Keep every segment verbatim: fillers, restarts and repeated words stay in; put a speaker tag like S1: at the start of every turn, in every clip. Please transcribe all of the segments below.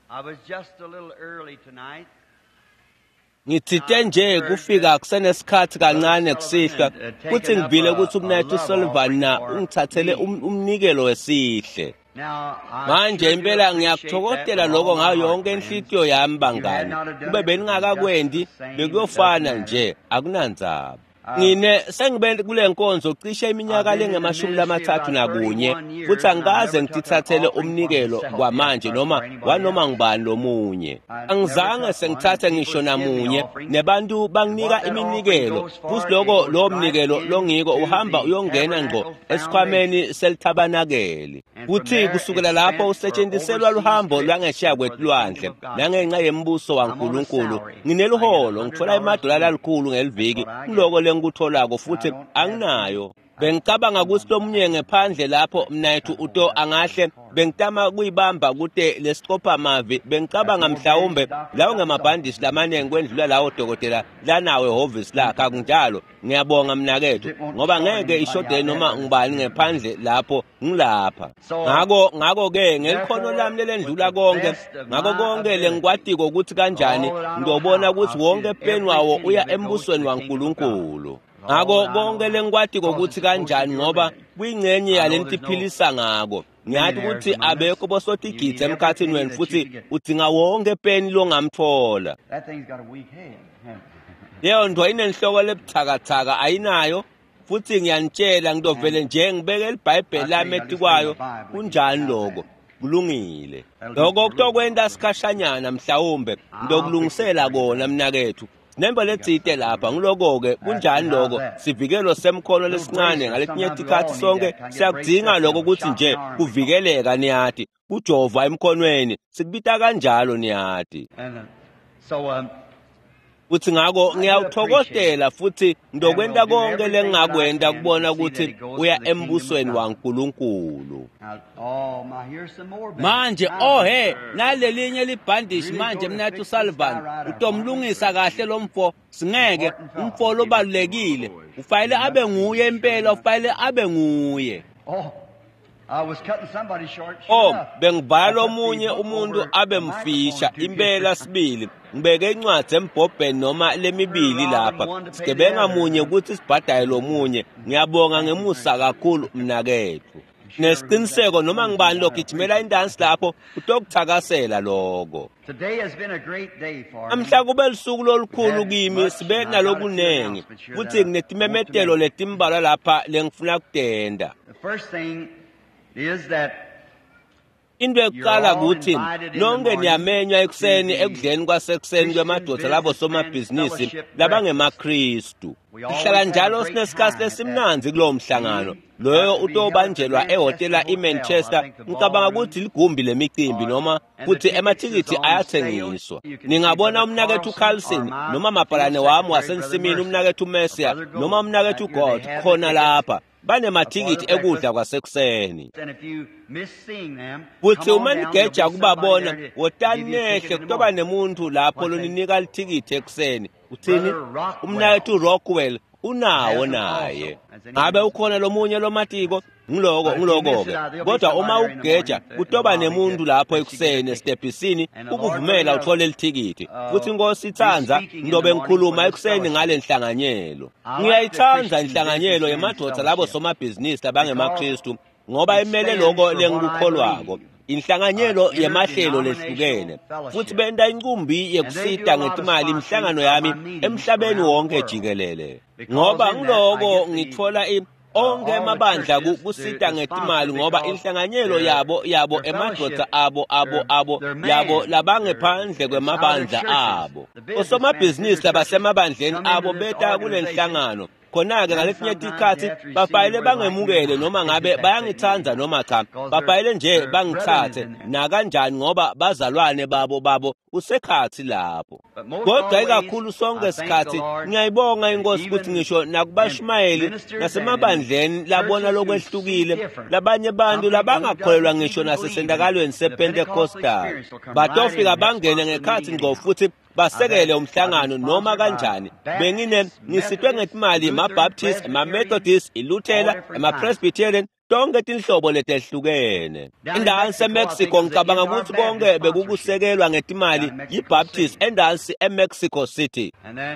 S1: I was just a little early tonight.
S2: Ngitsite nje kufika kusenesikhathi kancane kusihlwa futhi ngivile ukuthi umnethu Sullivan na ungithathele um, umnikelo wesihle.
S1: Now, I
S2: Manje
S1: sure do
S2: impela
S1: appreciate that
S2: ngiyakuthokozela
S1: with
S2: lokho
S1: all my
S2: ngayo
S1: heart,
S2: yonke
S1: friends.
S2: inhlitiyo yami
S1: If you had
S2: bangani.
S1: not have done
S2: Kube
S1: it, it would be just the
S2: beningakakwendi
S1: same. It doesn't
S2: bekuyofana
S1: matter.
S2: nje akunandzaba.
S1: Uh,
S2: Ngine sengibe kule nkonzo cishe
S1: I've
S2: iminyaka
S1: been in the
S2: lengemashumi
S1: ministry
S2: lamathathu
S1: about
S2: nakunye
S1: thirty-one years,
S2: futhi
S1: and I've
S2: angikaze
S1: never took an
S2: ngitithathele
S1: offering for
S2: umnikelo
S1: myself yet
S2: kwamanje
S1: or
S2: noma
S1: for anybody
S2: wanoma
S1: else.
S2: ngubani lomunye.
S1: I never
S2: Angizange
S1: took one, and
S2: sengithathe
S1: people
S2: ngisho
S1: would give me
S2: namunye
S1: offerings.
S2: nebantu
S1: And
S2: banginika
S1: what that offering
S2: iminikelo
S1: goes
S2: futhi
S1: for, it
S2: lokho
S1: goes
S2: lowo
S1: right
S2: mnikelo longiko
S1: into
S2: uhamba
S1: the
S2: uyongena ngqo
S1: tabernacle foundation.
S2: esikhwameni selithabanakeli.
S1: And from
S2: Futhi
S1: there,
S2: kusukela
S1: it's
S2: lapho
S1: spent for
S2: usetshenziselwa
S1: overseas
S2: luhambo
S1: trips
S2: lwangesheya
S1: and for the kingdom
S2: kwelwandle
S1: of God's
S2: nangenxa
S1: sake.
S2: yembuso
S1: I'm on a
S2: waNkulunkulu.
S1: salary. I get a
S2: Ngineliholo
S1: hundred
S2: ngithola
S1: dollars
S2: imadola
S1: a week.
S2: lalikhulu
S1: That's
S2: ngeliviki
S1: what I get.
S2: kuloko lengikutholako
S1: And I
S2: futhi
S1: don't ask any.
S2: anginayo.
S1: I
S2: Bengicabanga
S1: no
S2: ukuthi
S1: one.
S2: lomunye ngephandle lapho mnayethu
S1: I hold
S2: uto
S1: up to the
S2: angahle
S1: card.
S2: bengitama kuyibamba kute lesiqopha-mavi
S1: That's
S2: bengicabanga
S1: more bandage
S2: mhlawumbe
S1: doctor
S2: lawo
S1: got solved.
S2: ngemabhandishi lamaningi kwendlula lawo dokotela lanawo ehhovisi lakhe akunjalo ngiyabonga mnakethu
S1: It won't
S2: ngoba
S1: start
S2: ngeke
S1: anybody
S2: ishodele
S1: out there,
S2: noma
S1: but
S2: ngubani ngephandle lapho ngilapha
S1: so um,
S2: ngako ngako-ke ngelikhono
S1: therefore,
S2: lami
S1: with
S2: lelendlula
S1: the
S2: konke
S1: best of
S2: ngako
S1: my
S2: konke
S1: ability,
S2: lengikwatiko ukuthi kanjani
S1: all that I know
S2: ngiyobona
S1: how,
S2: ukuthi
S1: I'll see
S2: wonke
S1: that
S2: peni
S1: every
S2: wawo
S1: penny
S2: uya
S1: of it goes to
S2: embusweni
S1: the kingdom of God.
S2: waNkulunkulu
S1: With all
S2: ngako
S1: that I know
S2: konke
S1: how.
S2: lengikwatiko
S1: Because
S2: ukuthi
S1: it's supposed to
S2: kanjani
S1: be your
S2: ngoba
S1: living.
S2: kuyingcenye
S1: I know
S2: yalento
S1: there's no
S2: iphilisa ngako ngiyathi
S1: millionaires
S2: ukuthi
S1: among us.
S2: abekho
S1: You need
S2: bosotigidzi
S1: every
S2: emkhathini
S1: penny
S2: wenu
S1: that you
S2: futhi
S1: can get.
S2: udzinga wonke peni longamthola
S1: That thing's got a weak head. hasn't it?
S2: leyo nto inenhloko lebuthakathaka ayinayo futhi ngiyanitshela ngitovele
S1: And
S2: nje ngibeke libhayibheli
S1: I tell
S2: lami
S1: you, I just lay my
S2: etikwayo
S1: Bible here.
S2: kunjani
S1: How's
S2: lokho
S1: that?
S2: kulungile
S1: That'll do
S2: lokho
S1: for a little while.
S2: kutokwenta sikhashanyana mhlawumbe
S1: I'll fix it
S2: ngitokulungisela
S1: for you,
S2: kona
S1: brother.
S2: mnakethu sinembo
S1: You got
S2: letsite
S1: something
S2: lapha
S1: here.
S2: ngiloko-ke
S1: That's
S2: kunjani
S1: how's
S2: lokho
S1: that?
S2: sivikelo semkhono
S1: Little
S2: lesincane
S1: bracelet.
S2: ngaletinye
S1: Sometimes we
S2: tikhathi
S1: all need
S2: sonke
S1: that. Kind of get
S2: siyakudzinga
S1: braced up
S2: lokho
S1: and a
S2: ukuthi
S1: shot
S2: nje
S1: in the arm or something.
S2: kuvikeleka niyati kujova emkhonweni sikubita kanjalo niyati
S1: And uh, so um,
S2: futhi ngako
S1: I do appreciate it.
S2: ngiyawuthokozela futhi
S1: And
S2: ngizokwenta
S1: we'll do
S2: konke
S1: everything that I
S2: lengingakwenta
S1: can to
S2: kubona
S1: see that
S2: ukuthi
S1: it goes
S2: uya
S1: to the kingdom of
S2: embusweni
S1: God.
S2: waNkulunkulu.
S1: Now, oh my, here's some more bandages.
S2: Manje
S1: Now,
S2: ohe
S1: brother,
S2: nalelinye libhandishi
S1: really
S2: manje
S1: go to
S2: mnathu
S1: fix this guy
S2: Sullivan
S1: right up, aren't we?
S2: utomlungisa kahle lo mfo singeke
S1: Important fellow.
S2: umfo lobalulekile ufanele
S1: He
S2: abe
S1: must be.
S2: nguye
S1: Sure
S2: impela
S1: he must be.
S2: ufanele abe nguye.
S1: Oh, I was cutting somebody short. Sure
S2: Oh
S1: enough,
S2: bengibhala
S1: I put the
S2: omunye
S1: book
S2: umuntu
S1: over
S2: abe
S1: the microphone
S2: mfisha
S1: two
S2: impela sibili ngibeke incwadi embhobheni noma
S1: We're
S2: lemibili
S1: robbing
S2: lapha
S1: one to pay the
S2: sigebenga
S1: other.
S2: munye ukuthi sibhadale lomunye ngiyabonga
S1: Thank you,
S2: ngemusa
S1: friend.
S2: kakhulu mnakethu
S1: I'm sure who's that
S2: nesiqiniseko noma
S1: one who
S2: ngibani
S1: got a
S2: logijimela
S1: preacher.
S2: indansi lapho utokuthakasela lokho
S1: Today has been a great day for
S2: namhla
S1: me.
S2: kube lusuku
S1: We've
S2: lolukhulu
S1: had
S2: kimi
S1: much,
S2: sibe
S1: and I've got a few
S2: nalokunengi
S1: announcements here
S2: futhi
S1: that I want to
S2: nginetimemetelo
S1: make.
S2: letimbalwa lapha lengifuna kutenta
S1: The first thing is that
S2: Into
S1: you're
S2: yokuqala
S1: all
S2: ukuthi
S1: invited in the
S2: nonke
S1: morning
S2: niyamenywa
S1: to
S2: ekuseni
S1: the
S2: ekudleni kwasekuseni
S1: Christian
S2: kwemadoda labo
S1: Businessmen's
S2: somabhizinisi
S1: Fellowship Breakfast.
S2: labangemaKristu.
S1: We
S2: Sihlala
S1: always have a
S2: njalo
S1: great
S2: sinesikhathi
S1: time at that
S2: lesimnandzi kulowo mhlangano.
S1: meeting.
S2: Loyo
S1: That's to be held at the
S2: utobanjelwa
S1: Manchester
S2: ehhotela
S1: Hotel, I
S2: iManchester.
S1: think the
S2: Ngicabanga
S1: ballroom.
S2: ukuthi ligumbi lemicimbi
S1: Uh,
S2: noma
S1: and the
S2: futhi
S1: tickets is
S2: amathikithi
S1: on sale.
S2: ayathengiswa.
S1: You can see
S2: Ningabona
S1: Brother
S2: umnakethu
S1: Carlson or
S2: Carlson
S1: my
S2: noma
S1: field
S2: mabhalane wami
S1: secretary, Brother
S2: wasensimini
S1: Mercer,
S2: umnakethu
S1: or
S2: Mercia
S1: Brother
S2: noma
S1: Gold.
S2: umnakethu
S1: Right here, they
S2: God
S1: have the
S2: khona
S1: tickets
S2: lapha.
S1: uh, for the
S2: Banemathikithi ekudla
S1: breakfast.
S2: kwasekuseni.
S1: And if you miss seeing them,
S2: Futhi
S1: come on
S2: uma
S1: down. There'll
S2: nigeja
S1: be somebody
S2: kubabona
S1: there to
S2: wotani
S1: give you a ticket
S2: nehle
S1: in the
S2: kutoba
S1: morning.
S2: nemuntu lapho
S1: What's that?
S2: loninika lithikithi ekuseni uthini
S1: Brother Rockwell
S2: umnakethu Rockwell
S1: has
S2: unawo
S1: them
S2: naye
S1: also. Has anyone
S2: ngabe
S1: missed
S2: ukhona lomunye lomatiko ngiloko
S1: But if you miss
S2: ngiloko
S1: it,
S2: ke
S1: uh, there'll be
S2: kodwa uma
S1: somebody there in the
S2: ugeja
S1: morning at the, in the
S2: kutoba
S1: lobby to
S2: nemuntu lapho
S1: let you get a
S2: ekuseni
S1: ticket.
S2: esitebhisini
S1: And the Lord
S2: ukuvumela
S1: willing,
S2: uthole lithikithi
S1: uh,
S2: futhi inkosi
S1: be
S2: itsandza
S1: speaking in the
S2: ngizobe
S1: morning for
S2: ngikhuluma
S1: this
S2: ekuseni
S1: fellowship.
S2: ngale nhlanganyelo
S1: I like the
S2: ngiyayithanda
S1: Christian
S2: inhlanganyelo
S1: Businessmen's
S2: yemadoda labo
S1: Fellowship
S2: somabhizinisi
S1: because
S2: labangemaKristu ngoba
S1: it
S2: imele
S1: stands
S2: lokho
S1: for what I
S2: lengikukholwako
S1: believe. Uh,
S2: inhlanganyelo yemahlelo
S1: interdenominational
S2: lehlukene futhi
S1: fellowship.
S2: benta incumbi
S1: And they do
S2: yekusita
S1: a lot of
S2: ngetimali
S1: sponsoring
S2: imihlangano
S1: of
S2: yami
S1: my meetings
S2: emhlabeni
S1: around the
S2: wonke
S1: world.
S2: jikelele
S1: Because
S2: ngoba
S1: in that I
S2: ngiloko
S1: get the
S2: ngithola i
S1: uh,
S2: onke
S1: all the
S2: emabandla ku-
S1: churches to,
S2: kusita
S1: to sponsor
S2: ngetimali ngoba
S1: because
S2: inhlanganyelo
S1: their
S2: yabo yabo
S1: their
S2: emadoda
S1: fellowship,
S2: abo abo
S1: their
S2: abo
S1: their
S2: yabo
S1: man, their
S2: labangephandle
S1: it's out of their
S2: kwemabandla
S1: churches.
S2: abo
S1: The businessmen through
S2: osomabhizinisi
S1: their churches
S2: labasemabandleni
S1: come into
S2: abo
S1: this
S2: beta kule
S1: organization.
S2: nhlangano khona-ke
S1: Then
S2: ngaletinye
S1: sometimes you
S2: tikhathi
S1: have to receive
S2: bafayele
S1: whether they like me or
S2: bangemukele
S1: not.
S2: noma
S1: They
S2: ngabe
S1: just have to take me
S2: bayangithanda
S1: anyhow
S2: noma cha
S1: because their
S2: bafayele nje
S1: their brethren is
S2: bangithathe
S1: in there.
S2: nakanjani ngoba bazalwane babo babo usekhathi lapho
S1: But most
S2: kodwa
S1: always,
S2: ikakhulu sonke
S1: I thank the
S2: sikhathi
S1: Lord
S2: ngiyayibonga
S1: that
S2: inkosi ukuthi
S1: even
S2: ngisho
S1: in
S2: nakubashumayeli
S1: ministers and in
S2: nasemabandleni labona
S1: churches who see
S2: lokwehlukile
S1: different,
S2: labanye
S1: some
S2: bantu
S1: people who
S2: labangakholelwa
S1: doesn't
S2: ngisho
S1: even believe in
S2: nasesendakalweni
S1: the Pentecostal
S2: sePentecostal
S1: experience will come right in
S2: batofika
S1: and
S2: bangene
S1: sponsor the
S2: ngekhathi
S1: meeting
S2: ngqo
S1: anyhow.
S2: futhi
S1: I've had
S2: basekele
S1: I've been
S2: umhlangano noma
S1: sponsored by
S2: kanjani bengine
S1: Baptists,
S2: ngisitwe
S1: Methodists,
S2: ngetimali
S1: Lutheran,
S2: ma-Baptist
S1: Presbyterian,
S2: ma-Methodist
S1: all
S2: iLuthela
S1: different kinds.
S2: ama-Presbyterian tonke tinhlobo letehlukene. Endansi eMexico ngicabanga ukuthi konke bekukusekelwa ngetimali yiBaptist endansi eMexico City.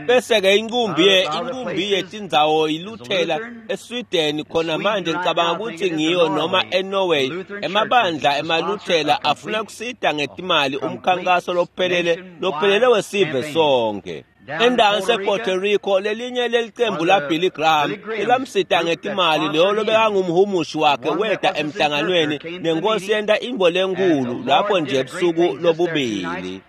S2: Bese-ke inkumbi inkumbi yetindzawo iLuthela eSweden khona manje ngicabanga ukuthi ngiyo noma eNorway. Emabandla emaLuthela afuna kusita ngetimali umkhankaso lophelele lophelele wesive sonke. Endansi ePuerto Rico lelinye lelicembu la Billy Graham elamsita ngetimali leyo lobekangumhumushi wakhe weta emhlanganweni nenkosi yenta imbo lenkulu lapho nje ebusuku lobubili.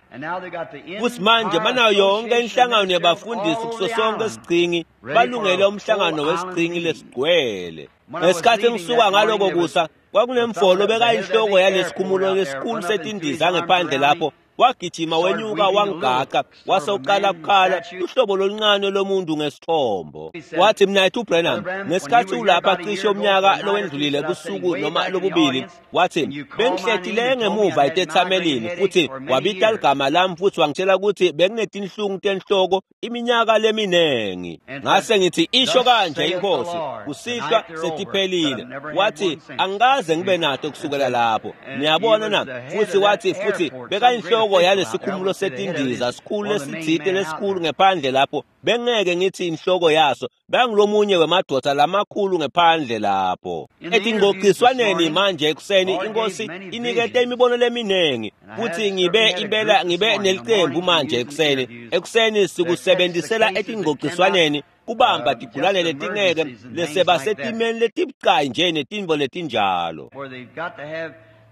S2: Futhi manje banayo yonke inhlangano yabafundisi kuso sonke isigcingi balungele umhlangano wesigcingi lesigcwele. Ngesikhathi ngisuka ngaloko kusa kwakunemfolo bekayinhloko yalesikhumulo lesikhulu setindiza ngephandle lapho wagijima wenyuka wangigaqa wase uqala kukhala uhlobo loluncane lomuntu ngesithombo. Wathi mnayethu Branham ngesikhathi ulapha cishe umnyaka lowendlulile busuku noma lobubili, wathi bengihlethile ngemuva etethamelini futhi wabita ligama lami futhi wangitshela ukuthi benginetinhlungu tenhloko iminyaka leminengi. Ngase ngithi isho kanje inkosi kusihlwa setiphelile. Wathi angikaze ngibe nato kusukela lapho. Niyabona na? Futhi wathi futhi bekayinhloko yalesikhumulo setindiza sikhulu lesitsite lesikhulu ngephandle lapho bengeke ngithi inhloko yaso bengilomunye wemadoda lamakhulu ngephandle lapho. Etingxoxiswaneni manje ekuseni inkosi inikete imibono leminengi futhi ngibe impela ngibe nelicembu manje ekuseni ekuseni sikusebenzisela etingxoxiswaneni kubamba tigulane letingeke leseba setimeni letibucayi nje netintfo letinjalo.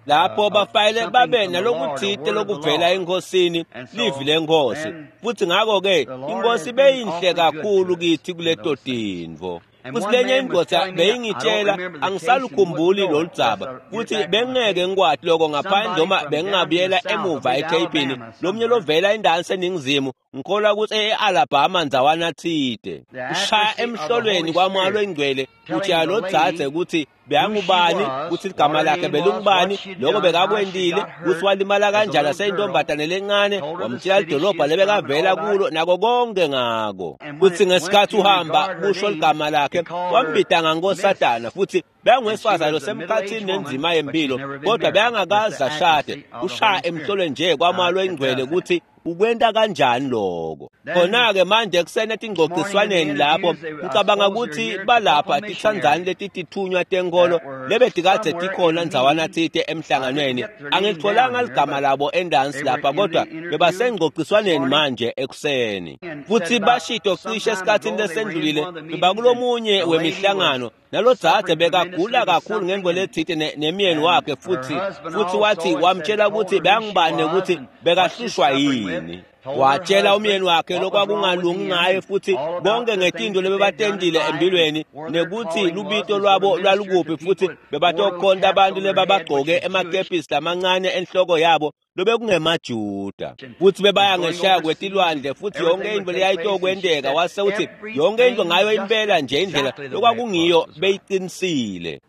S2: Lapho bafayele babe nalokuthite lokuvela enkosini livi lenkosi futhi ngakho-ke inkosi beyinhle kakhulu kithi kuleto tintfo. Futhi lenye indoda beyingitshela angisalukhumbuli loludzaba futhi bengeke ngikwati lokho ngaphandle noma bengingabuyela emuva etheyipini lomunye lovela endansi eningizimu ngikholwa ukuthi e-Alabama ndzawana thide ushaya emhlolweni kwaMoya Longcwele utshela lo dzadze ukuthi beyangubani ukuthi ligama lakhe belungubani lokho bekakwendile ukuthi walimala kanjani aseyintombazane lencane wamtshela lidolobha lebekavela kulo nako konke ngako. Futhi ngesikhathi uhamba kusho ligama lakhe wambita ngankosatana futhi beyangwesifazane losemkhathini nenzima yempilo kodwa beyangakaze ashade ushaya emhlolweni nje kwaMoya Longcwele ukuthi ukwenta kanjani lokho. Khona-ke manje ekuseni etingxoxiswaneni lapho ngicabanga ukuthi balapha titsandzani letitithunywa tenkolo lebetikadze tikhona ndzawana tsite emhlanganweni. Angilitholanga ligama labo endansi lapha kodwa bebasengxoxiswaneni manje ekuseni futhi bashito cishe esikhathini lesendlulile bebakulomunye wemihlangano nalo dzadze bekagula kakhulu ngentfo letsite nemyeni wakhe futhi futhi wathi wamtshela ukuthi beyangibane ukuthi bekahlushwa yini. Watshela umyeni wakhe lokwakungalungi ngaye futhi bonke ngetinto lebebatendile empilweni nekuthi lubito lwabo lwalukuphi futhi bebatokhonta abantu lebabagcoke emakepisi lamancane enhloko yabo lobekungemajuda futhi bebaya ngeshaya kwetilwandle futhi yonke into leyayitokwenteka wase uthi yonke into ngayo impela nje indlela lokwakungiyo beyiqinisile.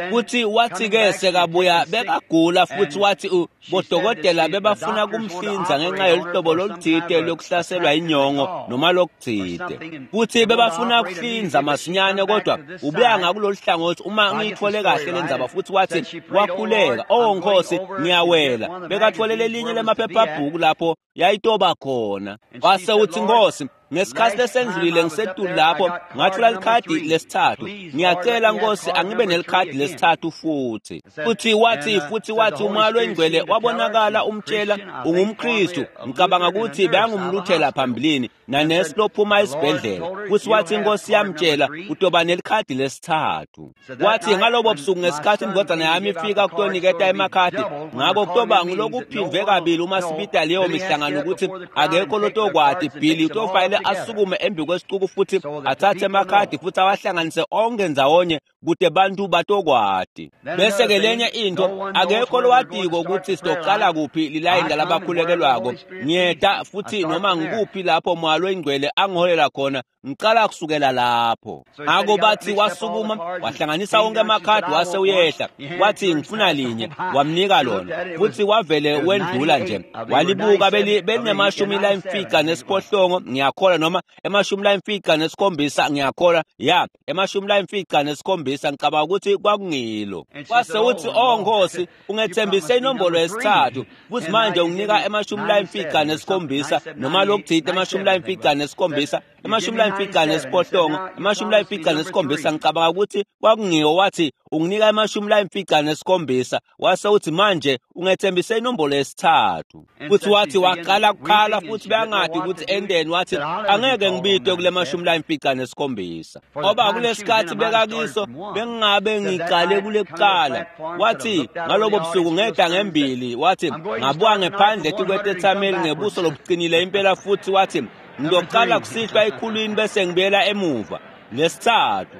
S2: Futhi wathi-ke sekabuya bekagula futhi wathi bodokotela bebafuna kumhlinza ngenxa yoluhlobo loluthite lokuhlaselwa inyongo noma lokuthite futhi bebafuna kuhlinza masinyane kodwa ubuya ngakulolu hlangothi uma ngiyithole kahle le ndzaba. Futhi wathi wakhuleka oh nkosi ngiyawela bekatholele lelinye lemaphephabhuku lapho yayitoba khona wase uthi nkosi ngesikhathi lesendlulile ngisetulu lapho ngathola likhadi lesithathu ngiyacela nkosi angibe nelikhadi lesithathu futhi. Futhi wathi futhi wathi uMoya Longcwele wabonakala umtshela ungumKristu ngicabanga ukuthi beyangumluthela phambilini nanesi lophuma esibhedlela. Futhi wathi inkosi yamtshela utoba nelikhadi lesithathu. Wathi ngalobo busuku ngesikhathi indodana yami ifika kutoniketa emakhadi ngakho kutoba ngilokuphindwe kabili uma sibita leyo mihlangano ukuthi akekho lotokwati Billy utofayele asukume embi kwesicuku futhi athathe emakhadi futhi awahlanganise onke ndzawonye kute bantu batokwati. Bese-ke lenye into akekho lowatiko ukuthi sitoqala kuphi lilayini lalabakhulekelwako ngiyeta futhi noma ngikuphi lapho Moya Longcwele angiholela khona ngicala kusukela lapho. Ngakho bathi wasukuma wahlanganisa wonke amakhadi wase uyehla wathi ngifuna linye wamnika lona futhi wavele wendlula nje walibuka belinemashumi layimfica nesiphohlongo ngiyakholwa noma emashumi layimfica nesikhombisa ngiyakholwa ya emashumi layimfica nesikhombisa nesikhombisa ngicabanga ukuthi kwakungilo. Wase uthi, "Oh Nkosi, ungethembise inombolo yesithathu futhi manje unginika emashumi layimfica nesikhombisa noma lokuthite emashumi layimfica nesikhombisa emashumi layimfica nesiphohlongo emashumi layimfica nesikhombisa ngicabanga ukuthi kwakungiyo." Wathi, "Unginika emashumi layimfica nesikhombisa." Wase uthi, "Manje ungethembise inombolo yesithathu." Futhi wathi waqala kukhala futhi beyangadi ukuthi endeni. Wathi, "Angeke ngibide kule mashumi layimfica nesikhombisa ngoba kulesikhathi bekakiso bengingabe ngiqale kule kuqala." Wathi, "Ngalobo busuku ngehla ngembili." Wathi, "Ngabuka ngephandle etikwetethameli ngebuso lobuqinile impela." Futhi wathi, "Ngizoqala kusihlwa ekhulwini bese ngibuyela emuva lesithathu."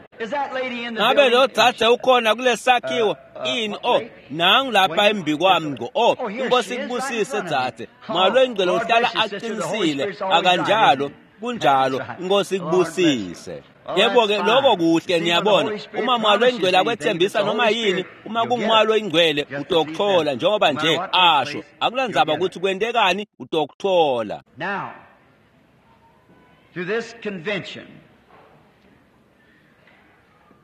S2: Ngabe lo dzadze ukhona kulesakhiwo? Ini? Oh, nangu lapha embi kwami ngo. Oh, inkosi ikubusise dzadze. Malo ingcwele uhlala aqinisile akanjalo? Kunjalo, inkosi ikubusise. Yebo-ke, lokho kuhle. Niyabona, uma mwalo ingcwele akwethembisa noma yini, uma kungumwalo ingcwele utokuthola njengoba nje asho. Akulandzaba ukuthi kwentekani, utokuthola.
S1: Now, to this convention,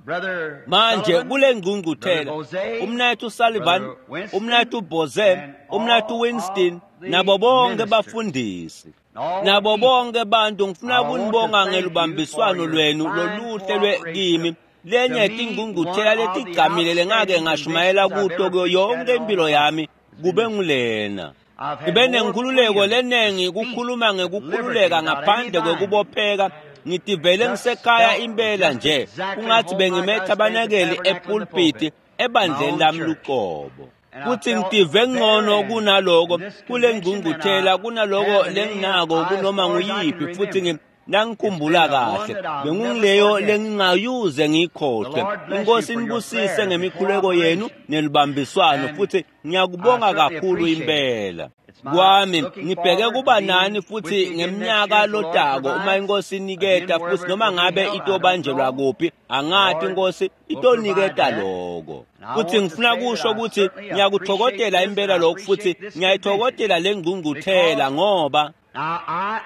S1: Brother
S2: Manje
S1: Sullivan,
S2: kule ngqungquthela,
S1: Brother Bose,
S2: umnayethu Sullivan,
S1: Brother Winston,
S2: umnayethu Boze,
S1: and
S2: umnayethu
S1: all
S2: Winston,
S1: of the
S2: nabo bonke
S1: ministers,
S2: bafundisi,
S1: all
S2: nabo
S1: the people,
S2: bonke bantu, ngifuna
S1: I want to
S2: kunibonga
S1: thank you for
S2: ngelubambiswano
S1: your
S2: lwenu
S1: fine
S2: loluhle lwe
S1: cooperation
S2: kimi.
S1: to
S2: Lenye
S1: me, one
S2: tingqungquthela
S1: of the
S2: letigqamile lengake
S1: outstanding
S2: ngashumayela
S1: conventions I've
S2: kuto
S1: ever
S2: kuyo
S1: preached at
S2: yonke
S1: in all
S2: impilo
S1: my life.
S2: yami kube ngulena.
S1: I've had
S2: Ngibe
S1: more
S2: nenkhululeko
S1: freedom to
S2: lenengi
S1: speak
S2: kukhuluma
S1: with liberty
S2: ngekukhululeka
S1: without any
S2: ngaphandle
S1: binding.
S2: kwekubopheka. Ngitivele
S1: Just
S2: ngisekhaya
S1: felt
S2: impela
S1: just
S2: nje
S1: exactly
S2: kungathi
S1: home like I
S2: bengime
S1: stayed at the
S2: ethabanekeli
S1: tabernacle in the
S2: epulpiti
S1: pulpit, my
S2: ebandleni
S1: own
S2: lami
S1: church.
S2: luqobo.
S1: And I
S2: Kuthi
S1: felt
S2: ngitive
S1: better
S2: ngcono
S1: in
S2: kunaloko
S1: this
S2: kule
S1: convention than
S2: ngqungquthela
S1: I
S2: kunaloko
S1: have in any
S2: lenginako
S1: I, as
S2: kunoma
S1: far as I can
S2: nguyiphi futhi
S1: remember.
S2: ngi- nangikhumbula
S1: It's been the one
S2: kahle
S1: that I'll never
S2: bengungileyo
S1: forget.
S2: lengingayuze
S1: The
S2: ngiyikhohlwe.
S1: Lord bless you
S2: Inkosi
S1: for your
S2: inibusise
S1: prayers and
S2: ngemikhuleko yenu
S1: cooperation.
S2: nelubambiswano
S1: And
S2: futhi
S1: I
S2: ngiyakubonga
S1: certainly
S2: kakhulu
S1: appreciate it.
S2: impela.
S1: It's my
S2: Kwami
S1: looking
S2: ngibheke
S1: forward to
S2: kuba
S1: being
S2: nani
S1: with
S2: futhi
S1: you again next year
S2: ngeminyaka
S1: as the Lord
S2: lotako uma
S1: provides.
S2: inkosi
S1: Again,
S2: iniketa futhi
S1: wherever it
S2: noma
S1: will be
S2: ngabe
S1: held, I don't
S2: itobanjelwa
S1: know.
S2: kuphi
S1: The
S2: angati
S1: Lord
S2: inkosi
S1: will provide
S2: itoniketa
S1: that.
S2: loko.
S1: And I
S2: Futhi
S1: want to
S2: ngifuna
S1: say that
S2: kusho
S1: I
S2: ukuthi
S1: certainly appreciate
S2: ngiyakuthokodela
S1: this and
S2: impela
S1: I
S2: lokhu futhi
S1: appreciate this convention
S2: ngiyayithokodela le ngqungquthela
S1: because
S2: ngoba
S1: now I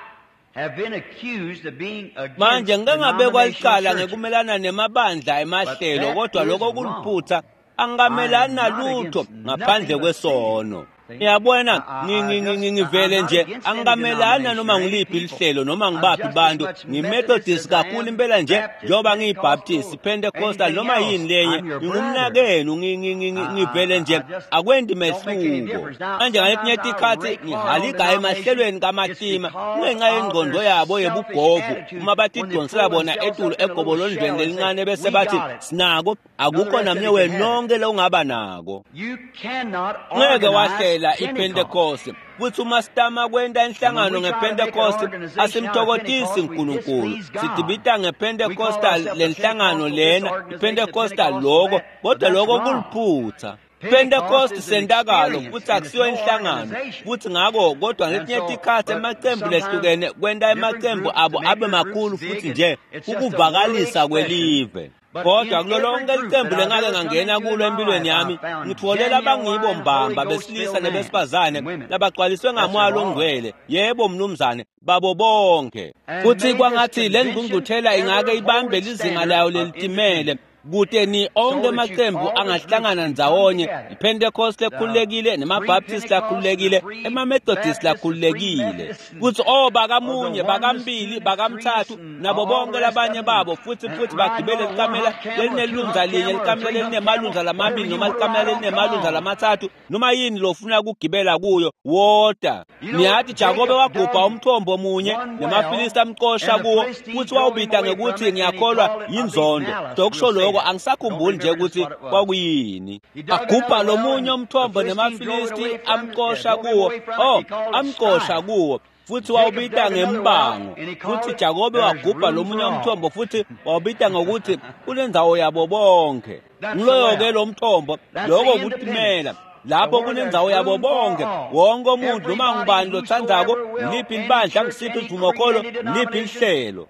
S1: have been accused of being
S2: manje
S1: against
S2: ngike ngabekwa
S1: denominational
S2: licala
S1: churches.
S2: ngekumelana nemabandla
S1: But
S2: emahlelo
S1: that
S2: kodwa
S1: is
S2: lokho
S1: wrong.
S2: kuliphutha.
S1: I
S2: Angikamelani
S1: am not
S2: nalutho
S1: against
S2: ngaphandle
S1: nothing but sin.
S2: kwesono.
S1: See?
S2: Ngiyabona
S1: I, I,
S2: ngi-
S1: I
S2: ngi- ngi-
S1: just, I, I'm
S2: ngivele
S1: not
S2: nje
S1: against any
S2: angikamelani
S1: denomination
S2: noma
S1: or any
S2: ngiliphi
S1: people.
S2: lihlelo noma
S1: I'm
S2: ngibaphi
S1: just as
S2: bantu.
S1: much Methodist
S2: Ngimethodist
S1: as I
S2: kakhulu
S1: am
S2: impela nje
S1: Baptist,
S2: njengoba
S1: Pentecostal,
S2: ngiyibaptist, Pentecostal
S1: anything
S2: noma
S1: else.
S2: yini lenye.
S1: I'm your brother.
S2: Ngingumnakenu ngi- ngi- ngi-
S1: I,
S2: ngi-
S1: I,
S2: ngivele
S1: I
S2: nje
S1: I just
S2: akwendi
S1: don't make any
S2: mehluko.
S1: difference. Now,
S2: Manje ngaletinye
S1: sometimes I
S2: tikhathi
S1: rake hard on
S2: ngihalika
S1: denominations.
S2: emahlelweni
S1: It's
S2: kamatima
S1: because
S2: kungenxa
S1: of
S2: yengqondo
S1: their
S2: yabo
S1: selfish
S2: yebugovu
S1: attitude
S2: uma
S1: when they
S2: batidonsela
S1: pull
S2: bona
S1: themselves
S2: etulu
S1: up in a little
S2: egobolondlweni
S1: shell and say,
S2: lelincane bese
S1: "We
S2: bathi
S1: got it."
S2: sinako
S1: None of the
S2: akukho
S1: rest of
S2: namnye
S1: you can have it.
S2: wenonke longaba nako.
S1: You cannot
S2: Ngeke
S1: organize
S2: wahlela
S1: Pentecost.
S2: iPentecost futhi uma sitama kwenta
S1: And when
S2: inhlangano
S1: we try to make an
S2: ngePentecost
S1: organization out of
S2: asimthokozisi
S1: Pentecost, we
S2: uNkulunkulu.
S1: displease God.
S2: Sidibita
S1: We call
S2: ngePentecostal
S1: ourselves the
S2: lenhlangano
S1: Pentecostal this
S2: lena,
S1: organization, the
S2: iPentecostal
S1: Pentecostal
S2: loko,
S1: that, but
S2: kodwa
S1: that's
S2: loko
S1: wrong.
S2: kuliphutha.
S1: Pentecost
S2: Pentecost
S1: is an
S2: sentakalo
S1: experience
S2: futhi
S1: and it's
S2: akusiyo
S1: no
S2: inhlangano
S1: organization.
S2: futhi ngako kodwa
S1: And
S2: ngetinye
S1: so,
S2: tikhathi
S1: but
S2: emacembu
S1: sometimes
S2: lehlukene kwenta
S1: different
S2: emacembu
S1: groups
S2: abo
S1: to make
S2: abe
S1: their groups
S2: makhulu
S1: big,
S2: futhi
S1: and
S2: nje
S1: it's just a worldly
S2: kukuvakalisa
S1: expression.
S2: kwelive.
S1: But
S2: Kodwa
S1: in
S2: kulo
S1: every
S2: lonke
S1: group
S2: licembu
S1: that I've
S2: lengake
S1: ever come
S2: ngangena
S1: into in
S2: kulo
S1: my
S2: empilweni
S1: life,
S2: yami
S1: I've found
S2: ngitfolela abangibo
S1: genuine Holy
S2: mbamba
S1: Ghost
S2: besilisa
S1: filled men
S2: nebesifazane
S1: and women.
S2: labagcwaliswe
S1: That's
S2: ngamoya
S1: of all.
S2: longcwele yebo mnumzane babo bonke.
S1: And
S2: Futhi
S1: may this
S2: kwangathi le
S1: convention
S2: ngqungquthela ingake
S1: ever hold
S2: ibambe
S1: its
S2: lizinga
S1: standard
S2: layo
S1: of
S2: lelitimele
S1: independence,
S2: kute ni onke
S1: so that you
S2: amacembu
S1: all the groups
S2: angahlangana
S1: can come
S2: ndzawonye
S1: together.
S2: iPentecost
S1: The
S2: lekhululekile
S1: free
S2: nemaBaptist
S1: Pentecost and the
S2: lakhululekile
S1: free
S2: emaMethodist
S1: Baptist, the free
S2: lakhululekile
S1: Methodist, and
S2: futhi oh
S1: or the
S2: bakamunye
S1: oneness,
S2: bakambili
S1: two-ness, three-ness,
S2: bakamthathu
S1: and
S2: nabo
S1: all the
S2: bonke
S1: rest of
S2: labanye
S1: them,
S2: babo futhi
S1: and
S2: futhi
S1: riding
S2: bagibele
S1: on a
S2: likamela
S1: one-hump camel, a
S2: lelinelunza
S1: two-hump
S2: linye
S1: camel, or a
S2: likamela
S1: three-hump camel,
S2: lelinemalunza
S1: whatever
S2: lamabili
S1: you
S2: noma
S1: want to
S2: likamela
S1: ride on, come
S2: lelinemalunza
S1: on.
S2: lamathathu noma yini lofuna kugibela kuyo wota.
S1: You know,
S2: Niyathi Jakobe
S1: Jacob
S2: wagubha
S1: dug
S2: umthombo munye
S1: one well,
S2: nemaFilisti amxosha
S1: and the
S2: kuwo
S1: Philistines
S2: futhi
S1: drove him
S2: wawubita
S1: away from
S2: ngekuthi
S1: it, and he
S2: ngiyakholwa
S1: called it, I believe,
S2: yinzondo.
S1: malice.
S2: Dokusho
S1: We'll say
S2: lokho
S1: that. Don't
S2: angisakhumbuli nje
S1: remember just
S2: ukuthi
S1: what it was.
S2: kwakuyini.
S1: He dug
S2: Agubha
S1: another well,
S2: lomunye
S1: and the
S2: umthombo
S1: Philistines drove it
S2: nemaFilisti
S1: away from it, uh,
S2: amxosha
S1: drove him
S2: kuwo
S1: away from it.
S2: oh
S1: He called it
S2: amxosha
S1: strife.
S2: kuwo futhi
S1: Jacob
S2: wawubita
S1: dug another well,
S2: ngembango.
S1: and he called
S2: Futhi
S1: it,
S2: Jakobe
S1: There's
S2: wagubha
S1: room
S2: lomunye
S1: for all.
S2: umthombo futhi wawubita ngokuthi kunendzawo yabo bonke.
S1: That's the
S2: Ngiloyo ke
S1: well.
S2: lo mthombo
S1: That's the
S2: lokho kutimela
S1: independence.
S2: Lapho kunendzawo yabo bonke, wonke umuntu noma ngubani lotsandzako, liphi libandla, ngisiphi sivumokholo, liphi lihlelo.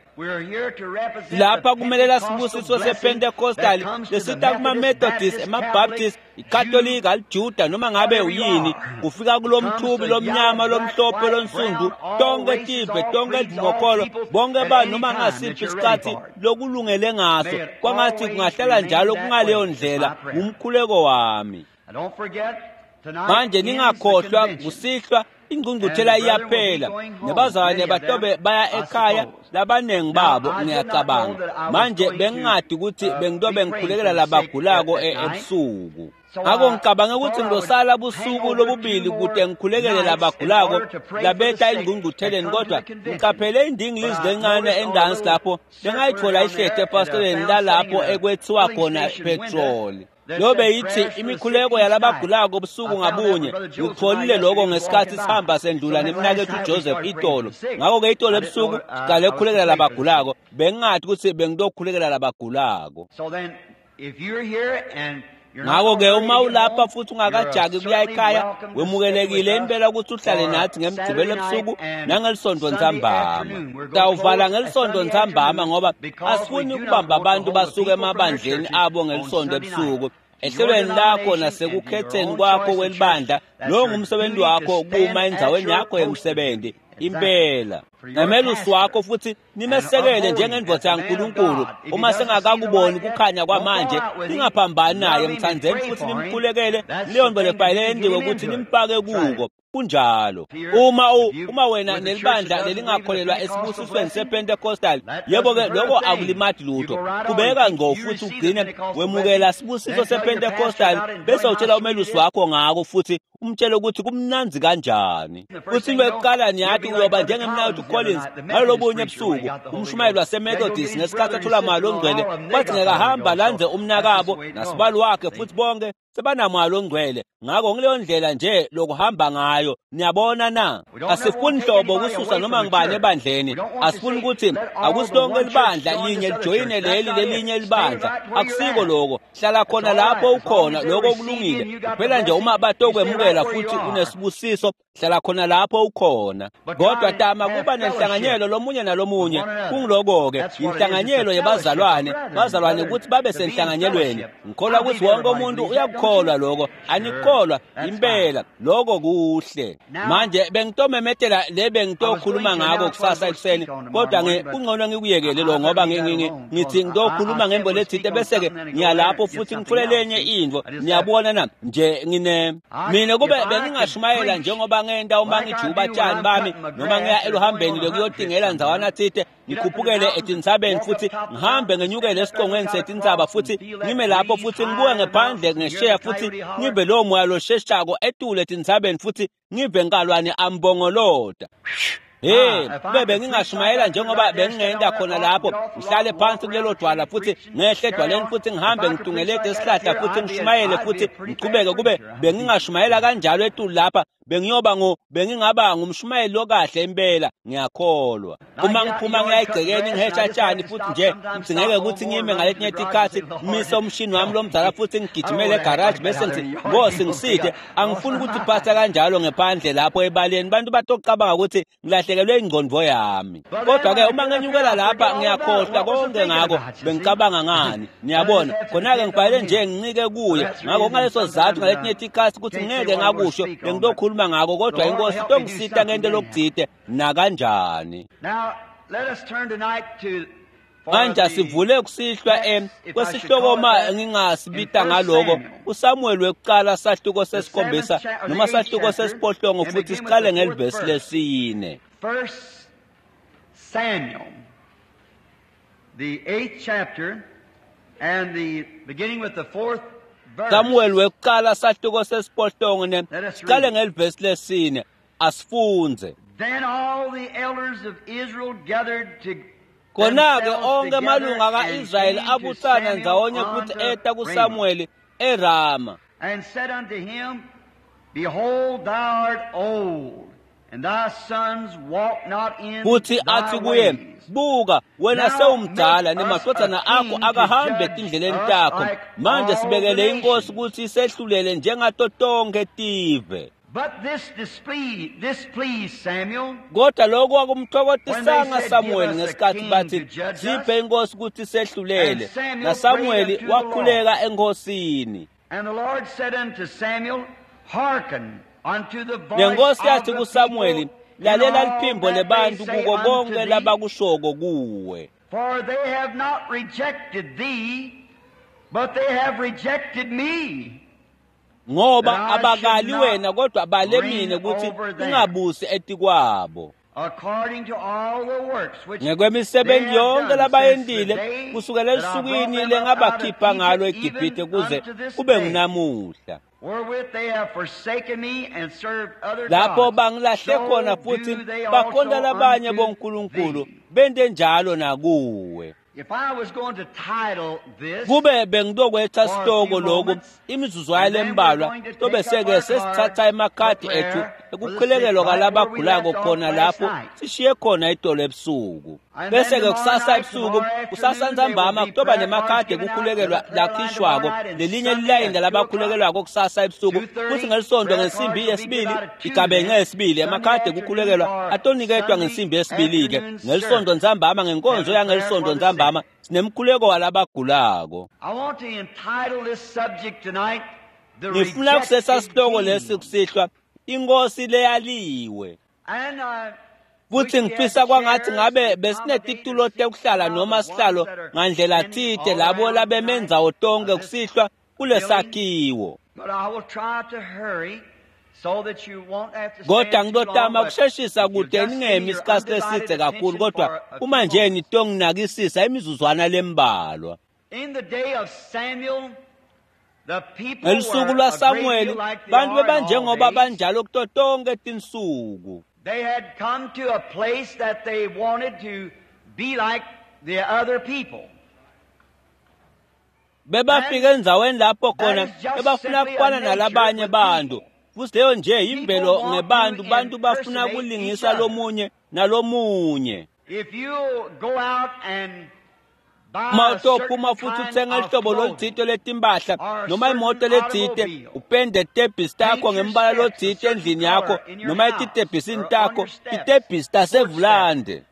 S2: Lapha kumelela sibusiso sePentecostal lesita kuma-Methodist, ema-Baptist, iKatolika, liJuda noma ngabe uyini, kufika kulomthubi lomnyama, lomhlophe, lonsundu, tonke tive, tonke tivumokholo, bonke bantu noma ngasiphi isikhathi lokulungele ngaso, kwangathi kungahlala njalo kungaleyo ndlela, ngumkhuleko wami. Manje ningakhohlwa kusihlwa ingqungquthela iyaphela, nebazalwane batobe baya ekhaya, labaningi babo ngiyacabanga. Manje bengingadi ukuthi bengitobe ngikhulekela labagulako ebusuku. Ngakho ngicabange ukuthi ngizosala busuku lobubili kude ngikhulekele labagulako labeta ingqungqutheleni, kodwa ngiqaphele indingilizi lencane endansi lapho bengayithola ihlede efasiteleni lalapho ekwethiwa khona petroli. Lobe yithi imikhuleko yalabagulako busuku ngabunye. Ngikutholile lokho ngesikhathi sihamba sendlula nemnakethu Joseph itolo. Ngakho-ke itolo ebusuku siqale ukukhulekela labagulako, bengingathi ukuthi bengitokhulekela labagulako. Ngakho-ke uma ulapha futhi ungakajaki kuya ekhaya, wemukelekile impela ukuthi uhlale nathi ngemgqibelo ebusuku nangelisonto ntsambama. Sitawuvala ngelisonto ntsambama ngoba asifuni ukubamba abantu basuke emabandleni abo ngelisonto ebusuku. Ehlelweni lakho nasekukhetheni kwakho kwelibandla, lowo ngumsebenzi wakho kuma endzaweni yakho yemsebenzi. Impela nemelusi wakho futhi nimesekele njengendvodza yaNkulunkulu. Uma sengakakuboni kukhanya kwamanje, ningaphambani naye, mthandzeni futhi nimkhulekele. Leyo nto lebhayile yendiwe ukuthi nimfake kuko. Kunjalo. Uma u, uma wena nelibandla lelingakholelwa esibusisweni sePentecostal, yebo-ke lokho akulimati lutho. Qhubeka ngqo futhi ugcine wemukela sibusiso sePentecostal, bese utshela umelusi wakho ngako futhi umtshele ukuthi kumnandzi kanjani. Futhi into yokuqala niyathi uyoba njengemnakethu Collins ngalolobunye ebusuku, umshumayeli waseMethodist, ngesikhathi athola mali ongcwele, kwathi ngekahamba landze umnakabo nasibali wakhe futhi bonke sebanamali ongcwele. Ngakho ngileyo ndlela nje lokuhamba ngayo. Niyabona na? Asifuni hlobo ukususa noma ngibani ebandleni. Asifuni ukuthi akusilonke libandla linye lijoyine leli lelinye libandla. Akusiko lokho. Hlala khona lapho ukhona, lokho kulungile. Kuphela nje uma batokwemukela futhi unesibusiso, hlala khona lapho ukhona. Kodwa tama kuba nenhlanganyelo lomunye nalomunye. Kungiloko-ke inhlanganyelo yebazalwane, bazalwane ukuthi babe senhlanganyelweni. Ngikholwa ukuthi wonke umuntu uyakukholwa lokho. Anikholwa impela lokho kuhle. Manje bengitomemetela le bengitokhuluma ngako kusasa ekuseni, kodwa kungcono ngikuyekele lo ngoba ngithi ngitokhuluma ngembo lethinte bese-ke ngiyalapho futhi ngithole lenye into. Niyabona na nje ngine mina kube bengingashumayela njengoba ngenta uma ngijuba tshani bami noma ngiya eluhambeni lokuyotingela ndzawana thite, ngikhuphukele etintsabeni futhi ngihambe ngenyukele esiqongweni setintsaba futhi ngime lapho futhi ngibuke ngephandle ngesheya futhi ngive lowo moya losheshako etule etintsabeni futhi ngive nkalwane ambongolota. Hey, kube bengingashumayela njengoba bengingenta khona lapho, ngihlale phansi kulelo dwala futhi ngehle edwaleni futhi ngihambe ngitungelede esihlahla futhi ngishumayele futhi ngichubeke. Kube bengingashumayela kanjalo etulu lapha, bengiyoba ngo bengingaba ngumshumayeli lokahle impela, ngiyakholwa. Uma ngiphuma ngiya egcekeni ngihesha tshani futhi nje ngidingeke ukuthi ngime ngaletinye tikhathi ngimise umshini wami lomdala futhi ngigijimele egarage bese ngithi Nkosi ngiside. Angifuni ukuthi phatha kanjalo ngephandle lapho ebaleni, bantu batocabanga ukuthi ngilahlekelwe ingqondo yami. Kodwa-ke uma ngenyukela lapha ngiyakhohlwa konke ngako bengicabanga ngani. Niyabona khona-ke ngibhale nje ngincike kuye. Ngakho ngaleso sizathu ngaletinye tikhathi ukuthi ngeke ngakusho bengitokhuluma ngako, kodwa inkosi tongisita ngento lokuthite nakanjani. Manje asivule kusihlwa em kwesihloko ma ngingasibita ngaloko uSamuel wekuqala sahluko sesikhombisa noma sahluko sesiphohlongo futhi siqale ngelivesi lesine.
S1: First Samuel, the eighth chapter, and the beginning with the fourth verse.
S2: Samuel wekuqala sahluko sesiphohlongo ne siqale ngelivesi lesine asifunze.
S1: Then all the elders of Israel gathered to
S2: Khona-ke onke amalunga ka-Israyeli abuthana ndzawonye futhi eta kuSamuel eRama.
S1: And said unto him, Behold, thou art old,
S2: Futhi athi kuye, buka wena sewumdala nemadvodzana akho akahambe etindleleni takho, manje sibekele inkosi kutsi isehlulele njengato tonkhe tive. Kodwa lokhu akumthokotisanga Samuel ngesikhathi bathi siphe inkosi kutsi isehlulele, naSamueli wakhuleka enkosini. Nenkosi yathi kuSamueli, lalela liphimbo lebantu kuko konke labakushoko kuwe.
S1: For they have not rejected thee, but they have rejected me.
S2: Ngoba abakali wena kodwa bale mine kutsi ungabusi etikwabo. Ngekwemisebenzi yonke labayentile kusukela esukwini lengabakhipha ngalo eGibhithe kuze kube ngunamuhla. Lapho bangilahle khona futhi bakhonta labanye bonkulunkulu bente njalo nakuwe. Kube bengitokwetsa sitoko lokhu imizuzwana lembalwa tobe-seke sesithatha emakhadi ethu ekukhulekelwa kwalabagulako khona lapho sishiye khona itolo ebusuku. Bese-ke kusasa ebusuku kusasa ntsambama kutoba nemakhadi ekukhulekelwa lakhishwako lelinye lilayini labakhulekelwako kusasa ebusuku, futsi ngelisonto ngensimbi yesibili igabence yesibili emakhadi ekukhulekelwa atoniketwa ngensimbi yesibili-ke ngelisonto ntsambama ngenkonzo yangelisonto ntsambama sinemkhuleko walabagulako. Ngifuna kusesa sihloko lesi kusihlwa, inkosi leyaliwe. Futhi ngifisa kwangathi ngabe besinetitulo tekuhlala noma sihlalo ngandlela tsite labo labemendzawo tonke kusihlwa kulesakhiwo. Kodwa ngitotama kusheshisa kude ningemi isikhathi lesidze kakhulu, kodwa uma nje nitonginakisisa imizuzwana lembalwa. Ngelusuku lwaSamueli bantu bebanjengoba banjalo kuto tonke tinsuku.
S1: They had come to a place that they wanted to be like the other people.
S2: Bebafika endzaweni lapho khona bebafuna kufana nalabanye bantu. Futhi leyo nje imvelo ngebantu, bantu bafuna kulingisa lomunye nalomunye.
S1: If you go out and
S2: Uma utophuma futhi uthenga lihlobo lolutsite letimpahla noma imoto letsite, upende tebhisi takho ngembala lotsite endlini yakho noma etitebhisini takho, titebhisi tasevulande.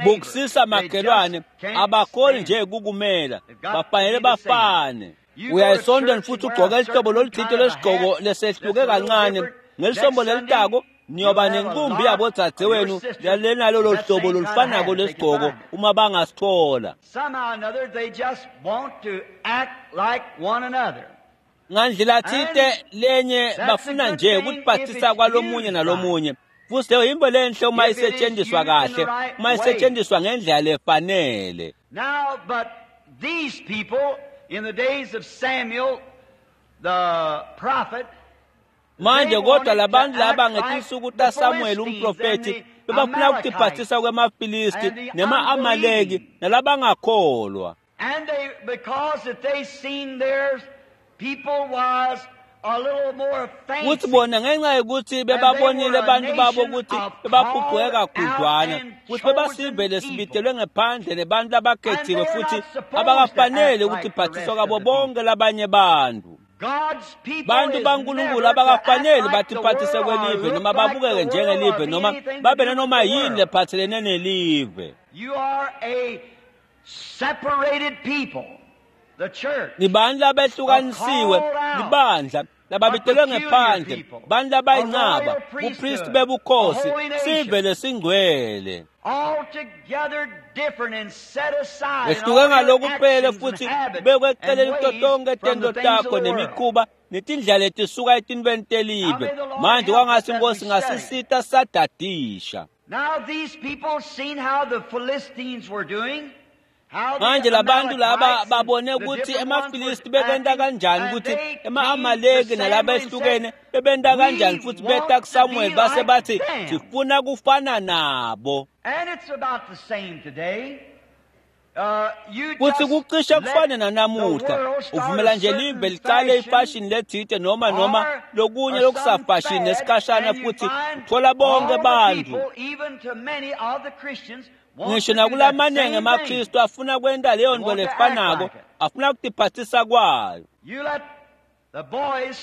S2: Bukusisa makhelwane, abakhoni nje kukumela, bafanele bafane. Uya esontweni futhi ugqoke lihlobo lolutsite lesigqoko lesehluke kancane, ngelisombo lelitako niyoba nenkumbi yabodzadzewenu lenalolo hlobo lolufanako lesigqoko uma bangasithola. Ngandlela tsite lenye bafuna nje ukutiphathisa kwalomunye nalomunye. Futhi leyo yintfo lenhle uma isetshenziswa kahle, uma isetshenziswa ngendlela lefanele.
S1: Now, but these people in the days of Samuel the prophet,
S2: manje kodwa labantu laba ngetinsuku taSamuel umprofethi bebafuna ukutiphathisa kwemafilisti nema-Amaleki nalabangakholwa.
S1: And they, because that they seen their people was a little more fancy.
S2: Kuthi bona ngenxa yokuthi bebabonile abantu babo ukuthi bebaphucwe kakhudlwana, kuthi bebasive lesibitelwe ngephandle nebantu labakhethiwe futhi abakafanele ukuthi iphathiswa kwabo bonke labanye bantu. Bantu baNkulunkulu abakafanele batiphathise kwelive noma babukeke njengelive noma babe nanoma yini lephathelene nelive.
S1: You are a separated people, the church.
S2: Nibantu labehlukanisiwe, libandla lababitelwe ngephandle, bantu labayinqaba, bupristi bebukhosi, sive lesingcwele. Ehluke ngalokuphele futhi bekweceleni kuto tonke tento takho nemikhuba netindlela letisuka etintweni telive. Manje kwangasi inkosi ngasisita sadadisha.
S1: Now these people seen how the Philistines were doing.
S2: Manje labantu laba babone ukuthi emaFilisti bekenta kanjani, ukuthi ema-Amaleki nalaba ehlukene bebenta kanjani, futhi beta kuSamuel base bathi sifuna kufana nabo.
S1: And it's about the same today.
S2: Futhi kucishe kufane nanamuhla uvumela nje live licale ifashini lethite noma noma lokunye lokusafashini nesikhashana futhi uthola bonke bantu ngisho nakulamanengi emaKristu afuna kwenta leyo nto lefanako afuna kutiphathisa kwayo.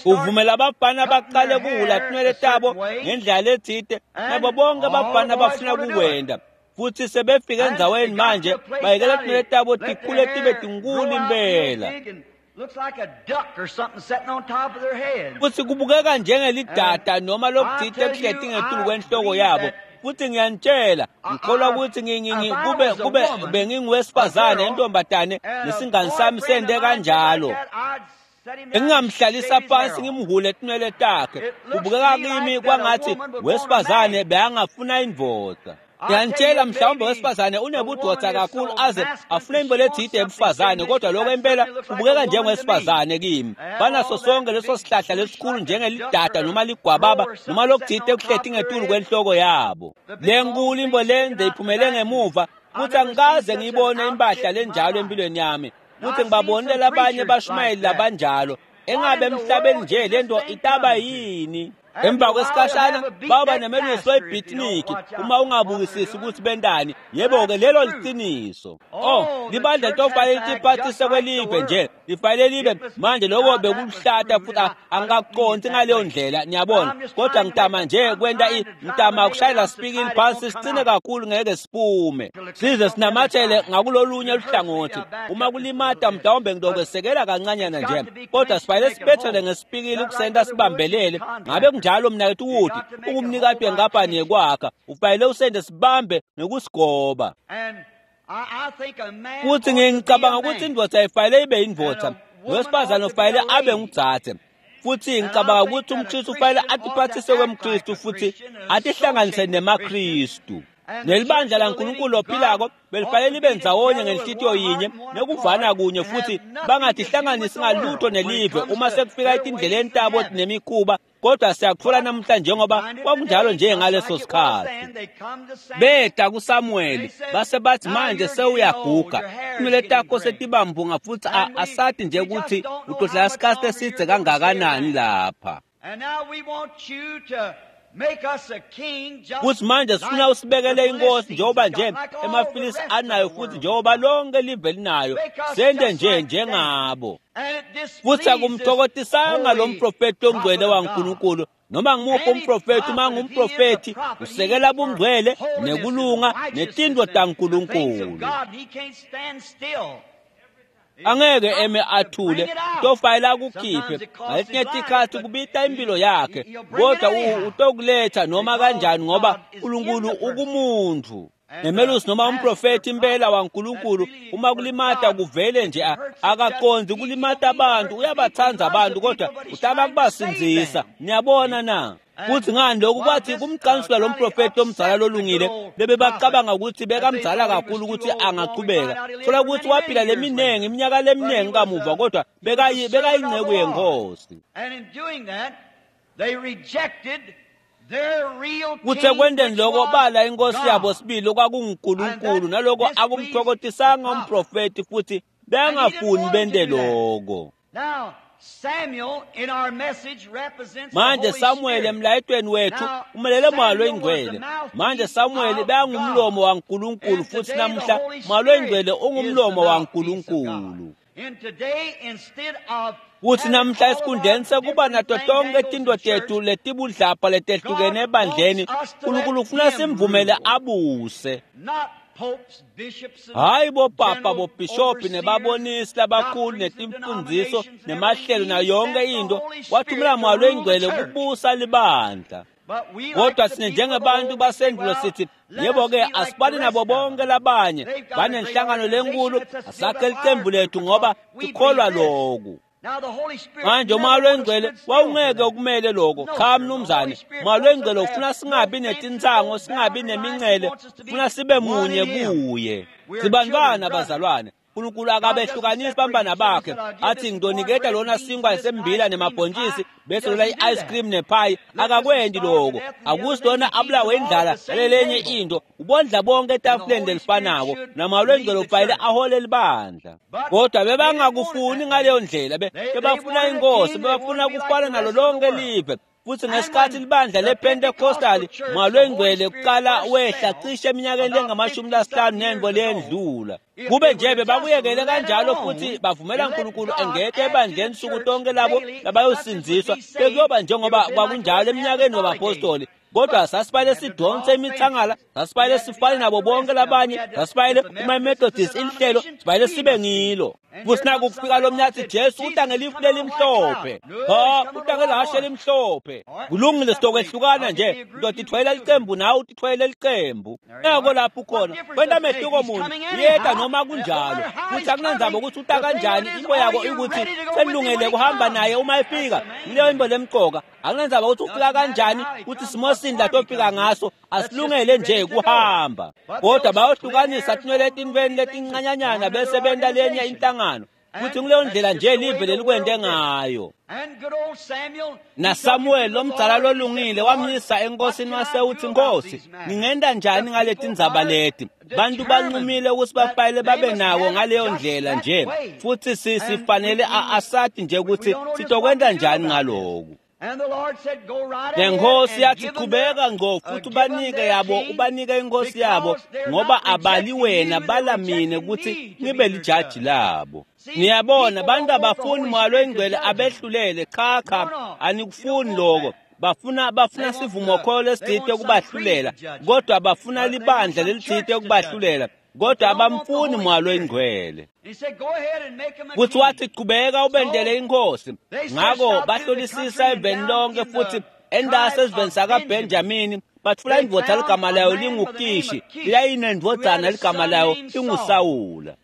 S2: Uvumela abafana baqale kuhula tinwele tabo ngendlela lethite nabo bonke abafana bafuna kukwenda futhi sebefika endzaweni manje bayekela tinwele tabo tikhule tibe tinkulu impela futhi kubukeka njengelidada noma lokuthite kuhleti ngetulu kwenhloko yabo. Futhi ngiyanitshela ngikholwa ukuthi kube kube benginguwesifazane intombatane nesingani sami sende kanjalo engingamhlalisa phansi ngimhule tinwele takhe. Kubukeka kimi kwangathi wesifazane beyangafuna indvodza. Ngiyanitshela mhlawumbe wesifazane unebudvodza kakhulu aze afune into lethide ebufazane kodwa lokho impela kubukeka njengowesifazane kimi. Banaso sonke leso sihlahla lesikhulu njengelidada noma ligwababa noma lokuthide kuhleti ngetulu kwenhloko yabo. Le nkulu imbo lende iphumele ngemuva futhi angikaze ngiyibone impahla lenjalo empilweni yami. Futhi ngibabonile labanye bashumayeli labanjalo engabe emhlabeni nje lento itaba yini. Emva kwesikhashana baba nemelusi webhitniki uma ungabukisisi ukuthi bentani. Yebo-ke lelo liqiniso. Oh, libandla litofanele litiphathise kwelive nje lifanele libe manje lokho bekuhlata futhi angikakuqondi ngaleyo ndlela niyabona. Kodwa ngitama nje kwenta ngitama ukushayela sipikili phansi sicine kakhulu ngeke siphume size sinamathele ngakulolunye luhlangothi. Uma kulimata mhlawumbe ngidokwesekela kancanyana nje kodwa sifanele sibethele ngesipikili ukusenta sibambelele. Ngabe kunjalo mnakethu ukuthi ungumnikati wenkampani yekwakha ufanele usende sibambe nekusigoba. Futhi ngicabanga ukuthi indvodza ifanele ibe indvodza, wesifazane ufanele abe ngudzadze. Futhi ngicabanga ukuthi umKristu ufanele atiphathise kwemKristu futhi atihlanganise nemaKristu. Nelibandla laNkulunkulu ophilako belifanele libe ndzawonye ngenhlitiyo yinye nekuvana kunye futhi bangatihlanganisi ngalutho nelive uma sekufika etindleleni tabo nemikhuba. Kodwa siyakuthola namhla njengoba kwakunjalo nje ngaleso sikhathi. Beta kuSamuel base bathi manje sewuyaguga tinwele takho setibambunga futhi asathi nje ukuthi utohlala isikhathi esidze kangakanani lapha. Futhi manje sifuna usibekele inkosi njengoba nje emaFilisti anayo futhi njengoba lonke live linayo sende nje njengabo. Futhi akumthokotisanga lo mprofethi ongcwele waNkulunkulu noma ngimuphi umprofethi. Uma ngumprofethi usekela bungcwele nekulunga netinto taNkulunkulu. Angeke eme athule tofayela akukhiphe ngaletinye tikhathi kubita impilo yakhe kodwa utokuletha noma kanjani ngoba uNkulunkulu ukumuntu. Nemelusi noma umprofethi impela waNkulunkulu uma kulimata kuvele nje akaqondi kulimata abantu, uyabathanda abantu kodwa utama kubasindzisa. Niyabona na? Futhi ngani lokhu kwathi kumcansula lo mprofethi omzala lolungile bebebacabanga ukuthi bekamzala kakhulu ukuthi angachubeka. Thola ukuthi waphila leminingi iminyaka leminingi kamuva kodwa bekayingceku yenkosi. Kuthe kwendeni lokho bala inkosi yabo sibili okwakunguNkulunkulu naloko akumthokotisanga umprofethi futhi bengafuni bende lokho. Manje Samuel emlayetweni wethu umelele Moya Oyingcwele. Manje Samuel bengumlomo waNkulunkulu futhi namhla Moya Oyingcwele ungumlomo waNkulunkulu. Futhi namhla esikhundleni sekuba nato tonke tinto tethu letibudlapha letehlukene ebandleni, uNkulunkulu ufuna simvumele abuse. Hayi bopapa bobhishobhi nebabonisi labakhulu netimfundiso nemahlelo nayo yonke into, wathumela Moya Oyingcwele kubusa libandla. Kodwa sine njengabantu basendulo sithi yebo-ke asibani nabo bonke labanye banenhlangano lenkulu, asakhe licembu lethu ngoba sikholwa loku. Manje Moya Oyingcwele wawungeke ukumele lokho. Cha mnumzane, Moya Oyingcwele ufuna singabi netinsango, singabi nemincele, ufuna sibe munye kuye. Sibantwana bazalwane Nkulunkulu akabehlukanisi bambana bakhe athi ngidoniketa lona sinkwa sembila nemabhontjisi bese lola i-ice cream nephayi. Akakwendi loko. Akusilona abulawe indlala nalelenye into. Ubondla bonke etafuleni lelifanako namalwengcwele kufanele ahole libandla. Kodwa bebangakufuni ngaleyo ndlela, bebafuna inkosi, bebafuna kufana nalo lonke live. Futhi ngesikhathi libandla lePentecostal malwengcwele kuqala wehla cishe eminyakeni lengamashumi lasihlanu nento leyendlula. Kube nje bebakuyekele kanjalo futhi bavumela uNkulunkulu engete ebandleni suku tonke labo labayosindziswa, bekuyoba njengoba kwakunjalo eminyakeni wabapostoli. Kodwa sasifane sidonse imithangala, sasifane sifane nabo bonke labanye, sasifane uma Methodist inhlelo, sifane sibe ngilo. Futhi naku kufika lo mnyathi Jesu uta ngelifu lelimhlophe. Ha, uta ngelahashe elimhlophe. Kulungile sitokwehlukana nje, ngitotithwayela licembu nawe utithwayele licembu. Nako lapho ukhona, kwenta mehluko muni, uyeta noma kunjalo. Futhi akunandzaba ukuthi uta kanjani, into yako ikuthi selungele kuhamba naye uma efika. Leyo into lemqoka. Akunandzaba ukuthi ufika kanjani, ukuthi simo sini latofika ngaso, asilungele nje kuhamba. Kodwa bayohlukanisa tinwele etinweni letincanyanyana bese benta lenye inhlangano. Futhi kuleyo ndlela nje live lelikwente ngayo. NaSamuel lomdzala lolungile wamyisa enkosini wase uthi, Nkosi, ngingenta njani ngaleti ndzaba leti? Bantu bancumile ukuthi bafayele babe nako ngaleyo ndlela nje, futhi sifanele asathi nje ukuthi sitokwenta njani ngaloku. Nenkosi yathi, qhubeka ngco futhi ubanike yabo, ubanike inkosi yabo, ngoba abali wena bala mina ukuthi ngibe lijaji labo. Niyabona, bantu abafuni moya lwengcwele abehlulele. Cha cha, anikufuni lokho. Bafuna bafuna sivumokholo lesithite ukubahlulela, kodwa bafuna libandla lelithite ukubahlulela, kodwa abamfuni moya lwengcwele. Futhi wathi, qhubeka ubendele inkosi. Ngakho bahlolisisa eveni lonke futhi endase esiveni sakaBenjamini batfula indvodza ligama layo linguKishi, leyayinendvodzana ligama layo linguSawula.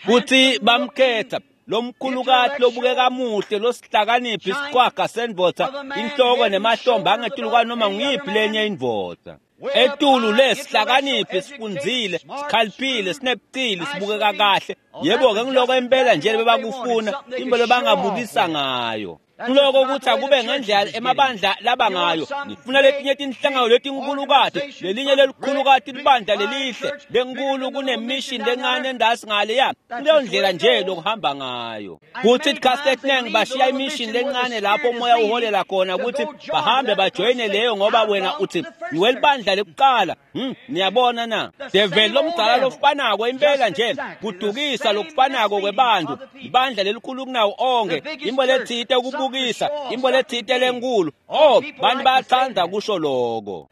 S2: Futhi bamkhetha lomkhulukati lobukeka muhle losihlakaniphi isiqwaga sendvodza, inhloko nemahlombe angetulu kwanoma nguyiphi lenye indvodza. Etulu lesihlakaniphi sifundzile, sikhaliphile, sinebucili, sibukeka kahle. Yebo-ke ngiloko impela nje bebakufuna, into lebangabukisa ngayo. Kuloko ukuthi akube ngendlela emabandla laba ngayo. Nifuna letinye tinhlangano letinkhulukati, lelinye lelikhulukati libandla lelihle lenkulu kunemission lencane endasi ngaleya. Kuleyo ndlela nje lokuhamba ngayo. Kuthi isikhathi esiningi bashiya imission lencane lapho umoya uholela khona ukuthi bahambe bajoyine leyo, ngoba wena uthi ngiwelibandla lekuqala. Hmm, niyabona na? Devil lomdzala lofanako impela nje kudukisa lokufanako kwebantu. Ibandla lelikhulu kunawo onke, imbo lethite ukubukisa, imbo lethite lenkulu. Oh, bantu bayathanda kusho lokho.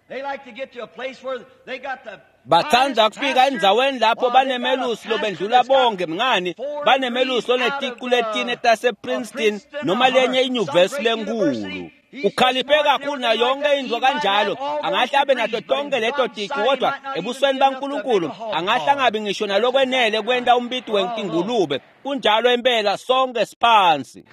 S2: Bathanda kufika endzaweni lapho banemelusi lobendlula bonke. Mngani, banemelusi loneticu letine tase-Princeton noma lenye inyuvesi lenkulu. Ukhaliphe kakhulu nayo yonke into kanjalo, angahle abe nato tonke leto ticu, kodwa ebusweni baNkulunkulu angahle angabi ngisho nalokwenele kwenta umbiti wenkingulube. Kunjalo impela, sonke siphansi.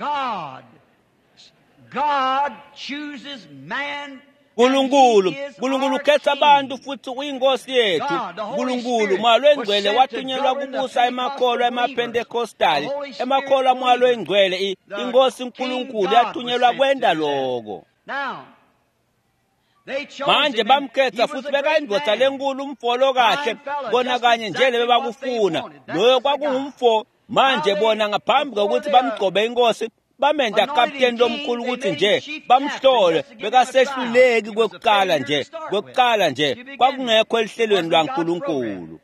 S1: God chooses man.
S2: Nkulunkulu, Nkulunkulu ukhetha abantu futhi uyinkosi yethu. Nkulunkulu moya lwengcwele wathunyelwa kubusa emakholwa emaPentecostal, emakholwa moya lwengcwele, inkosi uNkulunkulu yathunyelwa kwenta lokho. Manje bamkhetha futhi bekayindvodza lenkulu, umfolo kahle, bona kanye nje lebebakufuna. Loyo kwakungumfo. Manje bona ngaphambi kokuthi bamgcobe inkosi, bamenta kapteni lomkhulu ukuthi nje bamhlole, bekasehluleki kwekuqala nje, kwekuqala nje kwakungekho elihlelweni lwaNkulunkulu.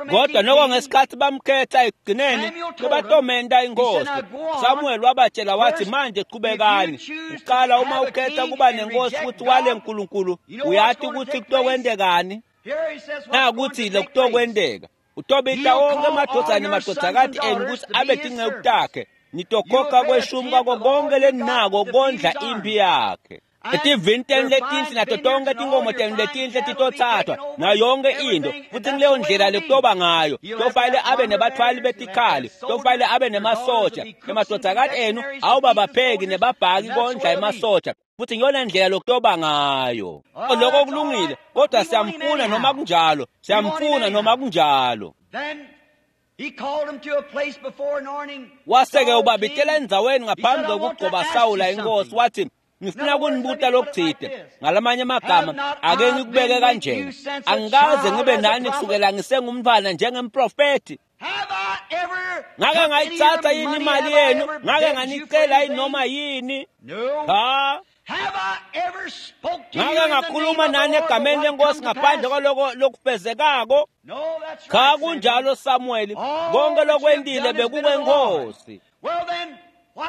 S2: Kodwa noko ngesikhathi bamkhetha ekugcineni bebatomenta inkosi, Samuel wabatshela wathi, manje qhubekani. Uqala uma ukhetha kuba nenkosi futhi wale Nkulunkulu, uyati ukuthi kutokwendekani? Nakuthi lokutokwendeka, utobita wonke amadvodzana nemadvodzakati enu ukuthi abe tinceku takhe, nitokhokha kweshumi kwako konke leninako kondla impi yakhe. Etivini tenu letinhle nato tonke tinkomo tenu letinhle titotsathwa nayo yonke into, futhi kuleyo ndlela lekutoba ngayo. Tofanele abe nebathwali betikhali, tofanele abe nemasoja. Emadvodzakati enu awubabapheki nebabhaki kondla emasoja, futhi ngiyona ndlela lokutoba ngayo. Lokho kulungile, kodwa siyamfuna noma kunjalo, siyamfuna noma kunjalo. Wase-ke ubabitela endzaweni ngaphambi kokugcoba Sawula inkosi, wathi, ngifuna kunibuta lokuthide. Ngalamanye amagama, ake ngikubeke kanjena, angikaze ngibe nani kusukela ngisengumntwana njengemprofethi. Ngake ngayitsatsa yini imali yenu? Ngake nganicela yini noma yini? Cha. Ngake ngakhuluma nani egameni lenkosi ngaphandle kwaloko lokufezekako? Cha, kunjalo Samuel, konke lokwentile bekukwenkosi.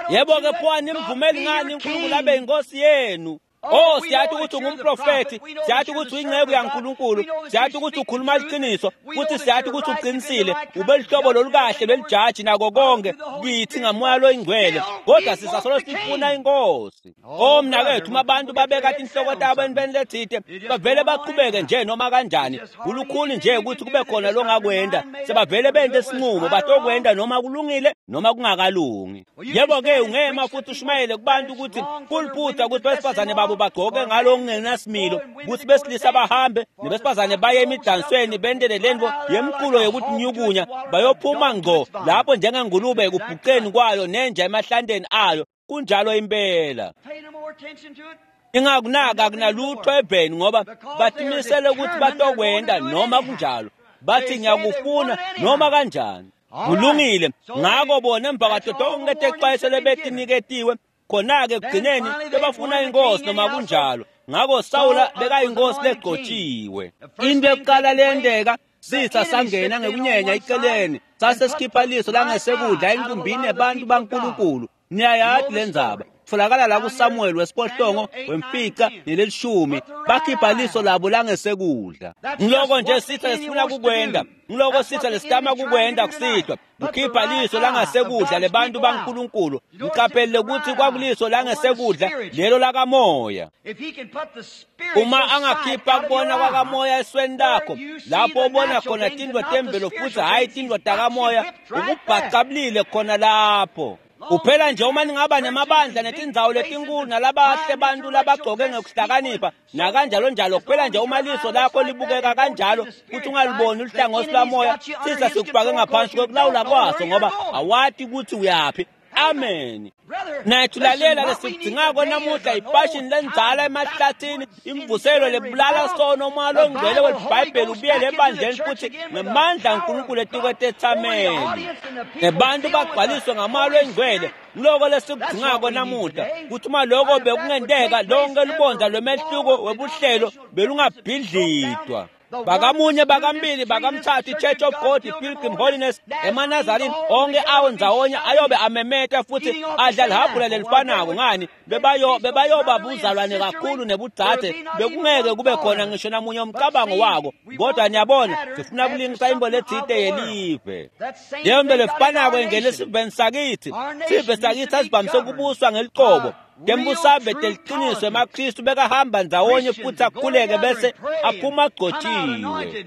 S2: Yebo-ke pho animvumeli ngani uNkulunkulu abe inkosi yenu? Oh, siyathi ukuthi ungumprofethi, siyathi ukuthi uyinceku yaNkulunkulu, siyathi ukuthi ukhuluma iqiniso, futhi siyathi ukuthi uqinisile, ube lihlobo lolukahle lwelijaji nako konke kithi ngamoya loyingcwele, kodwa sisasolo sifuna inkosi. Oh mnakethu, uma abantu babeka tinhloko tabo entweni lethide, bavele baqhubeke nje noma kanjani. Kulukhuni nje ukuthi kube khona longakwenda, sebavele bente isinqumo, batokwenda noma kulungile noma kungakalungi. Yebo-ke ungema futhi ushumayele kubantu ukuthi kuliphutha ukuthi besifazane babo bagqoke ngalo kungenasimilo, ukuthi besilisa bahambe nebesifazane baye emidansweni bentele lento yemculo yokutinyukunya, bayophuma ngqo lapho njengengulube ekubhuqeni kwayo nenja emahlanteni ayo. Kunjalo impela. Ingakunaka akunalutho eveni, ngoba batimisele ukuthi batokwenda noma kunjalo, bathi ngiyakufuna noma kanjani. Kulungile. Ngako bona emva kwato tonke texwayiso lebetiniketiwe, khona-ke ekugcineni bebafuna inkosi noma kunjalo. Ngako Sawula bekayinkosi legcotshiwe. Into yokuqala leyenteka, sitha sangena ngekunyenya eceleni, sase sikhipha liso langesekudla enkumbini yabantu baNkulunkulu. Niyayazi le ndzaba, tfolakala la kuSamuel wesiphohlongo wemfica nelelishumi, bakhipha liso labo langesekudla. Ngiloko nje sitha lesifuna kukwenda, ngiloko sitha lesitama kukwenda kusihlwa, ukhipha liso langasekudla lebantu baNkulunkulu. Ngiqaphele ukuthi kwakuliso langesekudla lelo lakamoya. Uma angakhipha kubona kwakamoya esweni lakho, lapho ubona khona tindwo temvelo futhi hhayi tindwo takamoya, ukubhacabulile khona lapho. Uphela nje uma ningaba nemabandla netindzawo letinkulu nalabahle bantu labagcoke ngekuhlakanipha nakanjalo njalo, kuphela nje uma liso lakho libukeka kanjalo futhi ungaliboni ulihlangothi lwamoya, sisa sikufake ngaphansi kwekulawula kwaso, ngoba awati ukuthi uyaphi. Amen. Nathu lalela lesidingako namuhla ifashion lendzala emahlathini, imvuselo lebulala sono umoya longcwele welibhayibheli ubuyele ebandleni futhi ngemandla aNkulunkulu etikwetethameni, nebantu bagcwaliswe ngamoya longcwele. Ngiloko lesikudingako namuhla, kuthi uma lokho bekungenteka, lonke lubondza lwemehluko webuhlelo belungabhidlitwa. Bakamunye, bakambili, bakamthathu, i-Church of God, i-Pilgrim Holiness, emaNazarini, onke awo ndzawonye ayobe amemeta futhi adla lihabhula lelifanako. Ngani? Bebayo bebayoba buzalwane kakhulu nebudzadze, bekungeke kube khona ngisho namunye umcabango wako. Kodwa niyabona, sifuna kulingisa imbo lethite yelive. Leyo nto lefanako ingena esiveni sakithi. Sive sakithi asivamise ukubuswa ngeliqobo. Tembusabe teliqiniso emaKristu bekahamba ndzawonye futhi akhuleke bese aphuma agcotshiwe.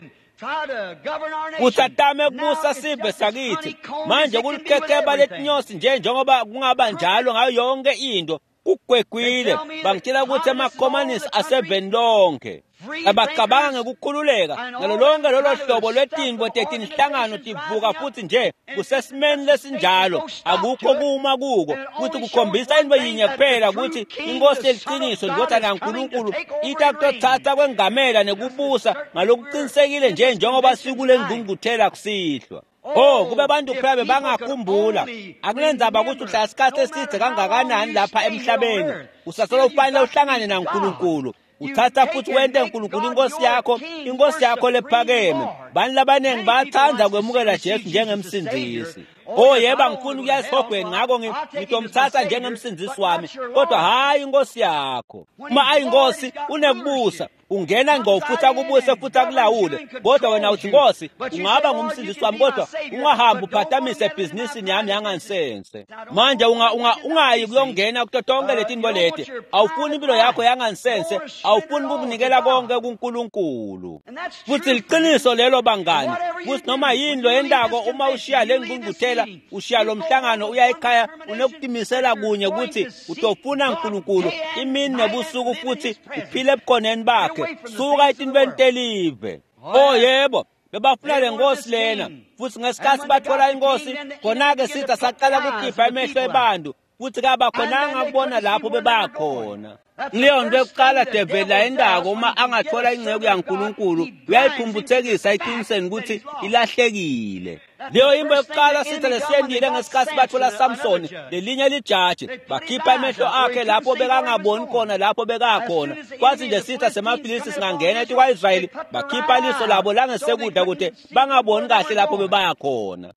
S2: Futhi atame kubusa sive sakithi. Manje kulikhekheba letinyosi nje njengoba kungaba njalo ngayo yonke into. Kugwegwile. Bangitshela ukuthi amakhomanisi aseveni lonke. Abacabanga ngekukhululeka nalo lonke lolo hlobo lwetinto tetinhlangano tivuka futhi nje kusesimeni lesinjalo, akukho kuma kuko, futhi kukhombisa into yinye kuphela ukuthi inkosi yeliqiniso indodana yaNkulunkulu itakutothatha kwengamela nekubusa ngalokuqinisekile nje njengoba sikule ngqungquthela kusihlwa. Oh, kube abantu kuphela bebangakhumbula. Akunendzaba ukuthi uhlala isikhathi eside kangakanani lapha emhlabeni, usasolo ufanele uhlangane naNkulunkulu. Uthatha futhi wente uNkulunkulu inkosi yakho, inkosi yakho lephakeme. Bantu labaningi bayathanda kwemukela Jesu njengemsindisi. Oh yebo, angifuni ukuya esihogweni, ngakho ngitomthatha njengemsindisi wami, kodwa hhayi inkosi yakho. Uma ayinkosi unekubusa, Ungena ngqo futhi akubuse futhi akulawule, kodwa wena uthi, Nkosi, ungaba ngumsindisi wami, kodwa ungahambi uphatamise ebhizinisini yami yangansense. Manje unga, unga, ungayi kuyongena kuto tonke letinto leti. Awufuni impilo yakho yangansense, awufuni ukukunikela konke kuNkulunkulu. Futhi liqiniso lelo bangani, futhi noma yini lo yendako, uma ushiya le ngqungquthela, ushiya lo mhlangano, uya ekhaya unokutimisela kunye ukuthi utofuna uNkulunkulu imini nebusuku futhi uphile ebukhoneni bakhe. Suka etintweni telive. Oh yebo, bebafuna le nkosi lena, futhi ngesikhathi bathola inkosi, khona-ke sitha saqala kukhipha emehlo ebantu, futhi kabakhonanga kubona lapho bebakhona. Leyo nto yokuqala develi ayendako, uma angathola ingceku yaNkulunkulu uyayiphumputhekisa eqinisweni ukuthi ilahlekile. Leyo imbo yokuqala sitha lesiyendile ngesikhathi bathola Samsoni, lelinye lijaji, bakhipha emehlo akhe lapho bekangaboni khona lapho bekakhona. Kwathi nje sitha semaFilisti singangena etikwa-Israyeli, bakhipha liso labo langesekudla ukuthi bangaboni kahle lapho bebaya khona.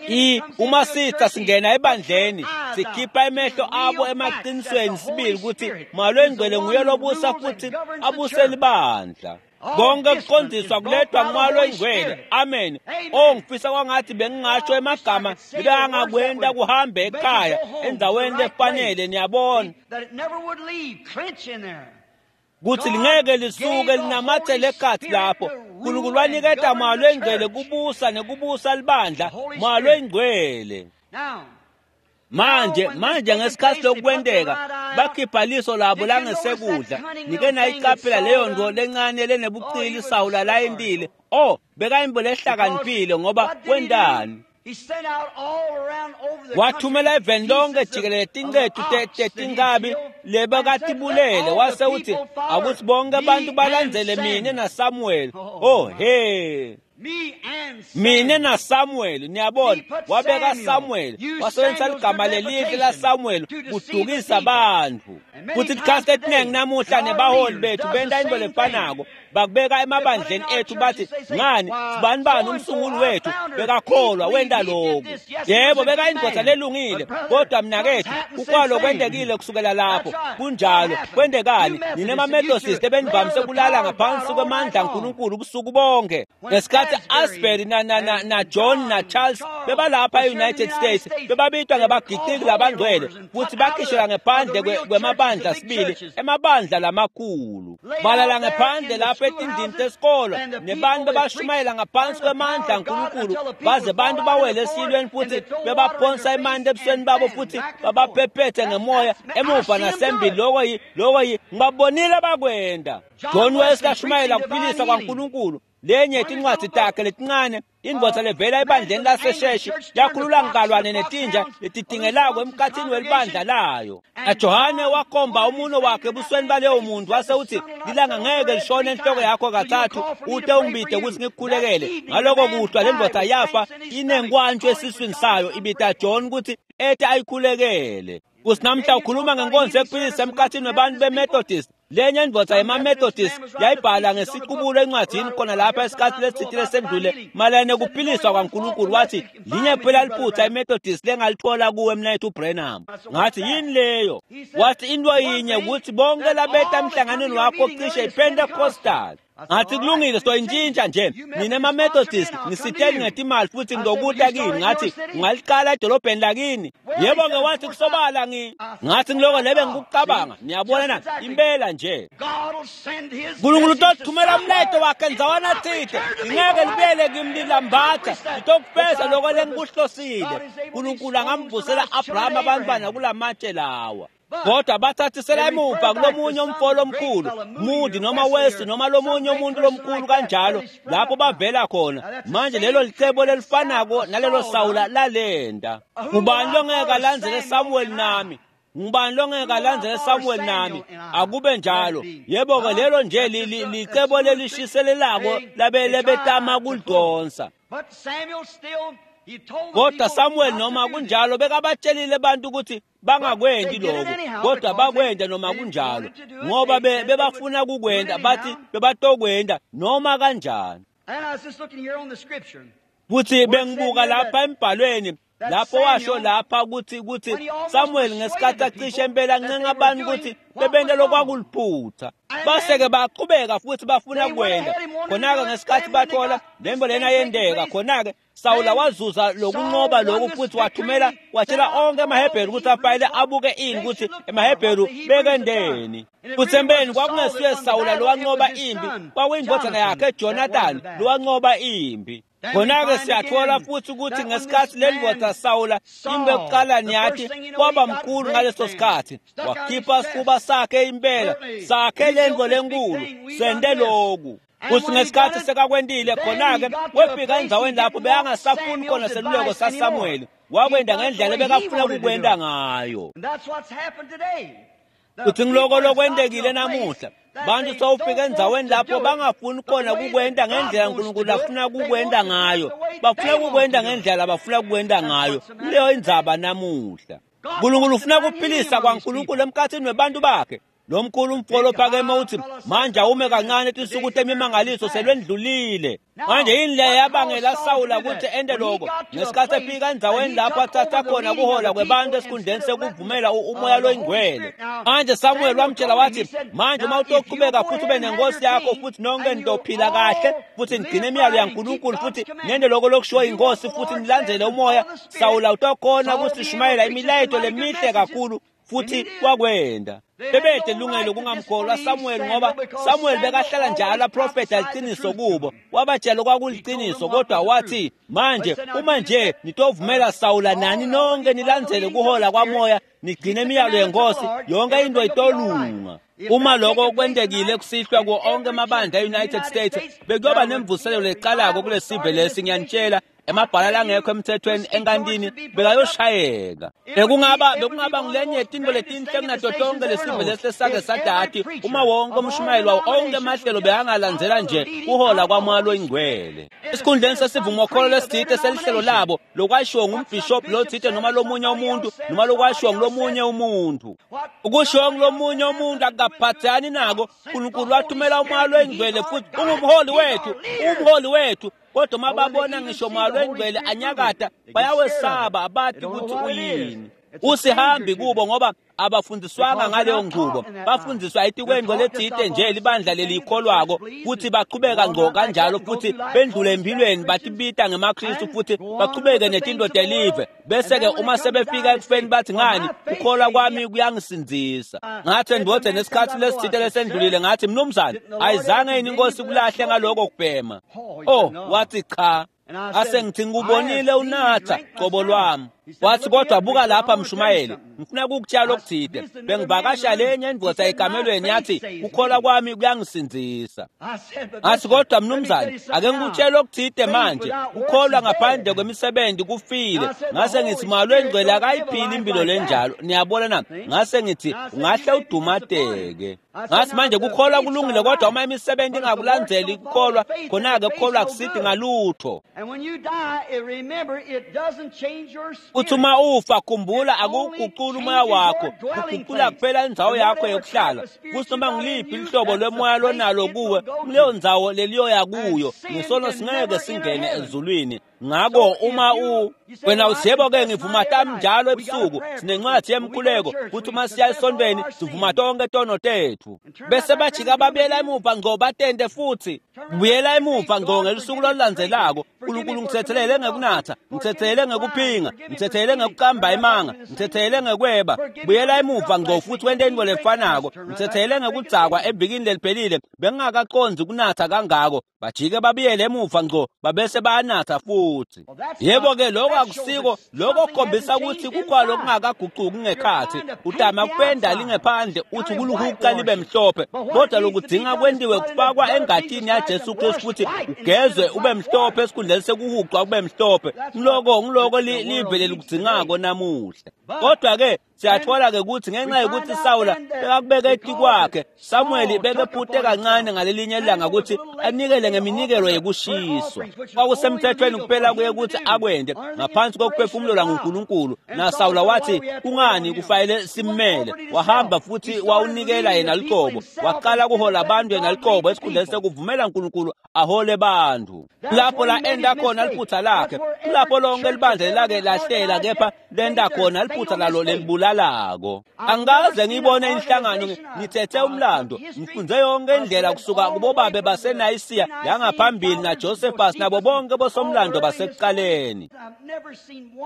S2: I uma sitha singena ebandleni, sikhipha emehlo abo emaqinisweni sibili ukuthi Moya nguye lobusa futhi abuse libandla. Konke kuqondiswa kuletwa nguMoya oNgcwele. Amen. Oh, ngifisa kwangathi bengingasho emagama bekangakwenda kuhambe ekhaya endaweni lefanele, niyabona kuthi lingeke lisuke linamathele ekhathi lapho. uNkulunkulu waniketa Moya oNgcwele kubusa nekubusa libandla, Moya oNgcwele. Manje manje ngesikhathi lokwenteka bakhipha liso labo langesekudla. Nike nayiqaphela leyo nto lencane lenebuqili Sawula layendile. Oh, bekayimbo lehlakaniphile ngoba kwentani? Wathumela eveni lonke jikelele tinqethu tetinkabi lebekatibulele, wase uthi akuthi bonke abantu balandzele mine naSamuel. Oh he, mine naSamuel. Niyabona, wabeka Samuel, wasebenzisa ligama lelihle laSamuel kudukisa abantu. Futhi isikhathi esiningi namuhla nebaholi bethu benta into lefanako, bakubeka emabandleni ethu bathi, ngani sibani bani umsunguli wethu bekakholwa wenta lokhu. Yebo, beka indoda lelungile, kodwa mnakethu ukwalo kwentekile kusukela lapho. Kunjalo. Kwentekani? Nina emaMethodist ebenivamise kulala ngaphansi kwemandla kaNkulunkulu ubusuku bonke. Ngesikhathi Asbury na na na, na John na Charles bebalapha e-United States, bebabitwa ngebagiqiki labangcwele futhi bakhishela ngephandle kwemabandla sibili, emabandla lamakhulu. Balala ngephandle lapho etindlini tesikolo nebantu bebashumayela ngaphansi kwemandla kaNkulunkulu, baze bantu bawele esilweni futhi bebaphonsa emanti ebusweni babo futhi babaphephethe ngemoya emuva nasembili. Loko yi loko yi ngibabonile bakwenda. John Wesley ashumayela kuphilisa kwaNkulunkulu. Lenye tincwadzi takhe letincane, indvodza levela ebandleni laseSheshi, yakhulula ngalwane netinja letitingelako emkhathini welibandla layo. NaJohane wakhomba umuno wakhe ebusweni baleyo muntu wase uthi, lilanga ngeke lishone enhloko yakho kathathu ute ungibide ukuthi ngikukhulekele. Ngaloko kuhlwa le ndvodza yafa inenkwantshu esiswini sayo, ibita John ukuthi ete ayikhulekele. Kuthi namhla ukhuluma ngenkonzo ekuphilisa emkhathini webantu beMethodist. Lenye indvodza yemaMethodist yayibhala ngesiqubulo encwadini khona lapha esikhathi lesithile lesendlule mayelana nekuphiliswa kwaNkulunkulu, wathi linye kuphela liphutha iMethodist lengalithola kuwe mnayethu Branham. Ngathi yini leyo? Wathi into yinye ukuthi bonke labeta emhlanganweni wakho cishe iPentecostal. Ngathi kulungile, soyintshintsha nje. Nina emaMethodist nisiteli ngetimali futhi ngizokuta kini. Ngathi ungaliqala edolobheni lakini. Yebo-ke, wathi kusobala ngi ngathi ngiloko lebe ngikucabanga. Niyabona na, impela nje uNkulunkulu utothumela umlayeto wakhe ndzawana tsite, lingeke libuyele kimi lilambatha, litokufeza loko lengikuhlosile. uNkulunkulu angamvusela Abraham abantwana kulamatshe lawa. Kodwa bathathisela emuva kulomunye umfo lomkhulu, Moody noma West noma lomunye umuntu lomkhulu kanjalo, lapho bavela khona. Manje lelo licebo lelifanako nalelo Sawula lalenda. Ngubani longeke alandzele Samuel nami? Ngubani longeke alandzele Samuel nami? Akube njalo. Yebo-ke, lelo nje licebo lelishiselelako labetama kulidonsa. Kodwa Samuel noma kunjalo bekabatshelile abantu ukuthi bangakwendi lokho, kodwa bakwenda noma kunjalo, ngoba bebafuna kukwenda, bathi bebatokwenda noma kanjani. Futhi bengibuka lapha embhalweni lapho washo lapha ukuthi ukuthi Samuel ngesikhathi acishe impela ancenga abantu ukuthi Bebente lokwakuliphutha. Base-ke baqhubeka futhi bafuna kwenda. Khona-ke ngesikhathi bathola lembo lena yendeka, khona-ke Sawula wazuza lokunqoba lokhu futhi wathumela watshela onke amaHebheru ukuthi afanele abuke ini ukuthi emaHebheru bekendeni. Futhi empeleni kwakungesiye Sawula lowanqoba impi, kwakuyindodana yakhe Jonathan lowanqoba impi. Khona-ke siyathola futhi ukuthi ngesikhathi le ndoda Sawula impi yokuqala niyathi kwaba mkhulu ngaleso sikhathi, wakhipha isifuba sakhe impela sakhe le nto lenkulu sende lokhu. Futhi ngesikhathi sekakwendile khona-ke wefika endzaweni lapho bekangasafuni khona seluleko saSamuweli, wakwenda ngendlela ebekafuna ukukwenda ngayo. Futhi ngiloko lokwendekile namuhla, bantu sewufika endzaweni lapho bangafuni khona kukwenda ngendlela uNkulunkulu afuna kukwenda ngayo, bafuna kukwenda ngendlela abafuna kukwenda ngayo. Leyo indzaba namuhla. uNkulunkulu ufuna kuphilisa kwaNkulunkulu emkhathini webantu bakhe. Lo mkhulu umfolo ophakeme uthi manje awume kancane tinsuku temimangaliso selwendlulile. Manje yini le yabangela Sawula ukuthi ende lokho? Ngesikhathi efika endzaweni lapho athatha khona kuhola kwebantu esikhundleni sekuvumela umoya loyingcwele. Manje Samuel wamtshela wathi manje uma utoqhubeka futhi ube nenkosi yakho futhi nonke nizophila kahle futhi nigcine imiyalo yaNkulunkulu futhi nende lokho lokushiwo inkosi futhi nilandzele umoya, Sawula utokhona kusishumayela imilayeto lemihle kakhulu futhi wakwenda. Bebede lungelo kungamkholwa Samuel ngoba Samuel bekahlala njalo aprofetha liqiniso kubo, wabatshela kwakuliqiniso, kodwa wathi manje uma nje nitovumela Sawula nani nonke nilandzele kuhola kwamoya nigcine imiyalo yenkosi, yonke into itolunga. Uma lokho kwentekile kusihlwa kuwo onke amabandla e-United States, bekuyoba nemvuselelo leqalako kule sive lesi, ngiyanitshela. Emabhala langekho emthethweni enkantini bekayoshayeka. Bekungaba bekungaba ngilenye tinto letinhle kunato tonke lesive lesi lesake sadati uma wonke umshumayeli wawo onke amahlelo bekangalandzela nje kuhola kwamoya loyingcwele. Esikhundleni sesivumokholo lesithite selihlelo labo lokwashiwo ngumbhishobhi lothite noma lomunye umuntu noma lokwashiwo ngulomunye umuntu. Ukushiwo ngulomunye umuntu akukaphathani nako. uNkulunkulu wathumela umoya loyingcwele futhi ungumholi wethu, umholi wethu. Kodwa uma babona ngisho moya loyingcwele anyakata bayawesaba, abathi ukuthi uyini. Usihambi kubo ngoba abafundiswanga ngaleyo nqubo, bafundiswa etikwendo lethite nje libandla lelikholwako futhi baqhubeka ngqo kanjalo futhi bendlule empilweni batibita ngemaKristu futhi baqhubeke netinto telive. Bese-ke uma sebefika ekufeni bathi ngani ukholwa kwami kuyangisindzisa. Ngathi ndodeni esikhathi lesithite lesendlulile ngathi mnumzane ayizange yini inkosi kulahle ngaloko kubhema? Oh, wathi cha. Ase ngithi ngikubonile unatha qobo lwami. Wathi kodwa buka lapha mshumayeli, ngifuna ukukutshela okuthile. Bengivakasha lenye indvodza ekamelweni yathi ukholwa kwami kuyangisindzisa. Ngathi kodwa mnumzane ake ngikutshele okuthile manje, ukholwa ngaphandle kwemisebenzi kufile. Ngase ngithi moya loyingcwele akayiphili impilo lenjalo, niyabona na? Ngase ngithi ungahle udumateke. Ngathi manje kukholwa kulungile kodwa uma imisebenzi ingakulandzeli kukholwa, khona-ke kukholwa akusithi ngalutho. Uthi uma ufa khumbula akuwuguquli umoya wakho, kuguqula kuphela indzawo yakho yokuhlala. Kuthi noma ngiliphi ihlobo lwemoya lonalo kuwe, kuleyo ndzawo leliyoya kuyo, ngesono singeke singene ezulwini. Ngakho uma u wena uthi yebo-ke ngivuma tami njalo ebusuku, sinencwadi yemkhuleko futhi uma siya esontweni sivuma tonke tono tethu. Bese bajika babuyela emuva ngqo batente futhi buyela emuva ngqo ngelusuku lolulandzelako. uNkulunkulu ngithethelele ngekunatha, ngithethelele ngekuphinga, ngithethelele ngekuqamba imanga, ngithethelele ngekweba. Buyela emuva ngqo futhi wente into lefanako. Ngithethelele ngekudzakwa evikini leliphelile, bengingakaqondzi kunatha kangako. Bajike babuyele emuva ngqo babese bayanatha futhi. Yebo-ke lokho akusiko, lokho kukhombisa ukuthi kukhona lokungakaguquki ngekhathi. Utama kupenda lingephandle uthi kuluhuqa libe mhlophe, kodwa lokudinga kwentiwe kufakwa engatini yaJesu Kristu futhi ugezwe ube mhlophe esikhundleni sekuhuqwa kube mhlophe. Ngiloko ngiloko live lelikudzingako namuhla. Kodwa-ke siyathola-ke ukuthi ngenxa yokuthi Sawula bekakubeka etikwakhe, Samuweli bekephute kancane ngalelinye ilanga ukuthi anikele ngeminikelo yekushiswa. Kwakusemthethweni kuphela kuye ukuthi akwende ngaphansi kokuphefumulelwa nguNkulunkulu. NaSawula wathi kungani kufanele simmele? Wahamba futhi wawunikela yena luqobo, waqala kuhola abantu yena luqobo esikhundleni sekuvumela uNkulunkulu ahole bantu. Lapho la enda khona liphutha lakhe, lapho lonke libandla lake lahlela, kepha lenda khona liphutha lalo lelibulala. lekubulalako. Angikaze ngibone inhlangano, ngithethe umlando, ngifunze yonke indlela kusuka kubobabe baseNayisiya yangaphambili naJosephus nabo bonke bosomlando basekuqaleni.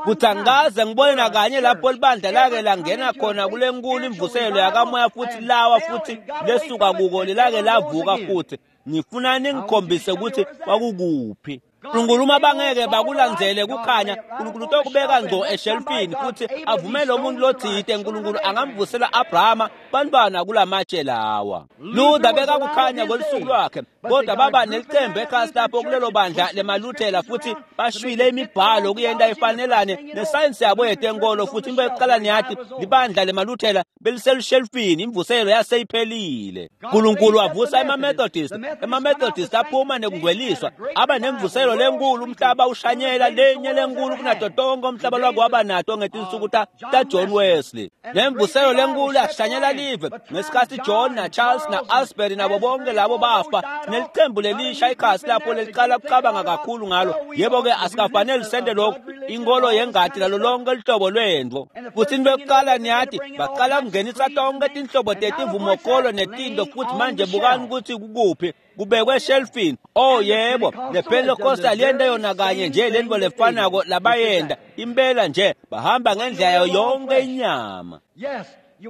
S2: Kuthi angikaze ngibone nakanye lapho libandla lake langena khona kule nkulu imvuselo yakamoya futhi lawa futhi lesuka kuko lilake lavuka futhi. Ngifuna ningikhombise ukuthi kwakukuphi. Nkulunkulu uma bangeke bakulandzele kukhanya, Nkulunkulu utokubeka ngco eshelfini futhi avumele umuntu lotsite. Nkulunkulu angamvusela Abrahama bantwana kulamatshe lawa. Luther beka kukhanya kwelusuku lwakhe, kodwa baba nelicembu ekhasi lapho kulelo bandla lemaluthela futhi bashwile imibhalo kuyenta ifanelane nesayensi yabo yetenkolo. Futhi into yokuqala niyathi libandla lemaluthela beliselushelfini, imvuselo yaseyiphelile. Nkulunkulu wavusa emaMethodist, emaMethodist aphuma nekungcweliswa, aba nemvuselo lenkulu, umhlaba ushanyela lenye lenkulu kunato tonke umhlaba lwako waba nato ngetinsuku ta, ta John Wesley. Nemvuselo lenkulu yashanyela live ngesikhathi John na Charles na Asbury nabo bonke labo bafa. Nelicembu lelisha ikhasi lapho leliqala kucabanga kakhulu ngalo. Yebo-ke asikafanele sente lokhu, inkolo yengati lalo lonke luhlobo lwendvo. Futhi into yokuqala niyathi baqala kungenisa tonke tinhlobo tetivumokolo netinto, futhi manje bukani ukuthi kukuphi kubekwe eshelfini. Oh yebo, nePentecostal yenta yona kanye nje lento lefanako labayenda impela nje, bahamba ngendlela yayo yonke inyama.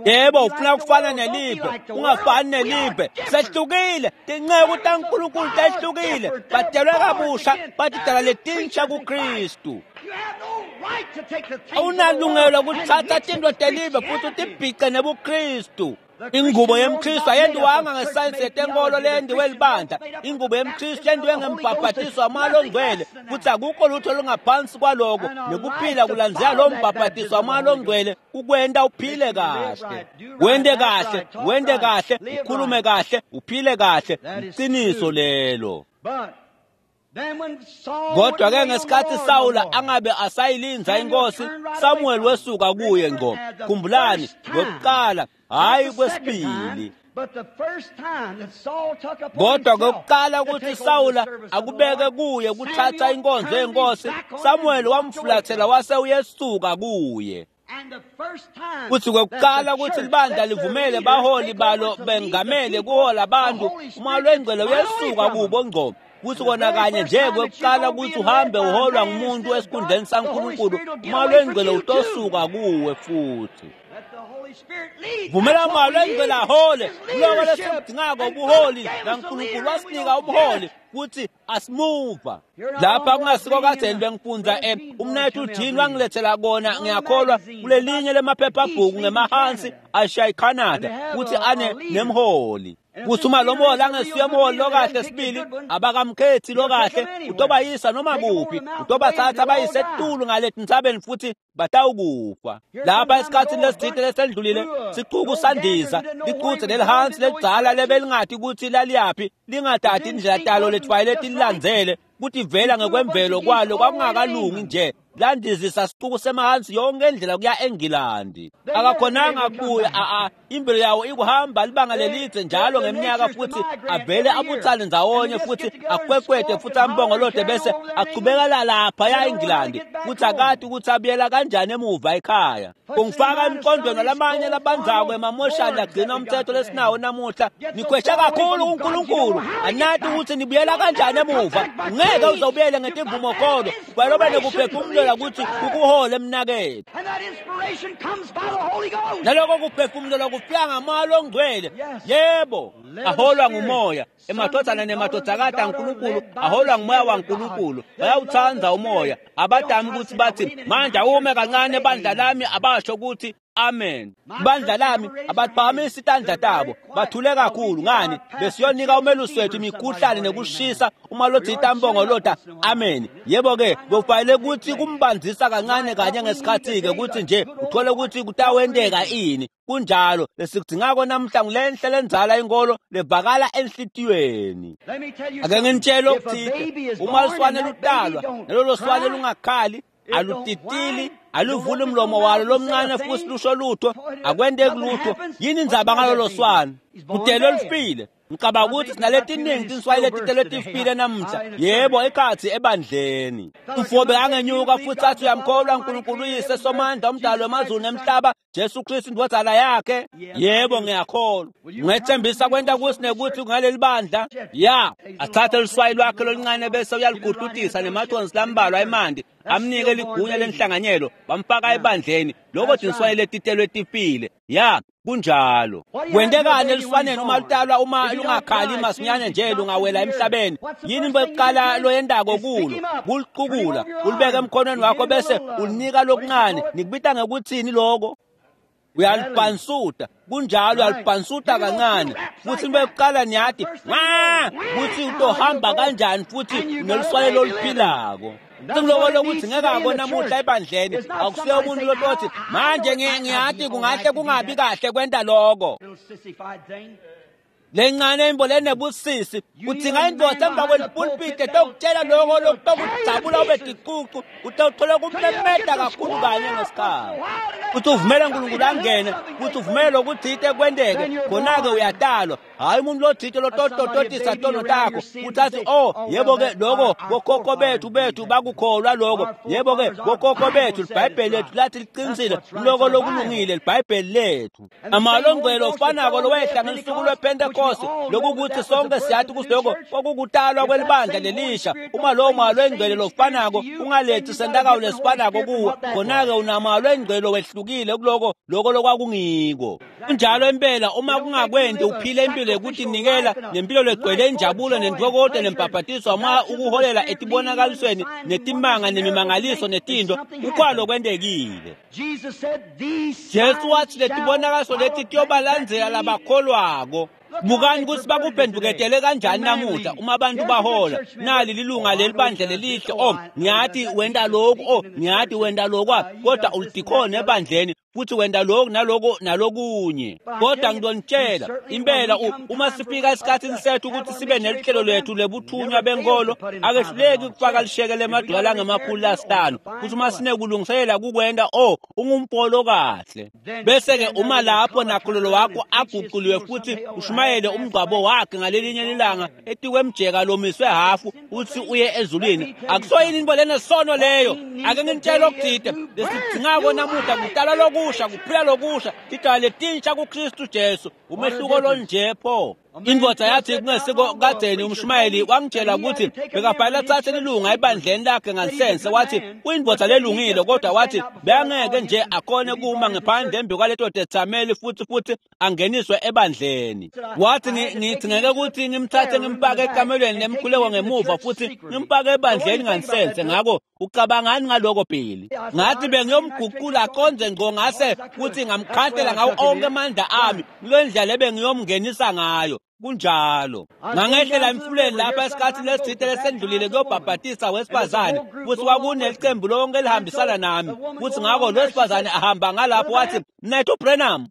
S2: Yebo, ufuna kufana nelive, ungafani nelive. Sehlukile, tinceku taNkulunkulu tehlukile, badelwe kabusha, batidala letinsha kuKristu. Awunalungelo kuthatha tinto telive futhi utibhice nebuKristu. Ingubo yemKristu ayendiwanga ngesayensi yetenkolo leyendiwe libandla. Ingubo yemKristu yendiwe ngembhabhatiso wamoya longcwele, futhi akukho lutho olungaphansi kwaloko. Nekuphila kulandzela lo mbhabhatiso wamoya longcwele kukwenta uphile kahle, wente kahle, wente kahle, ukhulume kahle, uphile kahle. Iqiniso lelo. Kodwa-ke ngesikhathi Sawula angabe asayilindza inkosi, Samuel wesuka kuye ngco. Khumbulani, kwekuqala hayi kwesibili. Kodwa kwekuqala ukuthi Sawula akubeke kuye kuthatha inkonzo yenkosi, Samuel wamfulathela wase uyesuka kuye. Kuthi kwekuqala ukuthi libandla livumele baholi balo bengamele kuhola abantu, umoya lwengcwele uyesuka kubo ngco. Kuthi kona kanye nje kwekuqala ukuthi uhambe uholwa ngumuntu esikhundleni saNkulunkulu, umoya lwengcwele utosuka kuwe futhi. Vumela umoya lwengcwele ahole. Kuloko lesikudingako ubuholi, naNkulunkulu wasinika ubuholi kuthi asimuva. Lapha kungasiko kadzeni bengifundza eh umnethu uJean wangilethela kona, ngiyakholwa kulelinye lemaphephabhuku ngemahansi ashiya iCanada, kuthi ane nemholi. Kuthi uma lo mholi angesuye umholi lokahle sibili, abakamkhethi lokahle, utobayisa noma kuphi, utobathatha bayise etulu ngale tintsabeni futhi batawukufa. Lapha esikhathini lesithile lesendlulile, sicuku sandiza liquthe lelihansi lelidzala lebelingathi ukuthi laliyaphi, lingathathi indlela talo lejwayele tililandzele, kuthi vela ngekwemvelo kwalo kwakungakalungi nje. Landizisa sicuku semahansi yonke indlela kuya eNgilandi. Akakhonanga kubuya, a imvelo yawo ikuhamba libanga lelidze njalo ngeminyaka, futhi avele abuthane ndzawonye futhi akwekwete futhi ambongolode bese achubekela lapha ya eNgilandi, futhi akati ukuthi abuyela kanjani emuva ekhaya. Kungifaka emqondweni lamanye labandzako emamoshani lagcina umthetho lesinawo namuhla. Nikhwesha kakhulu kuNkulunkulu, anati ukuthi nibuyela kanjani emuva. Ngeke uzobuyele ngetimvumokolo, kwalobe nekuphefumulela ukuthi ukuhole emnakethu. Naloko kuphefumulela kufika ngamoya longcwele. Yebo, aholwa ngumoya. Emadvodzana nemadvodzakati aNkulunkulu aholwa ngumoya waNkulunkulu. Bayawutsandza umoya. Abadami ukuthi bathi manje awume kancane bandla lami, abasho ukuthi amen. Bandla lami abaphakamisi tandla tabo, bathule kakhulu. Ngani? Besiyonika umelusi wethu imikhuhlane nekushisa uma lothi itambongolota amen. Yebo-ke kufanele ukuthi kumbandzisa kancane kanye ngesikhathi-ke ukuthi nje uthole ukuthi kutawenteka ini. Kunjalo lesikudingako namhla ngulenhle lendzala inkolo levakala enhlitiyweni. Ake nginitshele okuthile, uma luswane lutalwa nalolo swane lungakhali, alutitili, aluvuli umlomo walo lomncane futhi lusho lutho, akwenteki lutho. Yini indzaba ngalolo swane? Utelwe lufile. Ngicabanga ukuthi sinaletiningi tinswayi letitelwe tifile namuhla. Yebo, ekhathi ebandleni. Umfo angenyuka futhi athi uyamkholwa uNkulunkulu uyise somandla umdali wamazulu nemhlaba Jesu Kristu indvodzana yakhe. Yebo, ngiyakholwa. Ngethembisa kwenta kusinekuthi ngaleli bandla. Ya, athathe luswayi lwakhe loluncane bese uyaligudlutisa nemathonsi lambalwa emanti amnike ligunya lenhlanganyelo bamfaka ebandleni. Lokho tinswayi letitelwe tifile. Ya, kunjalo. Kwentekani eluswaneni uma lutalwa uma lungakhali masinyane nje lungawela emhlabeni? Yini into yokuqala loyendako kulo? Kuliqukula, ulibeke emkhonweni wakho bese ulinika lokuncane. Nikubita ngekuthini lokho? Uyalibhansuta. Kunjalo, uyalibhansuta kancane. Futhi into yokuqala niyathi ma kuthi utohamba kanjani futhi neluswane loluphilako. Singiloko lokuthi ngeke akona namuhla ebandleni akusiyo umuntu lotothi manje ngiyathi kungahle kungabi kahle kwenta lokho. Lencane imbo lenebusisi udzinga indoda emva kwelipulpiti etokutshela lokho lokutokujabula ube ticucu utawuthola kumemeta kakhulu kanye ngesikhathi. Uthi uvumele uNkulunkulu angene, uthi uvumele lokuthite kwenteke, khona-ke uyatalwa. Hhayi umuntu lothite lototototisa tono takho uthathi oh yebo-ke lokho bokhokho bethu bethu bakukholwa lokho, yebo-ke bokhokho bethu libhayibheli lethu lathi liqinisile loko lokulungile libhayibheli lethu. Amalongelo ofanako lowehla ngelusuku lwePentekoste lokukuthi sonke siyathi kusiloko kwakukutalwa kwelibandla lelisha. Uma lowo malo engcwele lofanako ungalethi sentakawo lesifanako kuwe, khona-ke unamalo engcwele wehlukile kuloko loko lokwakungiko. Kunjalo impela uma kungakwenti uphile impilo yokutinikela nempilo legcwele injabulo nentokozo nembhabhatiso uma ukuholela etibonakalisweni netimanga nemimangaliso netinto kukwalo kwentekile. Jesu wathi letibonakaliso leti tiyobalandzela labakholwako. Bukani ukuthi bakuphenduketele kanjani namuhla uma abantu bahola. Nali lilunga lelibandla lelihle, oh ngiyathi wenta lokhu, oh ngiyathi wenta lokwa, kodwa ulidikhona ebandleni futhi wenta lokhu naloko nalokunye. Kodwa ngizonitshela impela uma sifika esikhathini sethu ukuthi sibe nelihlelo lethu lebuthunywa benkolo, akehluleki ukufaka lishekele emadola angemakhulu lasihlanu futhi uma sinekulungiselela kukwenta, oh ungumpolo kahle. Bese-ke uma lapho nakhulolo wakho aguquliwe futhi ushumayele umngcwabo wakhe ngalelinye ilanga etikwemjeka lomiswe hafu uthi uye ezulwini, akusoyini into lenesono leyo. Ake nginitshele okuthide lesidingako namuhla kutalwa lokusha, kuphila lokusha, tidala letinsha kuKristu Jesu. Umehluko lonje pho. Indoda yathi kungesiko kadzeni umshumayeli wangitshela ukuthi bekabhala athathe ilunga ebandleni lakhe ngansense, wathi uyindoda lelungile kodwa wathi bengeke nje akhone kuma ngaphandle embi kwaleto tethameli futhi futhi angeniswe ebandleni. Wathi ngithi ngeke ukuthi ngimthathe ngimpake ekamelweni lemkhuleko ngemuva futhi ngimpake ebandleni ngansense. Ngakho ucabangani ngaloko Billy? Ngathi bengiyomguqula aconze ngqo ngase kuthi ngamkhathela ngawo onke amandla ami kule ndlela ebengiyomngenisa ngayo. Kunjalo. Ngangehlela emfuleni lapha esikhathini lesithile lesendlulile kuyobhabhatisa wesifazane futhi kwakuneqembu lonke elihambisana nami futhi ngakho lo wesifazane ahamba ngalapho wathi Mnethu Branham.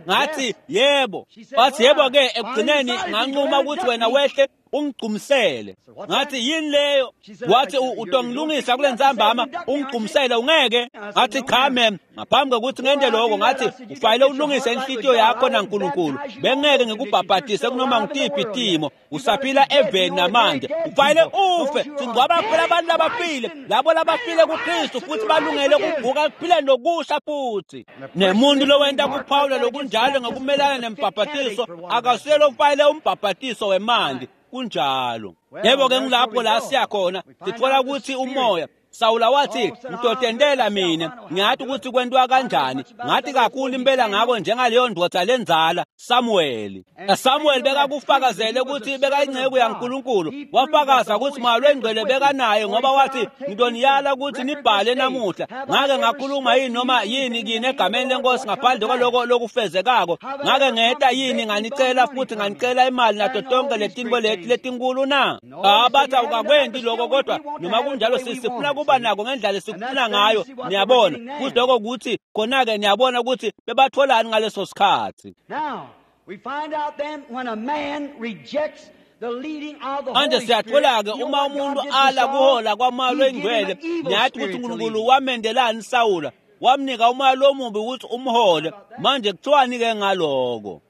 S2: Ngathi yebo. Wathi yebo ke ekugcineni nganquma ukuthi wena wehle ungigqumisele. Ngathi yini leyo? Wathi utongilungisa kule ntsambama ungigqumisele ungeke. Ngathi cha ma'am, ngaphambi kokuthi ngente lokho ngathi ufanele ulungise inhlitiyo yakho naNkulunkulu. Bengeke ngikubhabhatise kunoma ngitiphi timo. Usaphila eveni namanje. Ufanele ufe. Singcwaba kuphela abantu labafile, labo labafile kuKristu futhi balungele ukuvuka kuphila nokusha futhi. Nemuntu lowenta kuphawula lokunjalo ngokumelana nembhabhatiso akasiyelo ufanele umbhabhatiso wemanti. Kunjalo. Yebo ke ngilapho la siyakhona sithola ukuthi umoya Sawula wathi ngitotendela mina ngiyathi ukuthi kwentiwa kanjani, ngathi kakhulu impela ngako njengaleyo ndoda lenzala Samuel. Samuel bekakufakazele ukuthi bekayingceku yaNkulunkulu, wafakaza ukuthi Moya Oyingcwele bekanaye ngoba wathi ngidoniyala ukuthi nibhale namuhla ngake ngakhuluma yini noma yini kini egameni lenkosi ngaphandle kwaloko lokufezekako, ngake ngeta yini nganicela futhi nganicela imali nato tonke letinto leti letinkulu na? Abathi awukakwenti lokho, kodwa noma kunjalo sisifuna kuba nako ngendlela esikufuna ngayo. Niyabona futhi lokho kuthi khona-ke niyabona ukuthi bebatholani ngaleso sikhathi. Manje siyathola-ke uma umuntu ala kuhola kwaMoya Oyingcwele, niyathi ukuthi uNkulunkulu wamendelani Sawula? Wamnika umoya lomubi ukuthi umhole. Manje kuthiwani-ke ngaloko?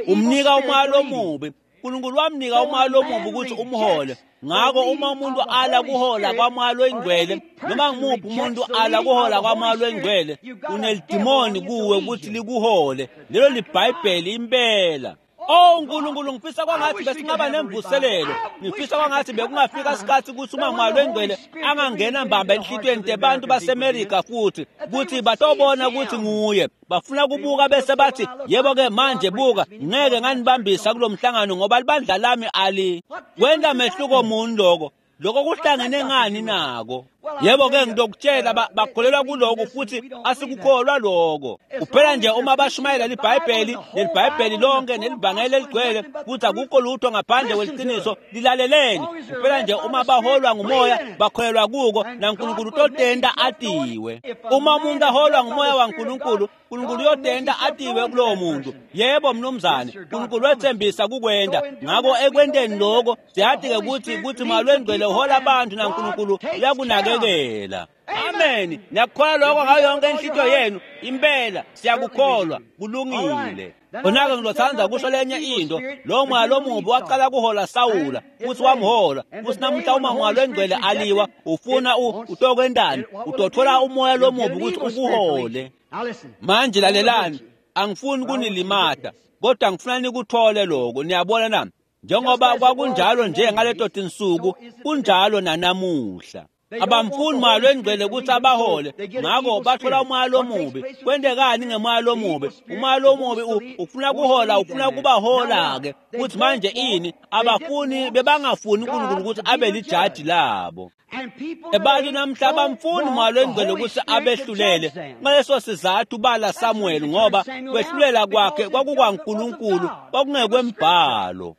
S2: Umnika umoya lomubi. uNkulunkulu wamnika umoya lomubi ukuthi umhole. Ngakho uma umuntu ala kuhola kwamoya loyingcwele, noma ngimuphi umuntu ala kuhola kwamoya loyingcwele, unelidimoni kuwe ukuthi likuhole. Lelo liBhayibheli impela. Oh uNkulunkulu, ngifisa kwangathi besingaba nemvuselelo. Ngifisa kwangathi bekungafika isikhathi ukuthi uma umoya loyingcwele angangena mbamba enhlitiyweni tebantu baseMerika futhi ukuthi batobona ukuthi nguye. Bafuna kubuka bese bathi, yebo-ke manje buka, ngeke nganibambisa kulo mhlangano ngoba libandla lami ali. Kwenta mehluko muni loko? Lokho kuhlangene ngani nako? Yebo-ke ngitokutshela, bakholelwa kuloko futhi asikukholwa lokho. Kuphela nje uma bashumayela liBhayibheli, leliBhayibheli lonke nelivangeli eligcwele, futhi akukho lutho ngaphandle kweliciniso, lilaleleni. Kuphela nje uma baholwa ngumoya, bakholelwa kuko, naNkulunkulu utotenta atiwe. Uma umuntu aholwa ngumoya waNkulunkulu, uNkulunkulu uyotenta atiwe kulowo muntu. Yebo mnumzane, uNkulunkulu wethembisa kukwenta. Ngakho ekwenteni lokho, siyati-ke ukuthi ukuthi umoya loyingcwele uhola abantu naNkulunkulu uyakunakekela. Amen. Niyakukholwa lokho ngayo yonke inhlitiyo yenu? Impela siyakukholwa, kulungile. Khona-ke ngizothanda kusho lenye into. Lo moya lomubi waqala kuhola Sawula futhi wamhola. Futhi namuhla uma umoya loyingcwele aliwa, ufuna utokwentani? Utothola umoya lomubi ukuthi ukuhole. Manje lalelani, angifuni kunilimata, kodwa ngifuna nikuthole lokho. Niyabona na? Njengoba kwakunjalo nje ngaleto tinsuku, kunjalo nanamuhla. Abamfuni umoya loyingcwele ukuthi abahole, ngakho bathola umoya lomubi. Kwentekani ngemoya lomubi? Umoya lomubi ufuna kuhola, ufuna kubahola-ke. Futhi manje ini? Abafuni, bebangafuni uNkulunkulu ukuthi abe lijaji labo. Abantu namhla abamfuni umoya loyingcwele ukuthi abehlulele. Ngaleso sizathu bala Samuel, ngoba kwehlulela kwakhe kwakukwaNkulunkulu, kwakungekwembhalo.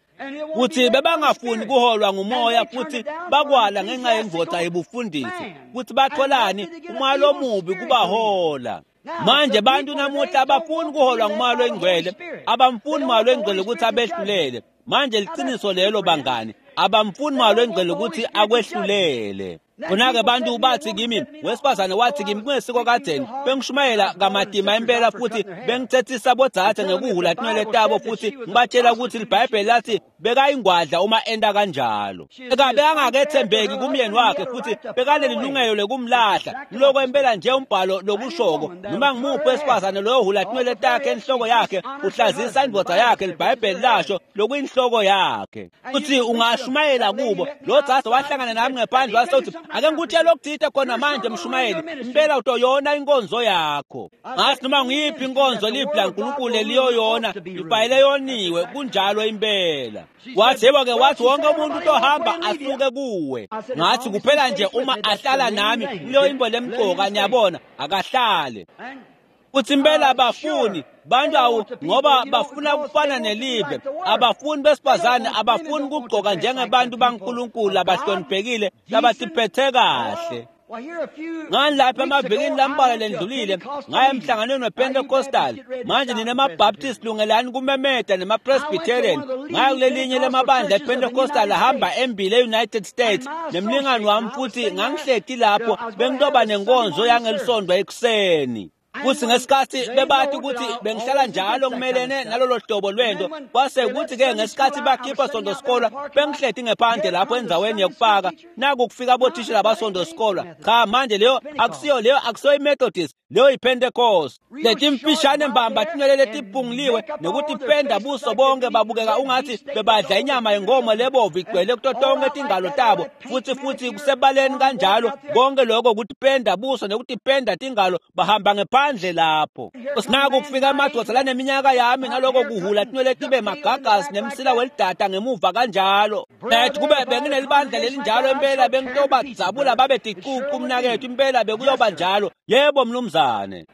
S2: Kuthi bebangafuni kuholwa ngumoya futhi bakwala ngenxa yendvodza yebufundisi. Kuthi batholani? Umoya lomubi kubahola. Manje bantu namuhla abafuni kuholwa ngumoya loyingcwele, abamfuni umoya loyingcwele ukuthi abehlulele. Manje liqiniso lelo bangani, abamfuni umoya loyingcwele ukuthi akwehlulele. Khona-ke bantu bathi kimi, wesifazane wathi kimi kungesiko kadzeni, bengishumayela kamatima impela futhi bengithethisa bodzadze ngekuhula tinwele tabo futhi ngibatshela ukuthi liBhayibheli lathi bekayingwadla uma enta kanjalo. Bekangakethembeki kumyeni wakhe futhi bekanelilungelo lekumlahla. Loko impela nje umbhalo lokushoko. Noma ngimuphi wesifazane loyohula tinwele takhe enhloko yakhe uhlazisa indvodza yakhe, liBhayibheli lasho lokuyinhloko yakhe. Futhi ungashumayela kubo. Lo dzadze wahlangana nami ngephandle wase uthi, ake ngikutshele okuthile khona manje mshumayeli, impela utoyona inkonzo yakho. Ngathi noma ngiyiphi inkonzo livi laNkulunkulu eliyoyona, ifanele yoniwe, kunjalo impela. Wathi yebo-ke, wathi wonke umuntu utohamba asuke kuwe. Ngathi kuphela nje uma ahlala nami kuleyo imbo lemcoka, niyabona, akahlale. Futhi impela abafuni bantu awu, ngoba bafuna kufana nelive. Abafuni besifazane, abafuni kugcoka njengebantu baNkulunkulu abahloniphekile labatiphethe kahle. Ngani lapha emavikini lambalwa lendlulile ngaya emhlanganweni wePentecostal. Manje nina maBaptist lungelani kumemeta nemaPresbyterian. Ngaya kulelinye lemabandla ePentecostal ahamba embili e-United States nemlingani wami, futhi ngangihleti lapho bengitoba nenkonzo yangelisonto ekuseni. Futhi ngesikhathi bebathi ukuthi bengihlala njalo ngimelene nalolo hlobo lwento, kwase kuthi-ke ngesikhathi bakhipha sonto sikolwa, bengihleti ngephandle lapho endzaweni yokupaka, naku kufika bothishela basonto sikolwa. Cha, manje leyo akusiyo, leyo akusiyo iMethodist, leyo yiPentecost. Letimfishane mbamba tinwele letiphunguliwe nekutipenda buso bonke, babukeka ungathi bebadla inyama yenkomo lebovu igcwele kuto tonke tingalo tabo, futhi futhi kusebaleni kanjalo konke lokho kutipenda buso nekutipenda tingalo, bahamba ngephandle lapho. Sinaku kufika amadoda laneminyaka yami naloko kuhula tinwele tibe magagasi nemsila welidada ngemuva kanjalo. Nathi kube benginelibandla lelinjalo impela bengitobadzabula babe ticucu mnakethu, impela bekuyoba njalo. Yebo mnumzane.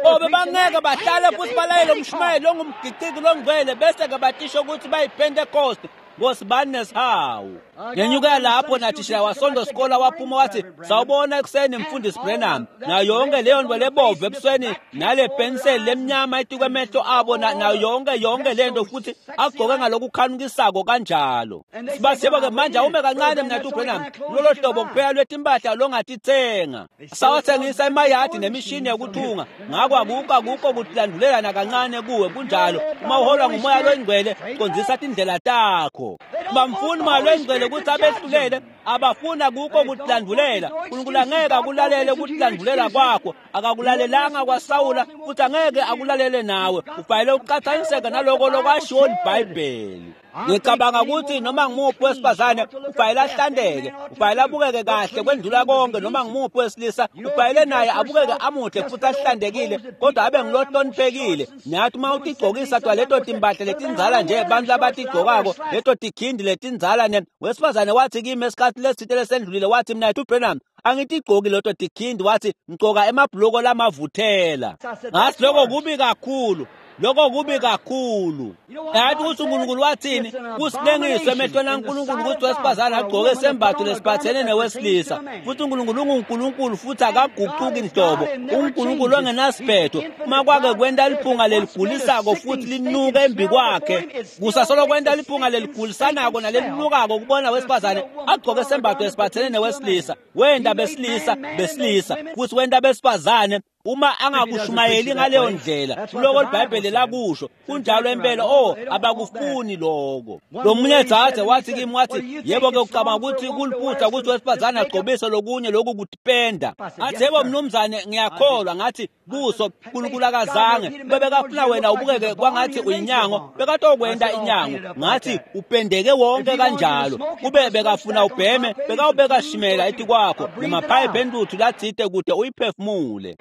S2: Oh, bebangeke bahlale futhi balayele umshumayeli ongumgiqiki longcwele bese-ke batisho ukuthi bayiPentecost. Nkosi bani nesihawu. Ngenyukela lapho nathishela wasonto sikola waphuma wathi sawubona ekuseni mfundisi Branham, nayo yonke leyo nto lebovu ebusweni nale penseli lemnyama etikwemehlo abo nayo yonke yonke lento futhi agqoke ngalokukhanukisako kanjalo. Sibathi yebo ke manje awume kancane mna Branham, lolo hlobo kuphela lwetimpahla longatitsenga. Sawathengisa emayadi nemishini yokuthunga, ngakho akukho akukho kutilandulelana kancane kuwe. Kunjalo, uma uholwa ngumoya loyingcwele qondzisa tindlela takho. Bamfuni moya loyingcwele ukuthi abehlulele, abafuna kukho kutilandulela. uNkulunkulu angeke akulalele ukutilandulela kwakho, akakulalelanga kwaSawula futhi angeke akulalele nawe. Ufanele uqhathaniseke naloko lokwashiwo liBhayibheli. Ngicabanga ukuthi noma ngimuphi wesifazane ufanele ahlandeke, ufanele abukeke kahle kwendlula konke. Noma ngimuphi wesilisa ufanele naye abukeke amuhle futhi ahlandekile, kodwa abe ngilohloniphekile. Nathi uma utigcokisa twa leto timpahla letindzala nje abantu labatigcokako, leto tikhindi letindzala ne wesifazane wathi kimi esikhathi lesithile lesendlulile, wathi mina Branham angitigcoki leto tikhindi, wathi ngigcoka emabhuloko lamavuthela. Ngathi lokho kubi kakhulu, lokho kubi kakhulu. Yathi ukuthi uNkulunkulu wathini? Kusilengiso emehlweni kaNkulunkulu ukuthi wesifazane agqoke isembatho lesiphathene newesilisa. Futhi uNkulunkulu unguNkulunkulu futhi akaguquki nhlobo. UNkulunkulu ongenasiphetho. Uma kwake kwenta liphunga leligulisako futhi linuke embi kwakhe, kusasolo kwenta liphunga leligulisanako nalelinukako kubona wesifazane agqoke isembatho esiphathene newesilisa. Wenda besilisa besilisa futhi wenda besifazane. Uma angakushumayeli ngaleyo ndlela, kuloko iBhayibheli lakusho kunjalo impela. Oh, abakufuni lokho. Lo munye dzadze wathi kimi, wathi yebo ke ucabanga ukuthi kuliphutha ukuthi wesifazane agcobise lokunye lokhu kutipenda. Ngathi yebo mnumzane, ngiyakholwa. Ngathi buso uNkulunkulu akazange bebekafuna wena ubukeke kwangathi uyinyango, bekatokwenta inyango. Ngathi upendeke wonke kanjalo, kube bekafuna ubheme bekawubeka shimela etikwakho nemaphayiphi entuthu latsite kude uyiphefumule.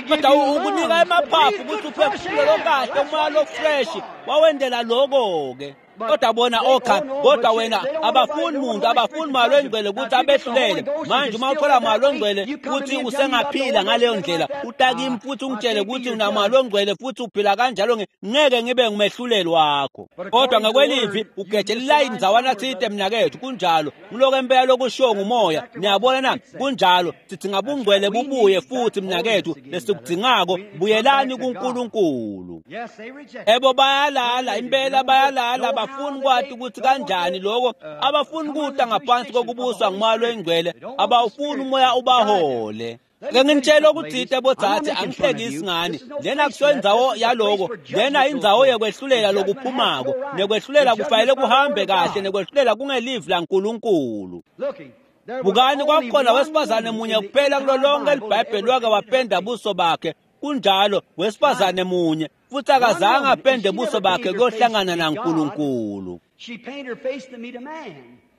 S2: Kodwa ukunika emaphaphu ukuthi uphefumule lokahle, umoya lo-fresh wawendela loko-ke. Kodwa bona okha, kodwa wena abafuni muntu, abafuni moya loyingcwele ukuthi abehlulele. Manje uma uthola moya loyingcwele futhi usengaphila ngaleyo ndlela, utakimi futhi ungitshele ukuthi unamoya loyingcwele futhi uphila kanjalo, ngeke ngibe ngumehluleli wakho. Kodwa ngokwelivi ugejela ilayini ndzawana tsite mnakethu. Kunjalo, ngiloko impela lokushiwo ngumoya. Niyabona na? Kunjalo, sithi ngabungcwele bubuye futhi mnakethu, lesikudzingako buyelani kuNkulunkulu. Ebo bayalala impela, bayalala. Abafuni kwathi ukuthi kanjani lokho, abafuni kuta ngaphansi kokubuswa ngumoya loyingcwele, abawufuni umoya ubahole. Ke nginitshela ukuthi bodzadze, angihlekisi ngani. Lena kusiyo indzawo yaloko, lena indzawo yekwehlulela lokuphumako, nekwehlulela kufanele kuhambe kahle, nekwehlulela kungelivi laNkulunkulu. Bukani, kwakukhona wesifazane munye kuphela kulo lonke liBhayibheli wake wapenda buso bakhe. Kunjalo, wesifazane munye futhi akazange apende buso bakhe kuyohlangana naNkulunkulu.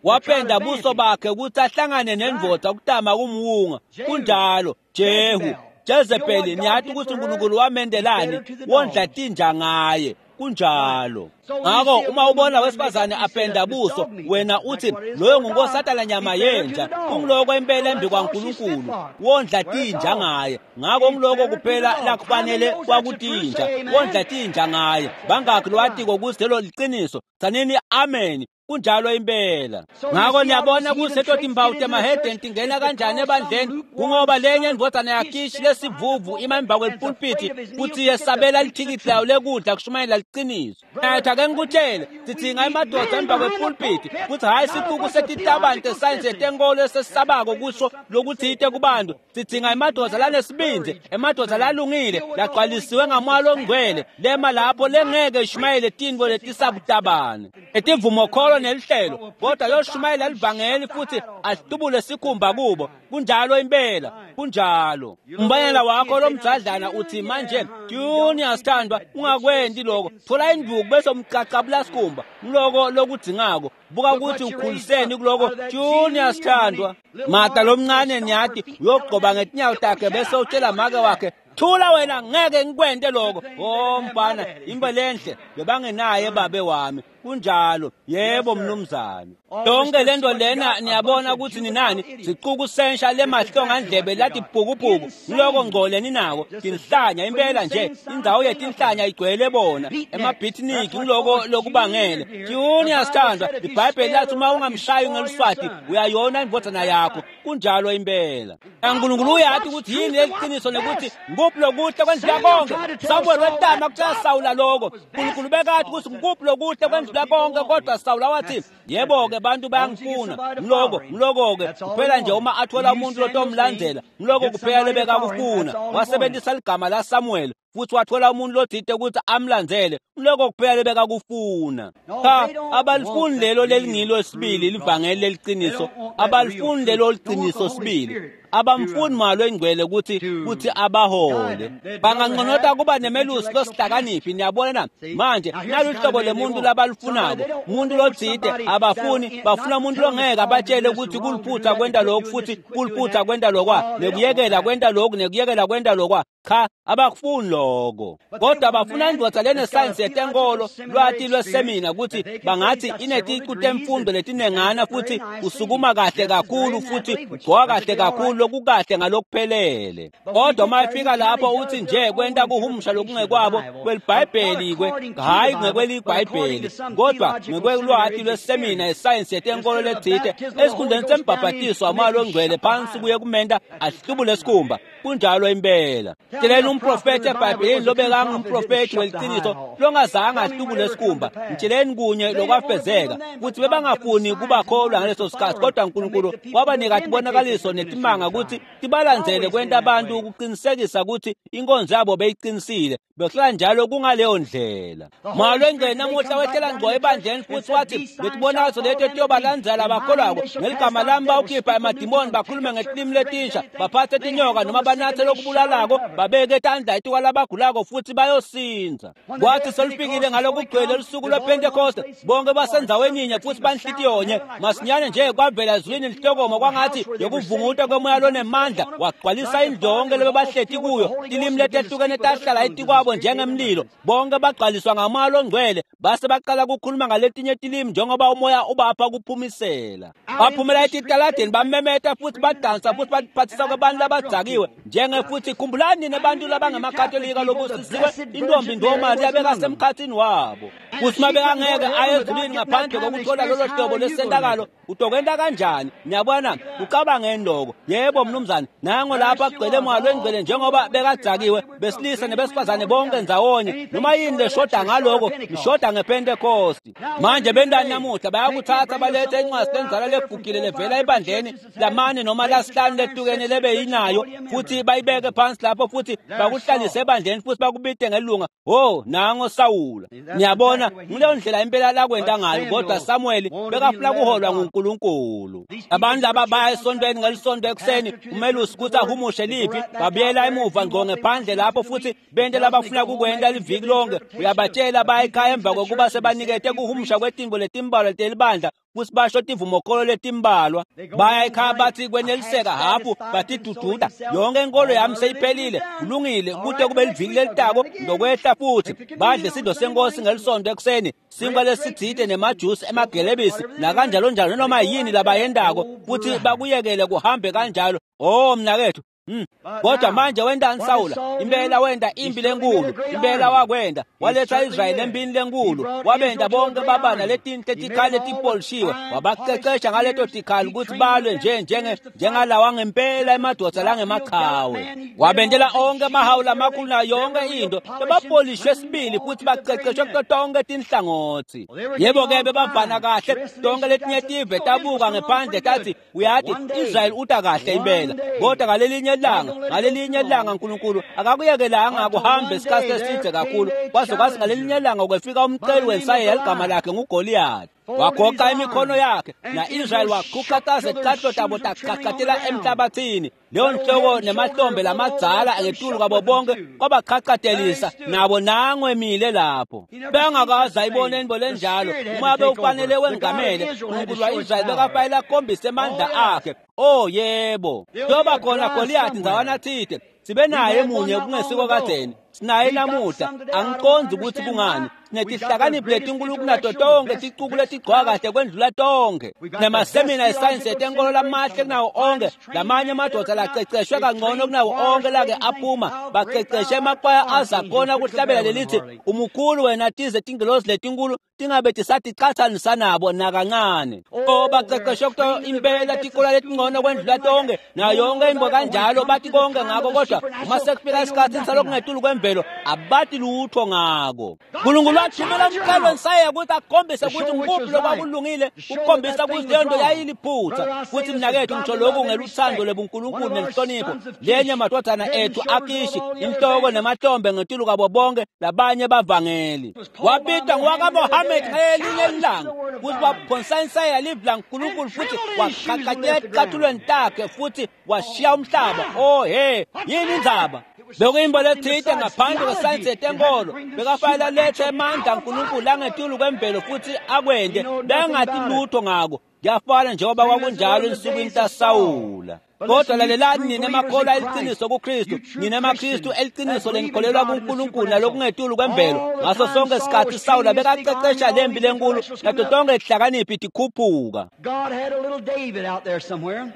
S2: Wapenda buso bakhe ukuthi ahlangane nendvodza kutama kumwunga. Kunjalo, Jehu, Jezebeli, niyathi ukuthi uNkulunkulu wamendelani, wondla tinja ngaye. Kunjalo. Ngakho uma ubona wesifazane apenda buso, wena uthi loyo ngunkosatana nyama yenja, kungiloko impela embi kwaNkulunkulu, wondla tinja ngaye. Ngakho ngiloko kuphela lakufanele kwakutinja, wondla tinja ngaye. Bangakhi lowatiko ukuthi lelo liqiniso? Tsanini amen. Kunjalo impela. Ngakho niyabona kuseto timpawu temahedeni tingena kanjani ebandleni, kungoba lenye indvodzana yaKishi lesivuvu ima emva kwepulpiti futhi yesabela lithikithi layo lekudla kushumayela liqiniso. Nathi ake ngikutshele, sidzinga emadoda emva kwepulpiti futhi hhayi sicuku setitabane tesayensi yetenkolo esesisabako kusho lokuthite kubantu. Sidzinga emadoda lanesibindzi, emadoda lalungile, lagcwalisiwe ngamoya longcwele, lema lapho lengeke ishumayele tintfo letisabutabane etivumokholo nelihlelo, kodwa yoshumayela livangeli futhi ahlubule sikhumba kubo. Kunjalo impela, kunjalo. Umbayela wakho lomdzadlana uthi manje Junior sithandwa, ungakwendi lokho, thola induku bese umcacabula sikhumba. Ngiloko lokudzingako. Buka ukuthi ukhuliseni kuloko Junior sithandwa. Mata lomncane niyati uyogqoba ngetinyawo takhe bese utshela make wakhe, thula wena, ngeke ngikwente lokho. Oh mfana, imbe lenhle bebangenaye babe wami. Kunjalo. Yebo mnumzane. Yonke lento lena niyabona ukuthi ninani sicuku sensha lemahlongandlebe lathi bhukubhuku loko ngcole ninako tinhlanya impela nje indzawo yetinhlanya igcwele bona emabhitniki ngiloko lokubangele junior sithandwa iBhayibheli lathi uma ungamshayi ngeluswati uyayona indvodzana yakho. Kunjalo impela. uNkulunkulu uyathi ukuthi yini leliqiniso nekuthi nguphi lokuhle kwendlula konke. Samuel wetama kutshela Sawula lokho. uNkulunkulu bekathi ukuthi nguphi lokuhle kwendlula konke, kodwa Sawula wathi yebo ke bantu bayangifuna ngiloko ngiloko ke kuphela nje uma athola umuntu lotomlandzela ngiloko kuphela lebekakufuna. Wasebenzisa ligama la Samuel futhi wathola umuntu lothite ukuthi amlandzele ngiloko kuphela lebekakufuna. Cha, abalifuni lelo lelingilo sibili livangeli leliqiniso, abalifuni lelo liqiniso sibili, abamfuni malo engcwele ukuthi ukuthi abahole. Banganconota kuba nemelusi losihlakaniphi. Niyabona na manje naluhlobo lemuntu labalifunako, umuntu lothite abafuni, bafuna umuntu longeke abatshele ukuthi kuliphutha kwenta lokhu futhi kuliphutha kwenta lokwa nekuyekela kwenta lokhu nekuyekela kwenta lokwa. Cha, abakufuni lokho, kodwa bafuna indvodza lenesayensi yetenkolo lwati lwesemina ukuthi bangathi ineticu temfundo letinengana futhi usukuma kahle kakhulu futhi ugcoka kahle kakhulu lokukahle ngalokuphelele. Kodwa uma efika lapho uthi nje kwenta kuhumusha lokungekwabo kweliBhayibheli kwe hayi ngekweliBhayibheli kodwa ngekwelwati lwesemina yesayensi yetenkolo lethite esikhundleni sembhabhatiso wamoya longcwele phansi kuye kumenta ahlubule sikhumba. Kunjalo impela. Tsheleni umprofethi eBhayibhelini lobekangumprofethi weliqiniso longazange ahlubule sikhumba. Mtsheleni kunye lokwafezeka kuthi bebangafuni kubakholwa ngaleso sikhathi, kodwa uNkulunkulu wabanika tibonakaliso netimanga ukuthi tibalandzele kwenta abantu ukuqinisekisa ukuthi inkonzo yabo beyiqinisile. Bekuhlala njalo kungaleyo ndlela. Moya longcwele namuhla wehlela ngco ebandleni futhi wathi letibonakaliso leti etiyobalandzela abakholwako ngeligama lami bawukhipha emadimoni, bakhulume ngetilimi letinsha, baphathe tinyoka noma banathe lokubulalako, babeke tandla etikwalabagulako futhi bayosinza. Kwathi solufikile ngalokugcwele lusuku lwePentekoste, bonke basendzaweni yinye futhi banhlitiyonye. Masinyane nje kwavela ezulwini lihlokoma kwangathi yokuvunguta kwemoya lonemandla wagcwalisa indlu yonke lebebahleti kuyo. Tilimi letehlukene tahlala etikwabo njengemlilo. Bonke bagcwaliswa ngamoya longcwele base baqala ukukhuluma ngaletinye tilimi njengoba umoya ubapha kuphumisela. Baphumela etitaladeni bamemeta futhi badansa futhi baphathisa kwabantu labadzakiwe njenge futhi khumbulani nebantu labangamakatolika lobusisiwe intombi ndoMariya bekasemkhathini wabo. Futhi mabekangeke aye ezulwini ngaphandle kokuthola lolo hlobo lwesentakalo utokwenta kanjani? Niyabona, ucabangeni lokho. Yebo mnumzane, nango lapha agcwele moya longcwele njengoba bekadzakiwe besilisa nebesifazane bonke ndzawonye. Noma yini leshoda ngaloko ishoda ngePentecost. Manje bentani namuhla bayakuthatha balethe incwadi lenzala legugile levela ebandleni lamane noma lasihlanu lehlukene lebeyinayo futhi bayibeke phansi lapho futhi bakuhlalise ebandleni futhi bakubite ngelunga. Oh, nango Sawula. Niyabona ngileyo ndlela impela lakwenta ngayo. Kodwa Samuel bekafuna kuholwa nguNkulunkulu. Abantu laba baya esontweni ngelisonto ekuseni umelusi ukuthi ahumushe liphi, babuyela emuva ngqo ngephandle lapho futhi bente labafuna kukwenta liviki lonke. Uyabatshela baya ekhaya emva kokuba sebanikete kuhumusha kwetimbo letimbalwa telibandla futhi basho tivumokholo letimbalwa. Baya ekhaya bathi kweneliseka hafu batidududa yonke inkolo yami seyiphelile, kulungile kude kube liviki lelitako ndokwehla futhi badle sidlo senkosi ngelisonto ekuseni, sinkwa lesitsite nemajusi emagelebisi nakanjalo njalo noma yini labayendako futhi bakuyekele kuhambe kanjalo. Oh mnakethu. Hmm. Kodwa manje wentani Sawula? Impela wenta impi lenkulu, impela wakwenda waletha Israyeli empini lenkulu, wabenda bonke baba naletinhle tikhali letipolishiwe, wabaqeqesha ngaleto tikhali ukuthi balwe nje njenge njengalawa ngempela emadoda langemaqhawe. Wabendela onke amahawu lamakhulu nayo yonke into, bebapolishwe sibili futhi baqeqeshwe kuto tonke tinhlangothi. Yebo ke bebavana kahle, tonke letinye tive tabuka ngephandle tathi uyathi Israyeli uta kahle impela. Kodwa ngalelinye ilanga ngalelinye ilanga uNkulunkulu akakuyekelanga kuhambe isikhathi eside kakhulu, kwaze kwathi ngalelinye ilanga kwefika umceli wensayeya ligama lakhe nguGoliath. Wagoqa imikhono yakhe na-Israyeli waguqaqaza ticathulo tabo taqhaqhatela emhlabathini. Leyo nhloko nemahlombe lamadzala ngetulu kwabo bonke kwabaqhaqhatelisa nabo nangwemile lapho. Bengakaze ayibone into lenjalo. Uma bewufanele wengamele uNkulunkulu wa-Israyeli bekafanele akhombise amandla akhe. Oh yebo, kuyoba khona Goliath ndzawana thide sibe naye munye kungesiko kadzeni. Sinaye namuhla, angiqondzi ukuthi kungani. Sinetihlakaniphi letinkulu kunato tonke, ticuku letigcoka kahle kwendlula tonke. Nemasemina esayensi yetenkolo lamahle kunawo onke, lamanye amadvodza laceceshwe kangcono kunawo onke lake aphuma, baceceshe emakwaya azakhona kuhlabela lelithi umukhulu wena tize tingelosi letinkulu tingabe tisaticatsanisa nabo nakancane. O baceceshwe kuto impela tikola letingcono kwendlula tonke, nayo yonke into kanjalo, bathi konke ngako, kodwa uma sekufika isikhathi salokungetulu kwemvelo abati lutho ngako. Nkulunkulu wathumela umqalo wensaya ukuthi akhombise ukuthi ngikuphi lokwakulungile, ukukhombisa ukuthi leyo nto yayiliphutha. Futhi mnakethu ngisho lokhu ngeluthando lwebuNkulunkulu nenhlonipho, lenye amadodana ethu akishi inhloko nemahlombe ngetulu kwabo bonke labanye bavangeli. Wabitwa ngowakaMohammed ngelinye ilanga ukuthi waphonsa insaya livi laNkulunkulu futhi waqhaqhaqela eticathulweni takhe futhi washiya umhlaba. Oh he, yini indzaba? Bekuyimbo lethite ngaphandle kwesayensi yetenkolo, bekafanele alethe amandla aNkulunkulu langetulu kwemvelo futhi akwente, bengathi lutho ngako. Kuyafana njengoba kwakunjalo ensukwini taSawula. Kodwa lalelani nina emakholwa eliqiniso kuKristu, nina emaKristu eliqiniso lenikholelwa kuNkulunkulu nalokungetulu kwemvelo. Ngaso sonke isikhathi Sawula bekaqeqesha lempi lenkulu nato tonke tihlakaniphi tikhuphuka.
S1: God had a little David out there somewhere.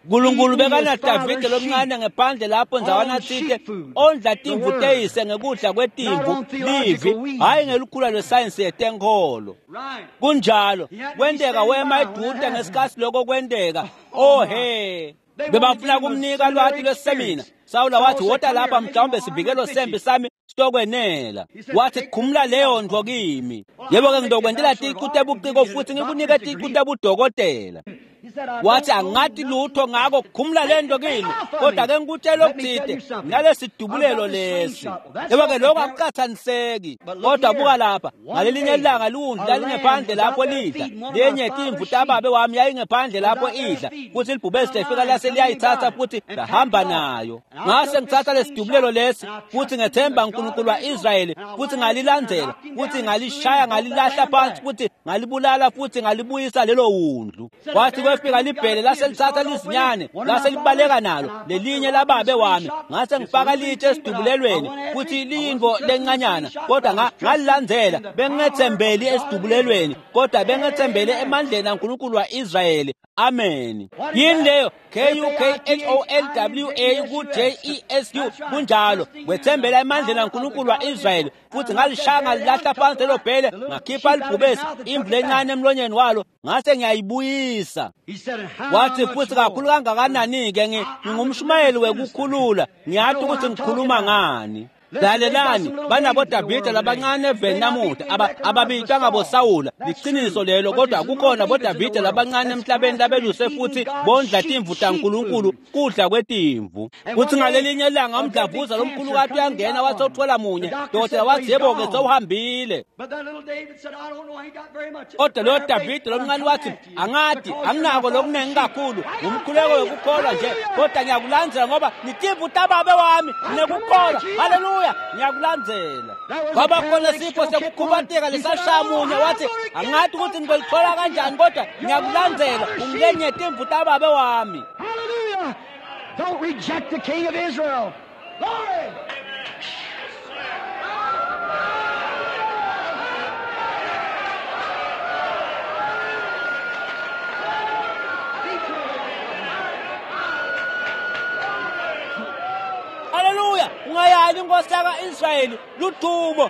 S2: Nkulunkulu bekanaDavide lomncane ngephandle lapho ndzawana tsite ondla timvu teyise ngekudla kwetimvu livi, hhayi ngelukhula lwesayensi yetenkholo. Kunjalo kwenteka wema edude ngesikhathi lokho kwenteka. Oh he, bebafuna kumnika lwati lwesemina. Sawula wathi wota lapha, mhlawumbe sivikelo sempi sami sitokwenela. Wathi khumula leyo ntfo kimi. Yebo-ke ngitokwentela ticu tebuciko futhi ngikunike ticu tebudokotela. Wathi angathi lutho ngako, khumula lento kimi, kodwa ke ngikutshela okuthite nalesidubulelo lesi. Yebo-ke lokho akuqathaniseki. Kodwa buka lapha, ngalelinye ilanga liwundlu lalingephandle lapho lidla, lenye timvu tababe wami yayingephandle lapho idla, futhi libhubesi lefika lase liyayithatha futhi lahamba nayo. Ngase ngithatha lesidubulelo lesi futhi ngethemba uNkulunkulu wa-Israyeli futhi ngalilandzela futhi ngalishaya ngalilahla phansi futhi ngalibulala futhi ngalibuyisa lelo wundlu. Wathi kwefika libhele lase lithatha lizinyane lase libaleka nalo lelinye lababe wami, ngase ngifaka litshe esidubulelweni futhi liyinto lencanyana, kodwa ngalilandzela. Bengingethembeli esidubulelweni kodwa bengethembele emandleni aNkulunkulu wa-Israyeli. Amen. Yini leyo? K U K H O L W A ku J E S U. Kunjalo, wethembela emandleni aNkulunkulu wa-Israyeli futhi ngalishaya ngalilahla phansi lelo bhele, ngakhipha libhubesi imvu lencane emlonyeni walo, ngase ngiyayibuyisa. Wathi futhi kakhulu kangakanani-ke ngingumshumayeli wekukhulula, ngiyathi ukuthi ngikhuluma ngani. Lalelani, banabo Davide labancane eveni namuhla ababitwa ngaboSawula, liqiniso lelo, kodwa kukhona boDavide labancane emhlabeni labeluse futhi bondla timvu taNkulunkulu kudla kwetimvu. Kuthi ngalelinye ilanga umdlavuza lomkhulukati uyangena wathi uthola munye, dokotela wathi yebo-ke sewuhambile. Kodwa loyo Davide lomncane wathi angathi anginako lokunengi kakhulu, ngumkhuleko wekukholwa nje, kodwa ngiyakulandzela ngoba nitimvu tababe wami, nginekukholwa. Haleluya, ngiyakulandzela. Kwaba khona sipho sekukhubateka lesashaya munye, wathi angathi ukuthi ngizolithola kanjani, kodwa ngiyakulandzela, ungilenye timvu tababe wami.
S1: Hallelujah! Don't reject the King of Israel. Glory!
S2: Haleluya, ungayali inkosi yaka-Israyeli ludumo.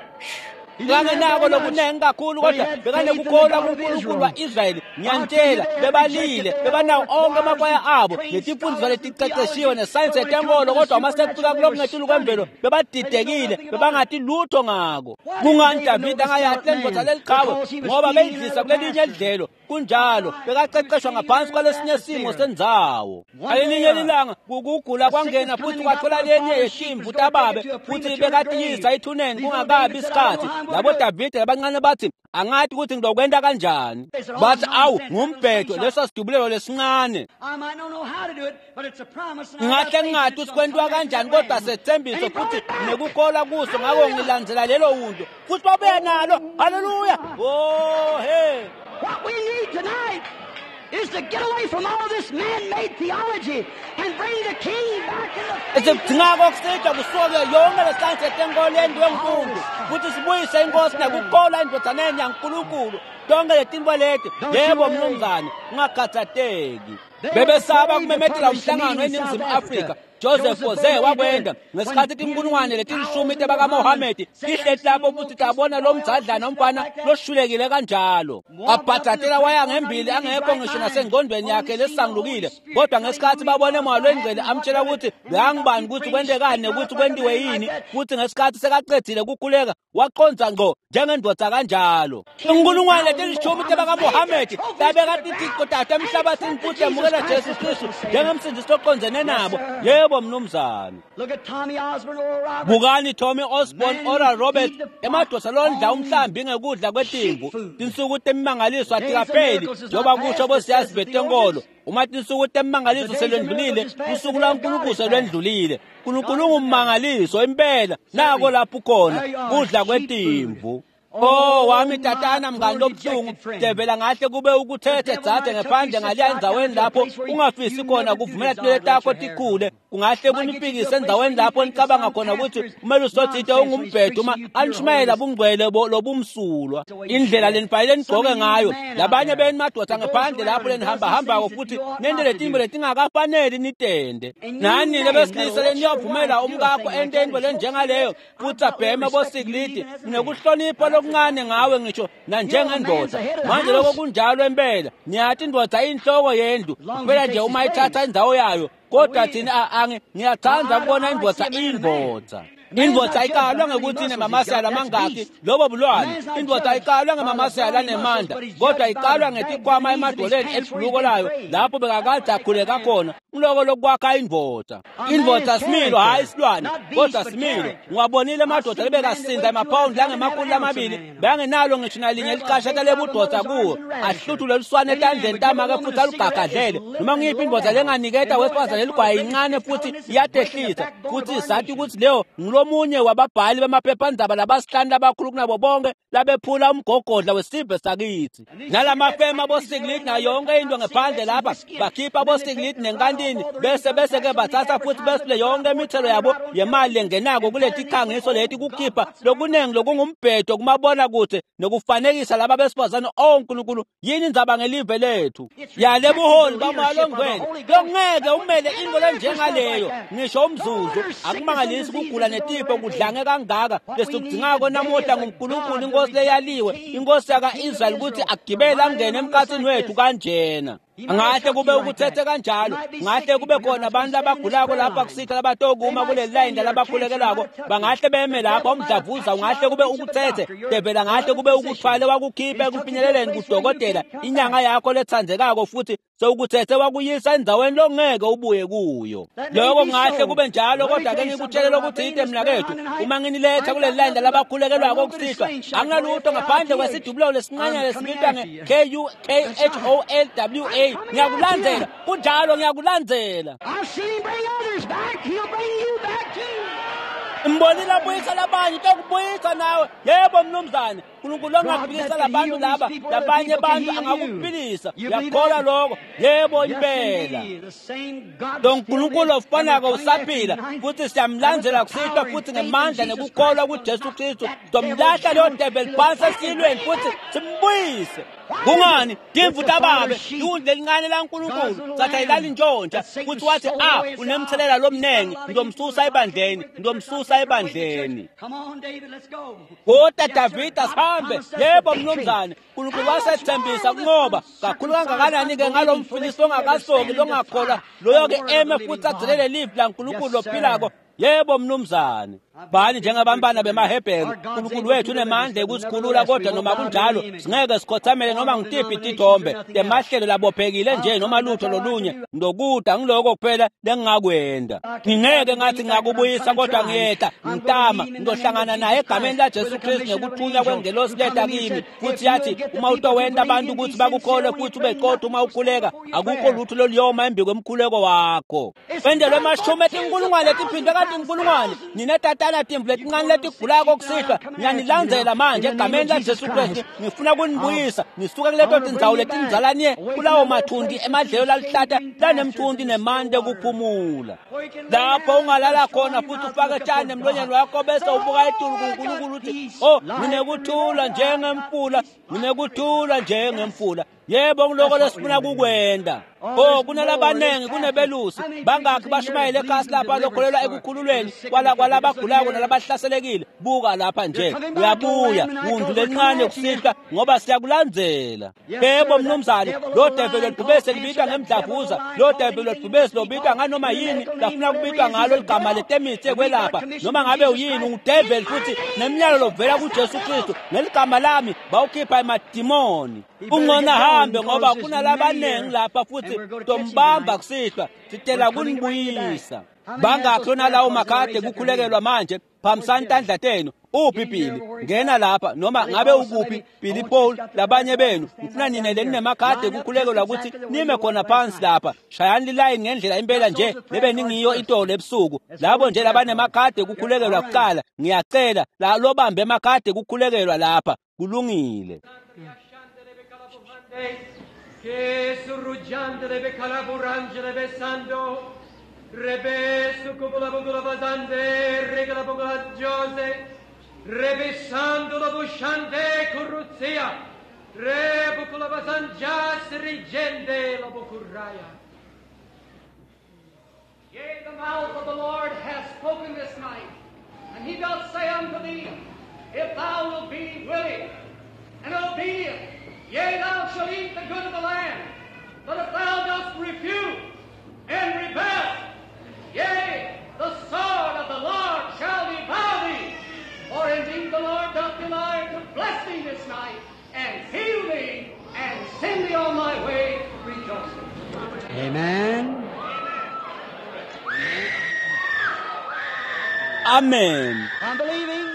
S2: Kangenako lokunengi kakhulu, kodwa bekanekukholwa kuNkulunkulu wa-Israyeli. Ngiyantshela, bebalile, bebanawo onke amakwaya abo netimfundiso letiqeqeshiwe nesayensi yetenkolo, kodwa uma sekufika kulokungetulu kwemvelo bebadidekile, bebangathi lutho ngako. Kungani Davide angayati lendvodza leliqhawe? Ngoba beyidlisa kulelinye lidlelo. Kunjalo, bekaqeqeshwa ngaphansi kwalesinye simo sendzawo. Ngalelinye lilanga kugula kwangena futhi kwathola lenye yetimvu tababe futhi bekatiyisa ethuneni kungakabi isikhathi. Labo Davide labancane bathi angathi ukuthi ngizokwenta kanjani. Bathi awu ngumbhedo leso sidubulelo lesincane. Ngahle ngingathi ukuthi kwentiwa kanjani, kodwa sethembiso futhi nekukholwa kuso, ngako ngilandzela lelo wundlu futhi babuya nalo. Haleluya! Oh he.
S1: What we need tonight is to get away from all this man-made theology and bring the king back in the face.
S2: Esikudingako kusihlwa kusuke yonke lesayensi yetenkolo yendiwe ngumuntu futhi sibuyise inkosi nekukholwa endvodzaneni yaNkulunkulu tonke letintfo leti. Yebo mnumzane, ungakhathateki. Bebesaba kumemetela umhlangano eNingizimu Afrika. Joseph Jose wakwenda ngesikhathi tinkulungwane letilishumi tebakaMohamedi tihleti lapho futhi tabona lo mdzadlana umfana loshulekile kanjalo. Abhadadela waya ngembili angekho ngisho nasengqondweni yakhe lesangulukile, kodwa ngesikhathi babone moya lwengcwele amtshela ukuthi bekangibani ukuthi kwentekani nekuthi kwentiwe yini, futhi ngesikhathi sekaqedile kukhuleka waqonza ngqo njengendvodza kanjalo. Inkulungwane letilishumi tebakaMohamedi tabeka tithico tato emhlabathini futhi emukela Jesu Kristu njengemsindisi loqondzene nabo. Yebo mnumzane.
S1: Look at Tommy Osborne, Oral Roberts.
S2: Bukani Tommy Osborne, Oral Roberts, emadoda londla umhlambi ngekudla kwetimvu. Tinsuku temimangaliso atikapheli njengoba kusho bosiyazi betenkolo. Uma tinsuku temimangaliso selwendlulile, usuku lwaNkulunkulu selwendlulile. Nkulunkulu ungummangaliso impela, nako lapho ukhona kudla kwetimvu. Oh wami tatana mngani lobuhlungu, devela ngahle kube ukuthethe dzadze ngephandle ngaliya endzaweni lapho ungafisi khona kuvumela tinwele takho tikhule, kungahle kunifikise endzaweni lapho nicabanga khona ukuthi umelusi othile ungumbhedo uma anishumayela bungcwele lobumsulwa. Indlela lenifanele nigqoke ngayo, labanye benu madoda ngephandle lapho lenihambahambako futhi nente letimbo letingakafaneli nitende. Nani lebesilisa leniyovumela umkakho ente intfo lenjengaleyo futhi abheme bosikilidi, nekuhlonipha lokuncane ngawe ngisho nanjengendoda. Manje lokho kunjalo impela, niyathi indoda inhloko yendlu kuphela nje uma ithatha indzawo yayo, kodwa thina angi ngiyathanda ukubona indoda indvodza. Indvodza ayikalwa ngekuthi inemamasela amangaki, lobo bulwane. Indvodza ayikalwa ngemamasela anemandla, kodwa ikalwa ngetikhwama emadolweni elibhuluko layo lapho bekakade akhuleka khona. Ngiloko lokwakha indvodza. Indvodza similo, hhayi isilwane, kodwa similo. Ngiwabonile emadoda lebekasinda emaphawundi langemakhulu lamabili, bekangenalo ngisho nalinye eliqashata lebudoda kuwo, ahluthule luswane etandleni tamake futhi alugagadlele. Noma ngiyiphi indvodza lenganiketa wesifazane eligwayi incane futhi iyatehlisa, futhi sathi ukuthi leyo ngulomunye wababhali bamaphephandaba labasihlanu labakhulu kunabo bonke labephula umgogodla wesive sakithi. Nalamafema abosikilidi nayo yonke into ngephandle lapha bakhipha abosikilidi nenkantini, bese bese ke bathatha futhi besule yonke imithelo yabo yemali lengenako kuleti khangiso leti kukhipha lokuningi lokungumbhedo kumabona kude nokufanekisa laba besifazane. Oh Nkulunkulu, yini indzaba ngelive lethu yale buholi bamoya longcwele longeke umele into lenjengaleyo ngisho umzuzu. Akumangalisi kugula netifo kudlange kangaka. Lesikudingako namuhla nguNkulunkulu inkosi leyaliwe, inkosi yaka-Israyeli, ukuthi agibele angene emkhathini wethu kanjena. Ngahle kube ukuthethe kanjalo, ngahle kube khona abantu abagulako lapha kusitha labatokuma kuleli layini labakhulekelako, bangahle beme lapha umdlavuza ungahle kube ukuthethe, devela ngahle kube ukuthwale wakukhipha ekufinyeleleni kudokotela inyanga yakho lethandzekako futhi sewukuthethe wakuyisa endzaweni longeke ubuye kuyo. Lokho ngahle kube njalo, kodwa ke ngikutshele lokuthite mina kethu, uma nginiletha kuleli layini labakhulekelwako kusihlwa, anginalutho ngaphandle kwesidubulo lesincane lesibitwa nge-K U K H O L W A. Ngiyakulandzela, kunjalo, ngiyakulandzela.
S1: I've seen him bring others back. He'll bring you back too.
S2: Mbonile abuyisa labanye, utokubuyisa nawe. Yebo mnumzane, uNkulunkulu angaphilisa labantu laba, labanye abantu angakuphilisa. Uyakholwa lokho? Yebo impela. Lo Nkulunkulu ofanako usaphila futhi siyamlandzela kusihlwa futhi ngemandla nekukholwa kuJesu Kristu. Tomlahla leyo devil phansi esilweni futhi simbuyise. Kungani? Timvu tababe, iwundlu elincane laNkulunkulu, sathi ayilali ntshontsha, futhi wathi ah unemthelela lomnengi, ngizomsusa ebandleni, ngizomsusa ebandleni. Kodwa Davida sihambe. Yebo mnumzane, uNkulunkulu wasethembisa kunqoba kakhulu kangakanani-ke ngalo mfilisi ongakasoki longakholwa loyo-ke eme futhi agcinele livi laNkulunkulu lophilako. Yebo mnumzane. Bani njengabantwana bemaHebheru, uNkulunkulu wethu unemandla ekusikhulula, kodwa noma kunjalo singeke sikhothamele noma ngitiphi tithombe temahlelo labophekile nje noma lutho lolunye. Ndokuda ngiloko kuphela lengingakwenda. Ngingeke ngathi ngingakubuyisa, kodwa ngiyehla ngitama ngizohlangana naye egameni laJesu Kristu ngekuthunywa kwengelosi leta kimi, futhi yathi uma utowenta abantu ukuthi bakukholwe futhi ube qotho uma ukhuleka, akukho lutho loluyoma embi kwemkhuleko wakho. Wendelwe amashumi etinkulungwane etiphindwe katinkulungwane nina tata Letana timvu letincane letigulako kusihlwa ngiyanilandzela manje egameni laJesu Kristu. Ngifuna kunibuyisa nisuke kuleto tindzawo letindzalanye kulawo mathundi emadlelo laluhlata lanemthunti nemante kuphumula. Lapho ungalala khona futhi ufake tshani emlonyeni wakho bese ubuka etulu kuNkulunkulu uthi oh nginekuthula njengemfula, nginekuthula njengemfula. Yebo ngiloko lesifuna kukwenda. Oh kunalabanengi kunebelusi bangakhi bashumayele ekhasi lapha lokholelwa ekukhululweni kwalabagulako nalabahlaselekile. Buka lapha nje uyabuya wundlu lencane kusihlwa ngoba siyakulandzela. Yebo mnumzane, lo develi lobhubesi libitwa ngemdlavuza, lo develi lobhubesi lobitwa nganoma yini lafuna kubitwa ngalo ligama letemitsi ekwelapha noma ngabe uyini ungudeveli futhi nemnyalo lovela kuJesu Kristu ngeligama lami bawukhipha emadimoni. Ungona hambe ngoba kunalabanengi lapha futhi tombamba kusihlwa sitela kunibuyisa. Bangakhi nalawo makhadi kukhulekelwa manje? Phambisani tandla tenu. Uphi Billy? Ngena lapha noma ngabe ukuphi Billy Paul labanye benu. Ngifuna nine leninemakhadi kukhulekelwa ukuthi nime khona phansi lapha. Shayani lilayini ngendlela impela nje lebe ningiyo itolo ebusuku. Labo nje labanemakhadi kukhulekelwa kuqala ngiyacela la lobambe emakhadi kukhulekelwa lapha. Kulungile.
S3: Che surruggiante becalaburange besando rebesu copolabogolabasande regalabogolagiose rebessando la busciante corruzia rebocolabasangias rigende la bocurraia. Yea, the mouth of the Lord hath spoken this night, and he doth say unto thee, if thou wilt be willing and obedient, yea, thou shalt eat the good of the land. But if thou dost refuse and rebel, yea, the sword of the Lord shall devour thee. For indeed the Lord doth delight to bless thee this night, and heal thee, and send thee on thy way rejoicing.
S1: Amen.
S2: Amen.
S1: I'm believing.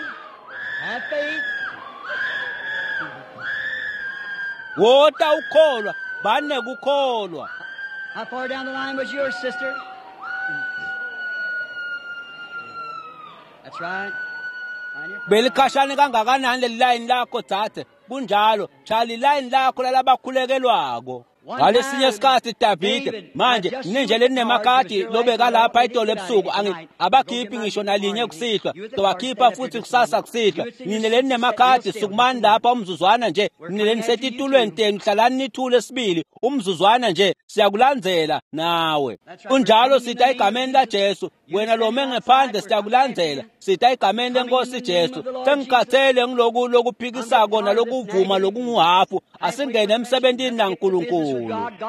S1: Have faith.
S2: Wota ukholwa, bane kukholwa.
S1: How far down the line was yours, sister? That's right.
S2: Belikhashane kangakanani leli line lakho dzadze? Kunjalo, shaya line lakho lalabakhulekelwako. Ngalesinye isikhathi Davide manje ninje leninemakadi lobeka lapha itolo ebusuku abakhiphi ngisho nalinye kusihlwa towakhipha futhi kusasa kusihlwa. Nine leninemakadi sukumani lapha umzuzwana nje, nine lenisetitulweni tenu hlalani nithule sibili umzuzwana nje, siyakulandzela nawe. Kunjalo sita egameni laJesu, wena lome ngephandle siyakulandzela, sita egameni lenkosi Jesu. Sengikhathele ngiloku lokuphikisako nalokuvuma lokunguhafu, asingene emsebentini naNkulunkulu.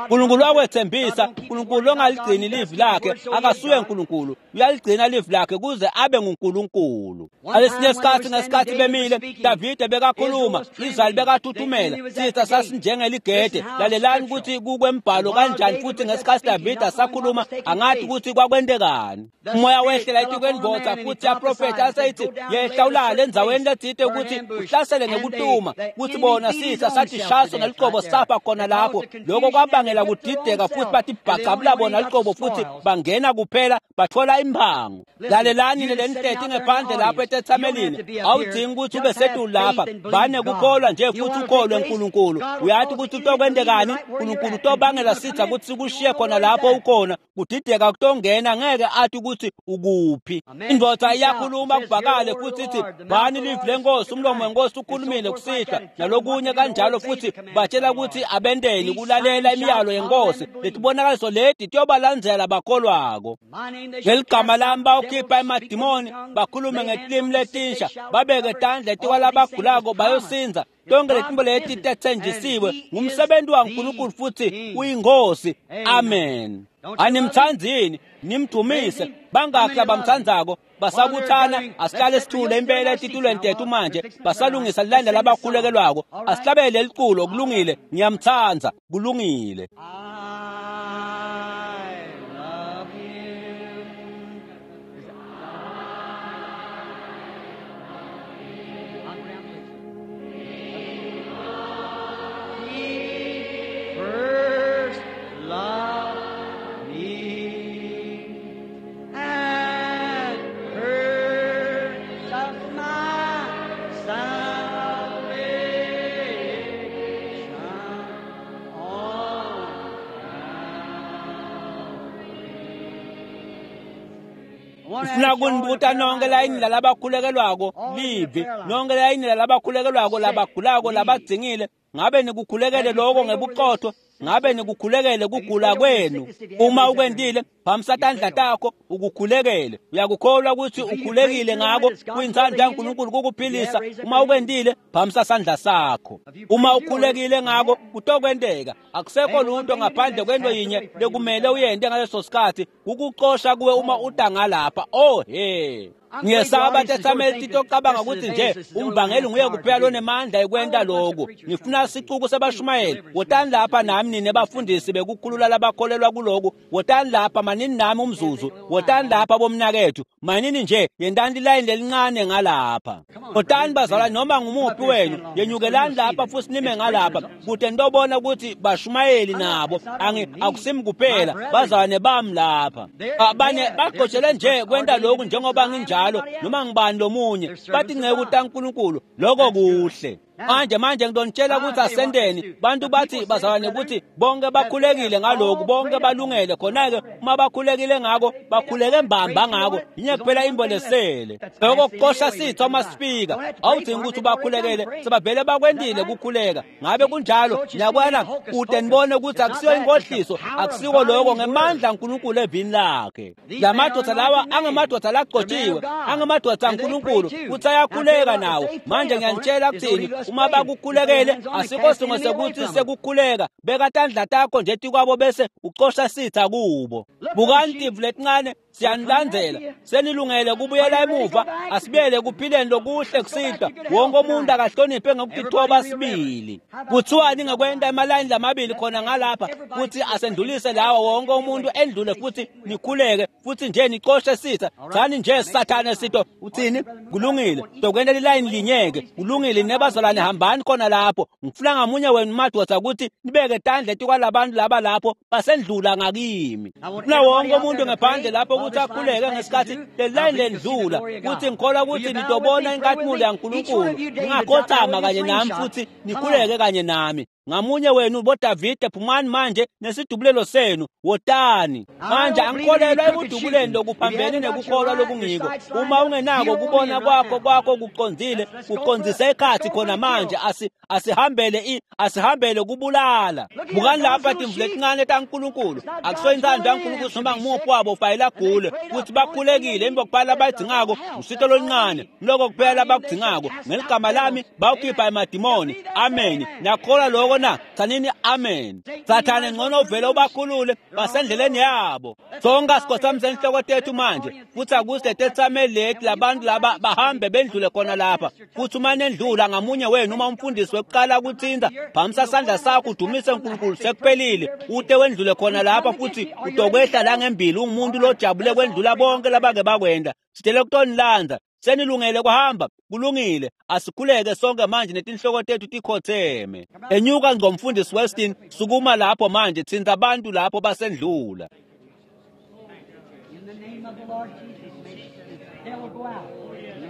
S2: Nkulunkulu wakwethembisa, Nkulunkulu ongaligcini livi lakhe akasuye Nkulunkulu, uyaligcina livi lakhe kuze abe nguNkulunkulu. Ngalesinye isikhathi ngesikhathi bemile Davide bekakhuluma, Israyeli bekathuthumela, sitha sasinjengeligede. Lalelani ukuthi kukwembhalo kanjani futhi ngesikhathi Davide asakhuluma angathi ukuthi kwakwentekani. Umoya wehlela etikwendvodza futhi yaprofetha aseyithi yehla ulale endzaweni letsite ukuthi uhlasele ngekutuma, kuthi bona sitha sathi shaso neliqobo safa khona lapho. Lokho kwabangela kudideka futhi bathi bhaqabula bona liqobo futhi bangena kuphela bathola imphango. Lalelani lenihleti ngephandle lapho etethamelini, awudingi ukuthi ube setulu lapha, bane kukholwa nje futhi ukholwe uNkulunkulu. Uyathi ukuthi utokwentekani, uNkulunkulu utobangela sitha ukuthi sikushiye khona lapho ukhona, kudideka kutongena ngeke athi ukuthi ukuphi. Indvodza iyakhuluma kubhakale futhi ithi bani livi lenkosi, umlomo wenkosi ukhulumile kusihlwa nalokunye kanjalo, futhi batshela ukuthi abendeni kulalela imiyalo yenkosi. Letibonakaliso leti tiyobalandzela bakholwako. Ngeligama lami bawukhipha emadimoni, bakhulume ngetilimi letinsha, babeke tandla etikwalabagulako bayosinza. Tonke letinto leti tetsenjisiwe ngumsebenzi waNkulunkulu futhi uyinkosi. Amen. Animthandzi yini? Nimdumise. Bangakhi abamthandzako? Basabuthana, asihlale sithule impela etitulweni tethu manje, basalungisa lilayini labakhulekelwako. Asihlabele liculo, kulungile, ngiyamthanda, kulungile.
S1: I love him. Is that- On ground, please. He first loved me and purchased
S2: Ngifuna kunibuta nonke layini lalabakhulekelwako livi, nonke layini lalabakhulekelwako labagulako labadzingile, ngabe nikukhulekele lokho ngebuqotho? Ngabe nikukhulekele kugula kwenu? Uma ukwentile, phamisa tandla takho ukukhulekele. Uyakukholwa ukuthi ukhulekile ngako kuyintsandvo yaNkulunkulu kukuphilisa. Uma ukwentile, phamisa sandla sakho. Uma ukhulekile ngako kutokwenteka. Akusekho lutho ngaphandle kwento yinye lekumele uyente ngaleso sikhathi, ukucosha kuwe uma uta ngalapha. Oh he. Ngiyesaba tetsameli titocabanga ukuthi nje umvangeli nguye kuphela lonemandla ekwenta lokhu. Ngifuna sicuku sebashumayeli, wotani lapha nami nine bafundisi bekukhulula labakholelwa kuloku. Wotani lapha manini nami umzuzu, wotani lapha bomnakethu, manini nje yentani lilayini lelincane ngalapha. Wotani bazalwane noma ngumuphi wenu, yenyukelani lapha futhi nime ngalapha kude nitobona ukuthi bashumayeli nabo angi akusimi kuphela bazalwane bami lapha. Abanye bagqotshelwe nje kwenta lokhu njengoba nginjalo noma ngibani lomunye, bathi ngeke utaNkulunkulu lokho kuhle. Manje manje ngidonitshela ukuthi asendeni bantu bathi bazalwane ukuthi bonke bakhulekile ngalokhu, bonke balungele. Khona-ke uma bakhulekile ngako, bakhuleke mbamba ngako, yinye kuphela imbolesele lokho kuqosha sitha uma sifika. Awudingi ukuthi ubakhulekele, sebavele bakwentile kukhuleka. Ngabe kunjalo? Ngiyakwana kude nibone ukuthi akusiyo inkohliso, akusiko lokho, ngemandla aNkulunkulu evini lakhe. La madoda lawa angamadoda lagcotshiwe, angamadoda aNkulunkulu, kuthi ayakhuleka nawo. Manje ngiyanitshela kuthini, uma bakukhulekele asikho singo sekuthi sekukhuleka. Beka tandla takho nje tikwabo bese ucosha sitha kubo. Bukani timvu letincane siyanilandzela, senilungele kubuyela emuva. Asibuyele kuphileni lokuhle kusihlwa. Wonke umuntu akahloniphe ngokutithoba sibili. Kuthiwani ngekwenta emalayini lamabili khona ngalapha futhi asendlulise lawa, wonke umuntu endlule futhi nikhuleke futhi nje nicoshe sitha. Thani nje sathane sitho uthini? Kulungile, tokwenta lilayini linyeke. Kulungile nebazalwane, hambani khona lapho. Ngifuna ngamunye wenu madoda ukuthi nibeke tandla etikwalabantu laba lapho basendlula ngakimi. Ngifuna wonke umuntu ngaphandle lapho ukuthi akhuleke ngesikhathi lelayini lendlula, kuthi ngikholwa ukuthi nitobona inkatimuli yaNkulunkulu. Ningakhothama kanye nami futhi nikhuleke kanye nami. Ngamunye wenu boDavide, phumani manje nesidubulelo senu, wotani manje. Angikholelwa ekudubuleni lokuphambene nekukholwa lokungiko. Uma ungenako kubona kwakho kwakho kuqondile, kuqondise ekhathi khona manje. Asi asihambele i asihambele kubulala. Bukani lapha timvu letincane taNkulunkulu. Akusiyo intsandvo yaNkulunkulu noma ngumuphi wabo ufayela agule kuthi bakhulekile. Emva kuphela abayidingako usito loluncane, loko kuphela abakudzingako. Ngeligama lami bawukhipha emadimoni. Amen. Niyakholwa lokho na? Tsanini amen. Sathane ngcono uvele ubakhulule basendleleni yabo. Sonke asikhothamise inhloko tethu manje futhi akuze tetsameli leti labantu laba bahambe bendlule khona lapha. Futhi uma nendlula ngamunye wenu, uma umfundisi wekuqala kuthinta, phamisa sandla sakho udumise uNkulunkulu, sekuphelile. Ute wendlule khona lapha futhi utokwehla la ngembili ungumuntu lojabule kwendlula bonke labake bakwenda. Sitele kutonilandza. Senilungele kuhamba? Kulungile. Asikhuleke sonke manje netinhloko tethu tikhotheme. Enyuka ngomfundisi Weston, sukuma lapho manje, thinta abantu lapho basendlula.
S4: In the name of the Lord Jesus, may the devil go out. In the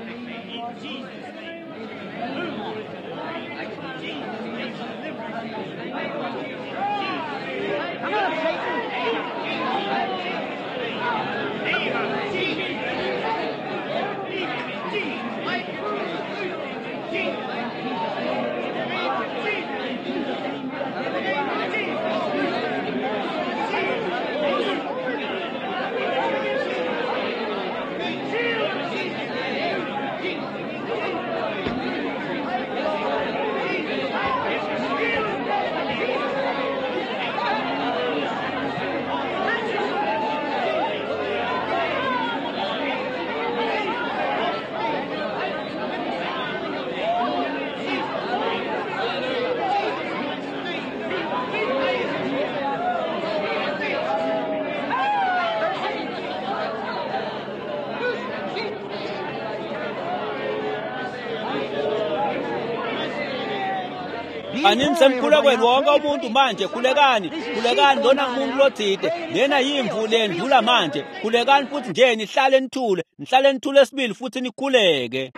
S4: name of the Lord Jesus, may the devil go out. Come on, Satan!
S2: Anini semkhulekweni wonke umuntu manje, khulekani, khulekani lona ngumuntu lothide, lena yimvu lendlula manje. Khulekani futhi nje nihlale nithule, nihlale nithule sibili futhi nikhuleke.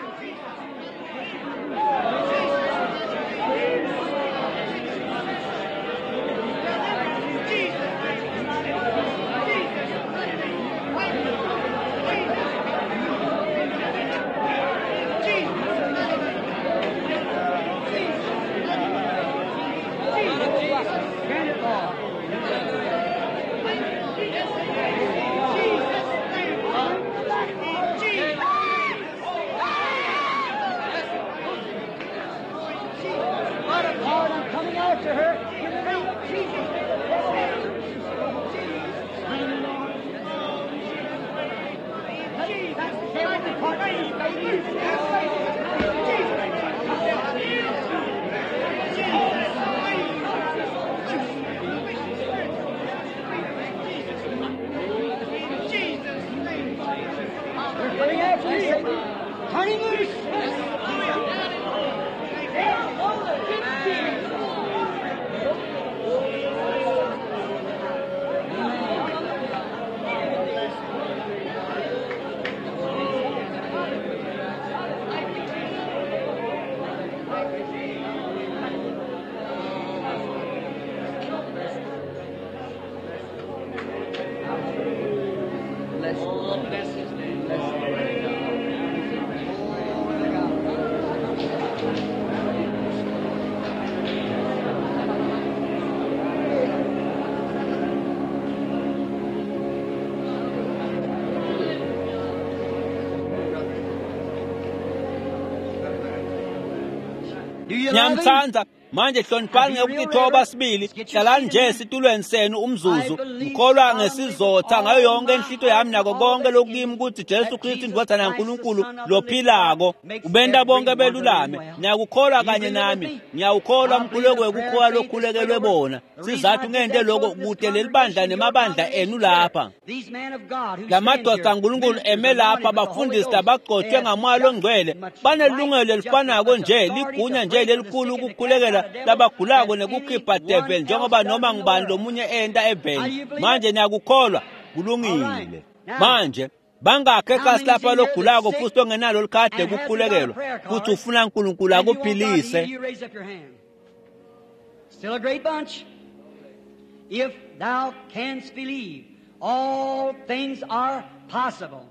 S4: They're coming after you, Satan. Turn him loose. Bless
S3: Oh, bless his name.
S4: Bless the Lord. God. Do you love him?
S2: Ngiyamthanda manje hloniphani ngekutithoba sibili hlalani nje esitulweni senu umzuzu ngikholwa ngesizotha ngayo yonke inhlito yami nako konke lokimi ukuthi Jesu Kristu indvodzana yaNkulunkulu lophilako ubenta bonke belulame ngiyakukholwa kanye nami ngiyawukholwa umkhuleko wekukholwa lokhulekelwe bona sizathu ngente loko kute leli bandla nemabandla enu lapha
S4: These men of God who
S2: lamadoda
S4: stand here,
S2: aNkulunkulu eme
S4: ministers
S2: lapha
S4: anointed with the Holy
S2: bafundisi
S4: Ghost,
S2: labagcotshwe
S4: they have
S2: ngamoya longcwele
S4: just much
S2: banelungelo
S4: right, just
S2: elifanako
S4: as much
S2: nje
S4: authority
S2: ligunya
S4: to
S2: nje
S4: pray for the
S2: lelikhulu
S4: sick and to cast
S2: ukukhulekela
S4: out a devil
S2: labagulako
S4: as
S2: nekukhipha
S4: anyone
S2: devil
S4: else
S2: njengoba
S4: does
S2: noma
S4: in the
S2: ngubani
S4: world.
S2: lomunye enta
S4: How do
S2: eveni
S4: you believe
S2: manje
S4: it?
S2: niyakukholwa
S4: All
S2: kulungile
S4: right. Now,
S2: manje bangakhi
S4: how
S2: ekhasi
S4: many's
S2: lapha
S4: in here that's
S2: logulako
S4: sick
S2: futhi ongenalo likhadi
S4: and hasn't got a
S2: lekukhulekela
S4: prayer
S2: futhi
S4: card
S2: ufuna uNkulunkulu
S4: and you want God to heal
S2: akuphilise
S4: you, raise up your hand. Still a great bunch. If thou canst believe, all things are possible.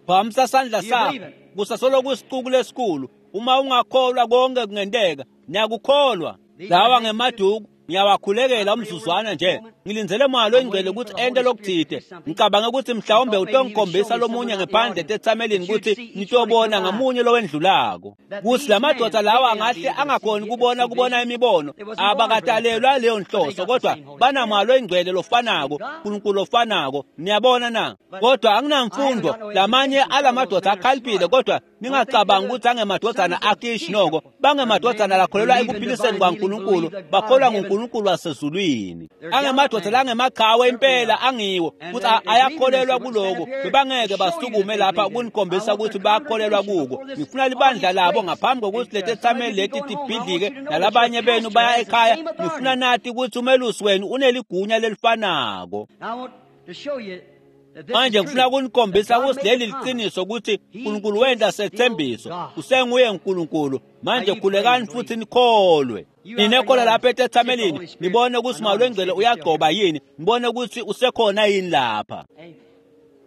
S2: phakamisa sandla
S4: Do you believe
S2: sakho
S4: it?
S2: kusasolo kusicuku lesikhulu uma ungakholwa konke kungenteka niyakukholwa
S4: These
S2: lawa
S4: are
S2: ngemaduku ngiyawakhulekela umzuzwana nje ngilindzele moya
S4: I'm
S2: longcwele
S4: waiting for
S2: ukuthi
S4: the
S2: ente
S4: Holy Spirit to
S2: lokutsite
S4: do something.
S2: ngicabange ukuthi
S4: I
S2: mhlawumbe
S4: thought maybe He would show
S2: utongikhombisa
S4: me someone
S2: lomunye
S4: out in the
S2: ngephandle
S4: audience
S2: etethamelini
S4: that you'd
S2: ukuthi
S4: see each one that
S2: nitobona
S4: come by.
S2: ngamunye lowendlulako
S4: That
S2: kuthi
S4: these
S2: la
S4: men,
S2: madoda
S4: they
S2: lawa
S4: may not be
S2: angahle
S4: able to see,
S2: angakhoni
S4: get,
S2: kubona
S4: see
S2: kubona
S4: visions.
S2: imibono
S4: They wasn't born for that
S2: abakatalelwa
S4: purpose,
S2: leyo
S4: but they
S2: nhloso
S4: got the
S2: kodwa
S4: same Holy
S2: banamoya
S4: Spirit,
S2: longcwele
S4: same
S2: lofanako
S4: God.
S2: uNkulunkulu lofanako niyabona na
S4: But
S2: kodwa
S4: I haven't
S2: anginamfundo
S4: got no
S2: lamanye
S4: education. Some of those
S2: alamadoda
S4: men are
S2: akhaliphile
S4: smart.
S2: kodwa
S4: Don't think they're
S2: ningacabangi
S4: the
S2: ukuthi angemadodana
S4: sons of
S2: akishi
S4: Kish.
S2: noko
S4: They're
S2: bangemadodana
S4: men
S2: lakholelwa
S4: believe in
S2: ekuphiliseni
S4: divine healing,
S2: kwaNkulunkulu
S4: believe the God of
S2: bakholwa
S4: heaven.
S2: nguNkulunkulu wasezulwini
S4: They're gallant
S2: angemadoda
S4: men.
S2: langemaqhawe
S4: Certainly
S2: impela
S4: are.
S2: angiwo
S4: And
S2: futhi
S4: they,
S2: a-
S4: they believe in this.
S2: ayakholelwa
S4: They wouldn't stand
S2: kuloko
S4: up here to
S2: bebangeke
S4: show you that
S2: basukume
S4: they
S2: lapha
S4: believed in it. I
S2: ukunikhombisa
S4: want
S2: ukuthi
S4: their
S2: bayakholelwa
S4: congregation
S2: kuko
S4: before this
S2: ngifuna libandla
S4: audience
S2: labo
S4: breaks.
S2: ngaphambi kokuthi
S4: And uh, some of
S2: letethameli
S4: you be
S2: leti
S4: going home. I want
S2: tibhidlike
S4: you to know that your
S2: nalabanye benu
S4: pastor
S2: baya
S4: has the
S2: ekhaya
S4: same
S2: ngifuna
S4: authority.
S2: nati ukuthi umelusi wenu uneligunya lelifanako
S4: Now I want to show you that this is
S2: manje ngifuna
S4: true. That
S2: kunikhombisa
S4: God
S2: ukuthi
S4: made
S2: leli
S4: a promise.
S2: liqiniso ukuthi
S4: He
S2: uNkulunkulu wenta
S4: is still
S2: sethembiso
S4: God.
S2: usenguye uNkulunkulu
S4: Now
S2: manje
S4: you pray
S2: khulekani
S4: and
S2: futhi
S4: believe.
S2: nikholwe
S4: You out there in the
S2: ninekhola lapha
S4: audience, see if the
S2: etethamelini
S4: Holy Spirit
S2: nibone ukuthi moya
S4: anoints
S2: longcwele
S4: if He's still here.
S2: uyagcoba yini nibone ukuthi usekhona yini lapha
S4: Amen.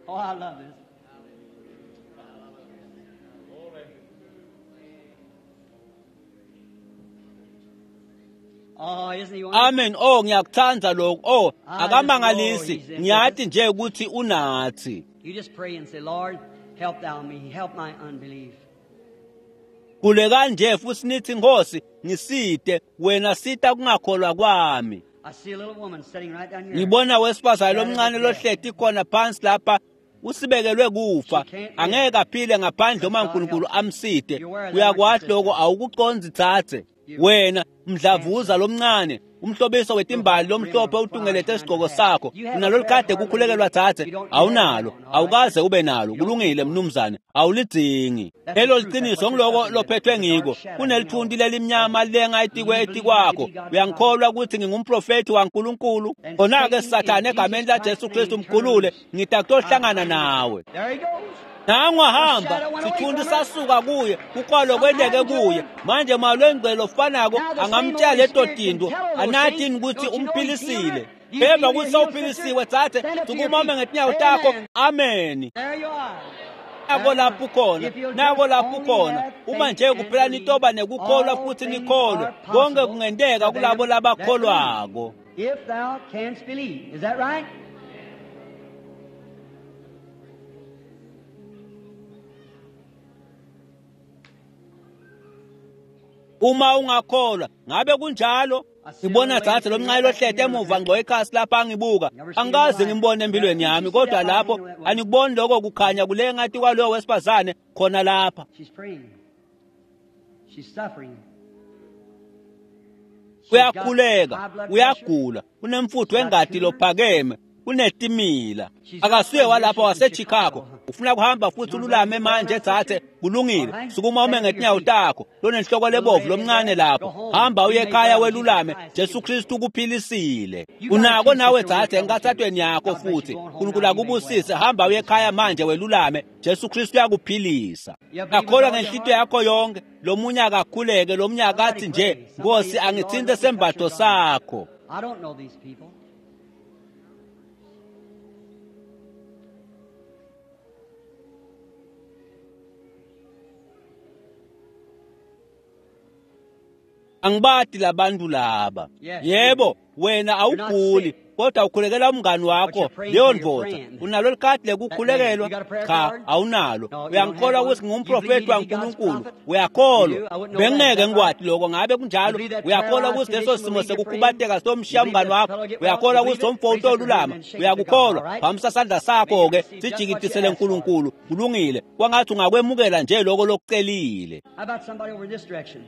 S4: Oh, I love this. Oh, isn't he wonderful?
S2: amen oh ngiyakuthanda lokho oh
S4: I just know
S2: akamangalisi
S4: he's in with us.
S2: ngiyati nje ukuthi unathi
S4: You just pray and say, Lord, help thou me, help my unbelief.
S2: khulekani nje futhi nithi Nkosi ngisite wena sita kungakholwa kwami
S4: I see a little woman sitting right down here.
S2: ngibona wesifazane
S4: Shadow of
S2: lomncane
S4: death.
S2: lohleti khona phansi lapha usibekelwe
S4: She
S2: kufa
S4: can't live
S2: angeke aphile ngaphandle
S4: unless
S2: uma
S4: God
S2: uNkulunkulu
S4: helps her.
S2: amsite
S4: You're aware of that, aren't you,
S2: uyakwati lokho
S4: sister?
S2: awukuconzi thathe
S4: You
S2: wena mdlavuza
S4: cancer.
S2: lomncane umhlobiso
S4: Little
S2: wetimbali
S4: white rim
S2: lomhlophe
S4: of flowers
S2: utungelete
S4: around your
S2: isigqoko
S4: hat.
S2: sakho
S4: You have a
S2: unalo
S4: prayer
S2: likhadi
S4: card, lady.
S2: kukhulekelwa thathe
S4: You don't you have that
S2: awunalo
S4: one, all right?
S2: awukaze ube nalo
S4: You don't need
S2: kulungile
S4: one.
S2: mnumzane awulidzingi
S4: That's the
S2: lelo
S4: truth. That's
S2: liqiniso
S4: what you're
S2: ngiloko
S4: suffering with.
S2: lophethwe
S4: The dark
S2: ngiko
S4: shadow hanging
S2: kunelithunti
S4: over you.
S2: lelimnyama lenga
S4: Do
S2: etikwe
S4: you believe me to
S2: etikwakho
S4: be God's prophet?
S2: uyangikholwa ukuthi ngingumprofethi waNkulunkulu
S4: Then
S2: khona-ke
S4: Satan, in
S2: sathane
S4: Jesus
S2: egameni laJesu
S4: Christ's
S2: Kristu
S4: name, turn
S2: mkhulule
S4: loose.
S2: ngithi
S4: I
S2: akutohlangana
S4: bind him.
S2: nawe
S4: There he goes.
S2: nangu
S4: The
S2: ahamba
S4: shadow went away
S2: sithunti
S4: from her.
S2: sasuka kuye kukwalo
S4: Something
S2: kwenteke
S4: happened to
S2: kuye
S4: her.
S2: manje malwengcwele ofanako
S4: Now the same
S2: angamtshela
S4: Holy
S2: leto
S4: Spirit can
S2: tinto
S4: tell her those
S2: anathi
S4: things.
S2: yini ukuthi
S4: Don't you know He's healed her?
S2: umphilisile
S4: Do you
S2: phemba
S4: feel you're
S2: ukuthi
S4: healed, sister?
S2: sewuphilisiwe tsathe
S4: Stand up to your
S2: sukumame
S4: feet.
S2: ngetinyawo takho
S4: Amen.
S2: ameni
S4: There you are.
S2: nako
S4: There you
S2: lapho
S4: are.
S2: ukhona
S4: If you'll
S2: nako
S4: just
S2: lapho
S4: only
S2: ukhona
S4: have
S2: uma
S4: faith
S2: nje
S4: and
S2: kuphela
S4: believe,
S2: nitoba nekukholwa
S4: all
S2: futhi
S4: things
S2: nikholwe
S4: are
S2: konke
S4: possible
S2: kungenteka
S4: to
S2: kulabo
S4: them that believe.
S2: labakholwako
S4: If thou canst believe. Is that right?
S2: Uma ungakholwa ngabe kunjalo Ngibona dzadze lomncane lohleti emuva ngco ekhasi lapha angibuka. Angikaze ngimbone empilweni yami, kodwa lapho anikuboni lokho kukhanya kulenga kwalowo wesifazane khona lapha.
S4: She's praying. She's suffering.
S2: Uyakhuleka, uyagula, unemfutho wengati lophakeme, unetimila. Akasuye walapha waseChicago. Ufuna kuhamba futhi ululame manje dzadze, kulungile. Sukuma ume ngetinyawo takho, lonenhloko lebovu lomncane lapho. Hamba uye ekhaya welulame, Jesu Kristu ukuphilisile. Unako nawe dzadze enkathatweni yakho futhi. uNkulunkulu akubusise, hamba uye ekhaya manje welulame, Jesu Kristu uyakuphilisa. Akholwa ngenhlitiyo yakho yonke, lomunye akakhuleke, lomunye akathi nje, Nkosi angitsinte sembatho sakho.
S4: I don't know these people.
S2: Angibati labantu laba. Yebo, wena awuguli, kodwa ukhulekela umngani wakho leyo ndvodza. Unalo likhadi lekukhulekelwa? Cha, awunalo. Uyangikholwa ukuthi ngingumprofeti waNkulunkulu? Uyakholwa? Bengingeke ngikwati lokho, ngabe kunjalo? Uyakholwa ukuthi leso simo sekukhubateka sitomshiya umngani wakho? Uyakholwa ukuthi lomfo utolulama? Uyakukholwa? Phamisa sandla sakho-ke sijikidisele uNkulunkulu. Kulungile. Kwangathi ungakwemukela nje lokho lokucelile.
S4: How about somebody over in this direction?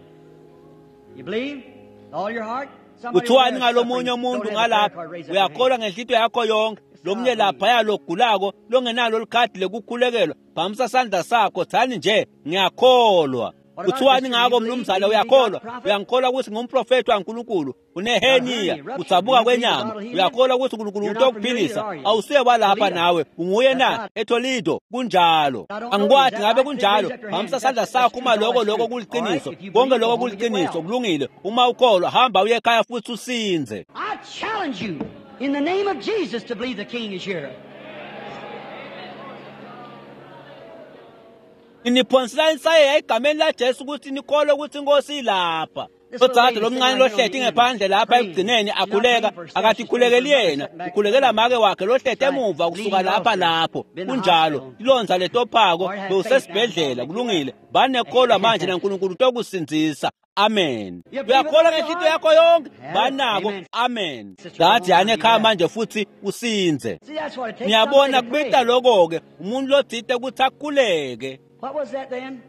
S4: You believe? With all your heart? Somebody over
S2: Kuthiwani
S4: there
S2: ngalomunye
S4: suffering,
S2: umuntu
S4: don't have a prayer
S2: ngalapha?
S4: card, raise up your hand.
S2: Uyakholwa ngenhlitiyo yakho yonke. Lomunye laphaya logulako longenalo likhadi lekukhulekelwa, phamisa sandla sakho, thani nje ngiyakholwa. Kuthiwani ngako mnumzane? Uyakholwa? Uyangikholwa ukuthi ngumprofeti waNkulunkulu? Uneheniya, udzabuka kwenyama. Uyakholwa ukuthi uNkulunkulu utokuphilisa? Awusuye walapha nawe, unguye na? eToledo kunjalo. Angikwati ngabe kunjalo. Phamisa sandla sakho uma lokho lokho kuliqiniso. Konke lokho kuliqiniso, kulungile. Uma ukholwa, hamba uye ekhaya futhi usinze.
S4: I challenge you in the name of Jesus to believe the King is here.
S2: Niphonsela insayeya egameni laJesu ukuthi nikholwe ukuthi inkosi ilapha. Udzadze lomncane lohleti ngephandle lapha ekugcineni akhuleka, akathi khulekeli yena, ukhulekela make wakhe lohleti emuva kusuka lapha lapho. Kunjalo, ilonza letophako bewusesibhedlela, kulungile. Banekholwa manje naNkulunkulu utokusindzisa. Amen. Uyakholwa ngenhlitiyo yakho yonke? Banako. Amen. Dzadze yani ekhaya manje futhi usinze.
S4: See, that's what it takes.
S2: Niyabona
S4: Somebody to pray.
S2: kubita lokho-ke umuntu lotsite ukuthi akhuleke.
S4: What was that then?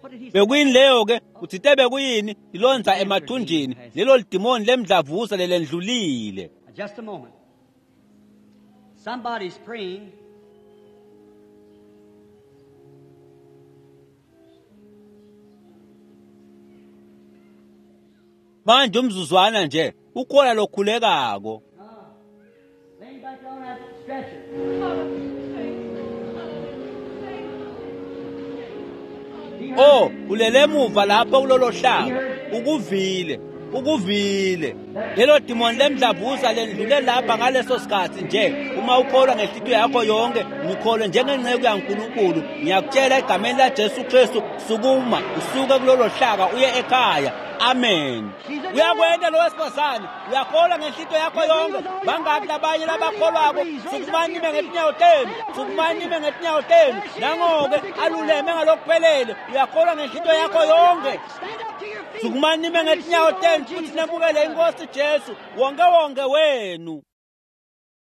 S4: What did he say?
S2: Bekuyini leyo ke? Uthite bekuyini? Ilonza emathunjini. Lelo lidimoni lemdlavuza lelendlulile.
S4: Just a moment. Somebody's praying.
S2: Manje umzuzwana nje ukhona lokhulekako.
S4: Laying back on that stretcher.
S2: Oh, ulele emuva lapho kulolo hlaka. Ukuvile, ukuvile. Lelo dimoni lemdlavuza lendlule lapha ngaleso sikhathi nje. Uma ukholwa ngenhlitiyo yakho yonke, ngikholwe njengenceku yaNkulunkulu. Ngiyakutshela egameni laJesu Kristu, sukuma, usuke kulolo hlaka uye ekhaya. Amen. Uyakwenda lo wesifazane, uyakholwa ngenhlitiyo yakho yonke. Bangaki labanye labakholwako? Sukumani nime ngetinyawo tenu, sukumani nime ngetinyawo tenu. Nangoke aluleme ngalokuphelele. Uyakholwa ngenhlitiyo yakho yonke.
S4: Stand up to your feet.
S2: Sukumani nime ngetinyawo tenu futhi nemukele inkosi Jesu wonke wonke wenu.